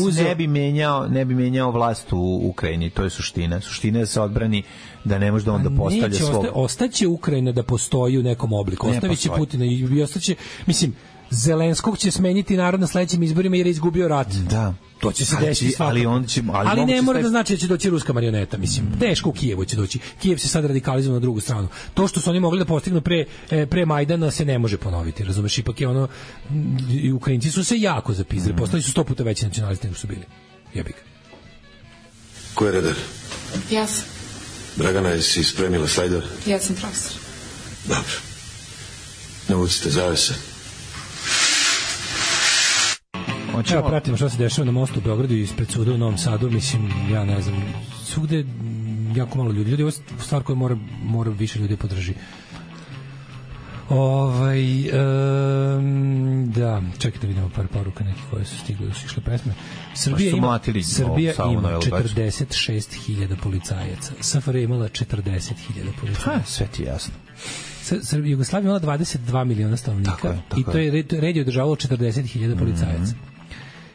ne bi menjao vlast u Ukrajini, to je suština. Suština je da se odbrani da ne može da onda postavlja svog. Ostaće Ukrajina da postoji u nekom obliku. Ostaviće Putina i ostaće, mislim, Zelenskog će smeniti narod na sledećim izborima jer je izgubio rat. Da. To će se desiti svakako. Ali ne mora da znači da će doći ruska marioneta, mislim. Teško u Kijevu će doći. Kijev se sad radikalizuje na drugu stranu. To što su oni mogli da postignu pre Majdana se ne može ponoviti, razumeš? Ipak je ono, i Ukrajinci su se jako zapizdili. Postali su 100 puta veći nacionalisti nego su bili. Jebik. Ko je redar? Ja sam. Dragana, jesi spremila slajdove? Ja sam profesor. Dobro. Navucite zavese. Ja pratimo što se dešava na mostu u Beogradu i ispred suda u Novom Sadu, mislim, ja ne znam, svugde jako malo ljudi. Ljudi, ovo je stvar koju mora više ljudi podrži. Da, čekajte, vidimo par poruka nekih koje su stigle, da su išle pesme. Srbija ima 46.000 policajaca. SFRJ je imala 40.000 policajaca. Sve ti jasno. Jugoslavija imala 22 miliona stanovnika i to je red je održavalo 40.000 policajaca.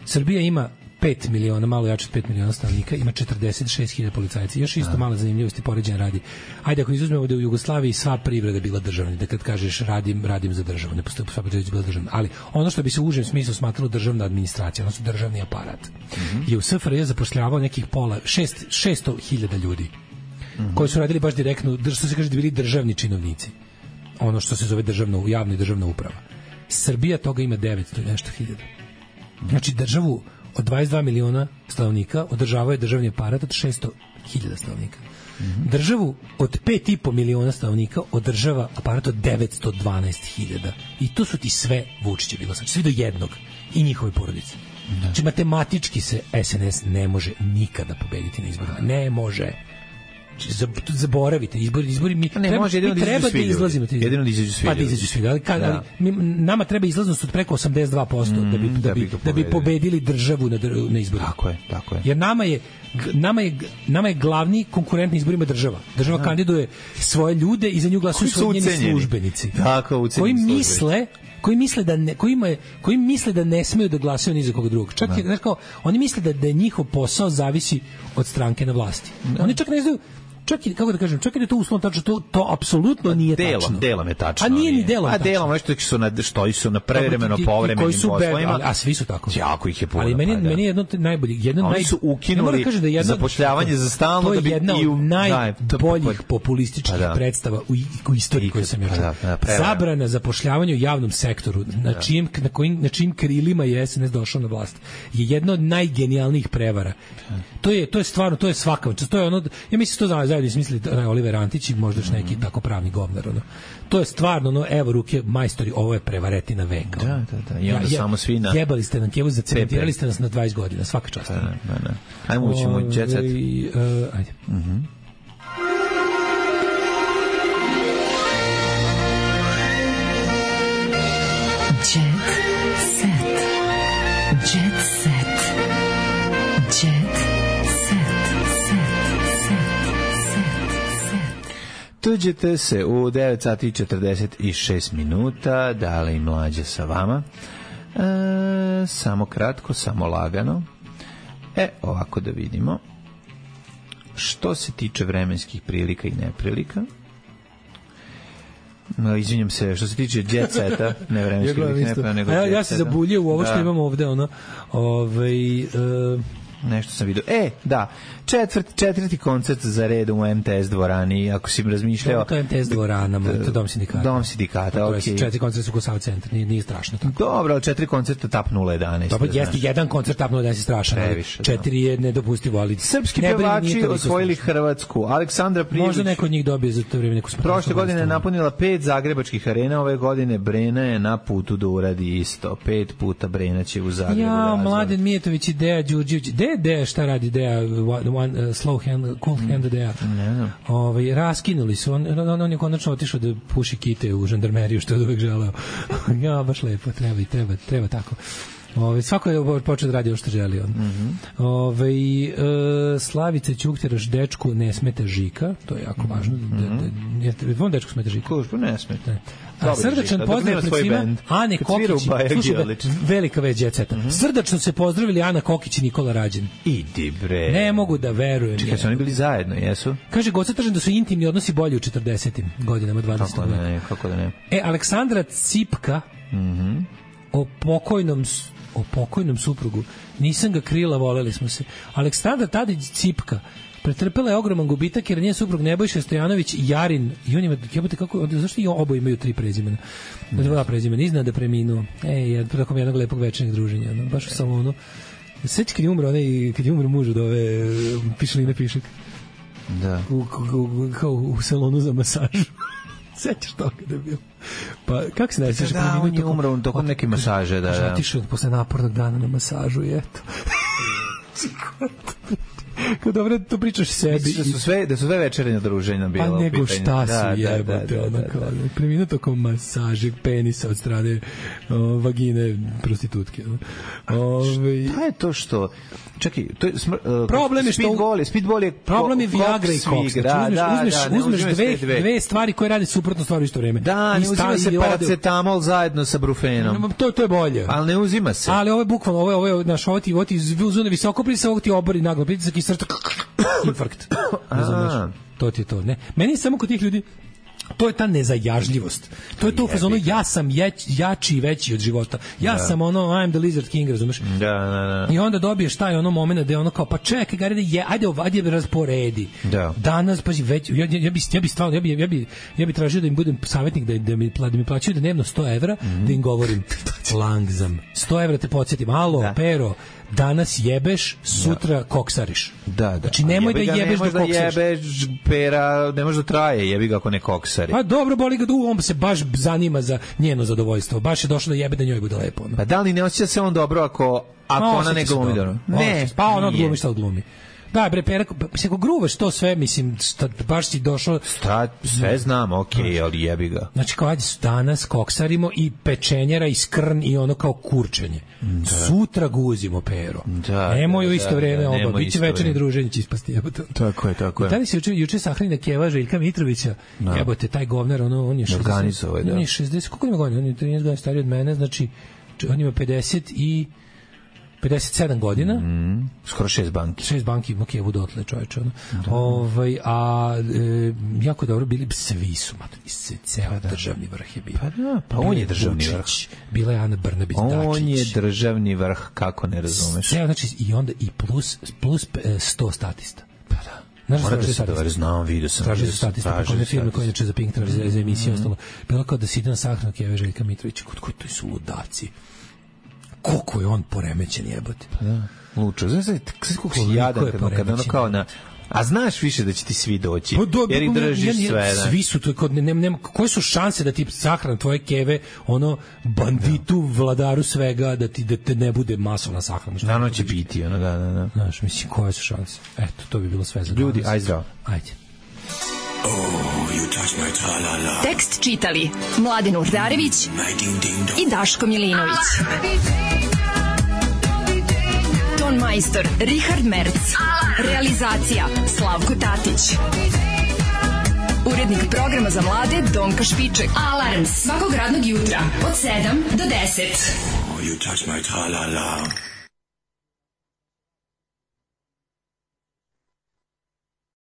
Srbija ima 5 miliona, malo jače od 5 miliona stanovnika, ima 46.000 policajaca. Još isto mala zanimljivosti poređenja radi. Ajde, ako izuzmemo da u Jugoslaviji sva privreda bila državna, da kad kažeš radim za državu, ne postoji sva privreda bila državna, ali ono što bi se u užem smislu smatralo državna administracija, odnosno državni aparat, je u SFRJ zapošljavao nekih 600.000 ljudi, koji su radili baš direktno, što se kaže da bili državni činovnici. Ono što se zove javna i državna uprava. Srbija toga ima 900 nešto hiljada. Znači državu od 22 miliona stanovnika održavaju državni aparat od 600.000 stanovnika. Državu od 5,5 miliona stanovnika održava aparat od 912.000. I to su ti sve Vučiće bilo. Znači svi do jednog i njihove porodice. Znači matematički se SNS ne može nikada pobediti na izborima. Ne može. Zaboravite, izbori mi treba da izlazimo. Jedino da izađu svi. Pa da izađu svi. Nama treba izlaznost od preko 82% da bi pobedili državu na izborima. Tako je. Jer nama je glavni konkurent na izborima država. Država kandiduje svoje ljude i za nju glasuju svoji njeni službenici. Koji misle da ne smeju da glasaju ni za koga drugog. Čak je rekao, oni misle da njihov posao zavisi od stranke na vlasti. Oni čak ne znaju, čak i kako da kažem, čak i da je to uslovno tačno, to apsolutno nije tačno. Delom je tačno. A nije ni delom tačno. A delom što su na prevremeno povremenim poslovima. A svi su tako. Jako ih je puno. Ali meni je jedno najbolji, oni su ukinuli zapošljavanje za stalno da bi jedna od najboljih populističkih predstava u istoriji koju sam ja čuo. Zabrana zapošljavanja u javnom sektoru, na čijim krilima je SNS došao na vlast, je jedna od najgenijalnijih prevara. To je stvarno, to je svaka, to je ono, ja mislim to zajedno smislili Oliver Antić i možda još neki tako pravni govnar, ono. To je stvarno, ono, evo ruke majstori, ovo je prevaretina veka. Da. I onda samo svi na... Jebali ste nam Kevu, zacementirali ste nas na 20 godina, svaka čast. Da. Ajmo ućemo Jet Set. Ajde. Tuđete se u 9 sati 46 minuta, Dale i Mlađe sa vama. Samo kratko, samo lagano. Ovako da vidimo. Što se tiče vremenskih prilika i neprilika, izvinjam se, što se tiče Jet Seta, ne vremenskih prilika, nego Jet Seta. Ja se zabuljio u ovo što imamo ovde, ono, nešto sam vidio. Da, četvrti koncert za red u MTS dvorani, ako si razmišljao... To je MTS dvorana, to je Dom sindikata. Dom sindikata, okej. 4 koncerta su Kosao centar, nije strašno tako. Dobro, ali 4 koncerta TAP 011. Dobro, jeste jedan koncert TAP 011 je strašan, 4 je nedopustivo, ali... Srpski pevači osvojili Hrvatsku. Aleksandra Prijević... Možda neko od njih dobije za to vreme neku smrtnu. Prošle godine je napunila 5 zagrebačkih arena, ove godine Brena je na putu da uradi isto. 5 puta Brena će u Zagrebu. Mladen Mijetović i Deja Đurđević. Deja šta radi Deja, slow hand, cool hand Deja. Raskinuli su, on je konačno otišao da puši kite u žandarmeriju, što je uvek želeo. Ja, baš lepo, treba tako. Svako je počeo da radi ono što želi on. Slavice Ćuktiraš dečku ne smete Žika, to je jako važno.Vom dečku smete Žika? Kužbu ne smete. Srdačan pozdrav pred svima Ane Kokić. Slušaj, velika već djeceta. Srdačno se pozdravili Ana Kokić i Nikola Rađen. Idi bre. Ne mogu da verujem. Čekaj, su oni bili zajedno, jesu? Kaže, Goca tržen da su intimni odnosi bolji u 40. godinama 20. veka. Kako da ne? Aleksandra Cipka o pokojnom suprugu. Nisam ga krila, voleli smo se. Aleksandra Tadić Cipka pretrpela je ogroman gubitak jer njen suprug Nebojša Stojanović i Jarin, i on ima, zašto i oboje imaju 3 prezimena? 2 prezimena, iznad da preminuo. Preko jednog lepog večernjeg druženja, baš u salonu. Sveći kad je umro muž od ove Pišline Pišek. Da. U salonu za masažu. Sećaš to kada je bilo? Pa, kako se najsjećaš? Da, on je umro tokom neke masaže, da. Otišao posle napornog dana na masažu i eto. Kao dobro to pričaš sebi. Da su sve večernja druženja bila. Pa nego šta su jebote, ono kao preminuo tokom masaže penisa od strane vagine prostitutke. Pa je to što... Čekaj, to je problem je što speedball je problem je Viagra i koks. Uzmeš dve stvari koje rade suprotno stvari u isto vreme. Da, ne uzima se paracetamol zajedno sa brufenom. To je bolje. Ali ne uzima se. Ali ovo je bukvalno, ovo je naš ovo ti uzune visoko pritisak, ovo ti obori naglo pritisak i srce infarkt. To ti je to, ne. Meni je samo kod tih ljudi to je ta nezajažljivost. To je to u fazonu ja sam jači i veći od života. Ja sam ono I'm the lizard king, razumeš? Da. I onda dobiješ taj ono momenat da je ono kao pa čekaj, ajde rasporedi. Da. Danas pa već ja bi tražio da im budem savjetnik da mi plaćaju dnevno 100 evra da im govorim langzam. 100 evra te podsjetim. Alo, Pero, danas jebeš, sutra koksariš. Da. Znači nemoj da jebeš dok koksariš. Da jebeš Pera, ne može da traje, jebi ga ako ne koksari. Pa dobro, boli ga on se baš zanima za njeno zadovoljstvo. Baš je došlo da jebe da njoj bude lepo. Pa da li ne osjeća se on dobro ako ona ne glumi dobro? Ne, pa ona odglumi šta odglumi. Da, bre, Pera, ako gruvaš to sve, mislim, baš si došao... Sve znam, okej, ali jebi ga. Znači, kao ajde danas koksarimo i pečenjera i skrn i ono kao kurčenje. Sutra guzimo, Pero. Nemoj u isto vreme oba. Biće večerni druženje će ispasti, jebote. Tako je. Da li se juče sahrani Keva Željka Mitrovića, jebote, taj govnar, on je 60... On je 60, koliko ima godina? On je 13 godina stariji od mene, znači, on ima 57 godina. Skoro 6 banki. 6 banki ima Kevu dotle, čoveče. Jako dobro bili, svi su, ceo državni vrh je bio. Pa on je državni vrh. Bila je Ana Brnabić Dačić. On je državni vrh, kako ne razumeš. Znači, i onda i plus 100 statista. Pa da. Mora da se dovari, znam, vidio sam. Traži se statista, kako ne firme koje inače za Pink traži za emisiju ostalo. Bilo kao da se ide na sahranu Keve Željka Mitrovića, kod to su ludaci. Koliko je on poremećen, jebote. Pa da, lučo. Znaš koliko si jadan kada ono kao na... A znaš više da će ti svi doći, jer ih držiš sve. Svi su tu, koje su šanse da ti sahrana tvoje Keve, ono, banditu, vladaru svega, da te ne bude masovna sahrana. Naravno će biti, ono, da. Znaš, mislim, koje su šanse? Eto, to bi bilo sve za danas. Ljudi, aj zdravo. Ajde. Tekst čitali Mladen Urdarević i Daško Milinović. Ton majstor Richard Merc. Realizacija Slavko Tatić. Urednik programa za mlade Donka Špiček. Alarms svakog radnog jutra od 7 do 10. You touch my tra-la-la.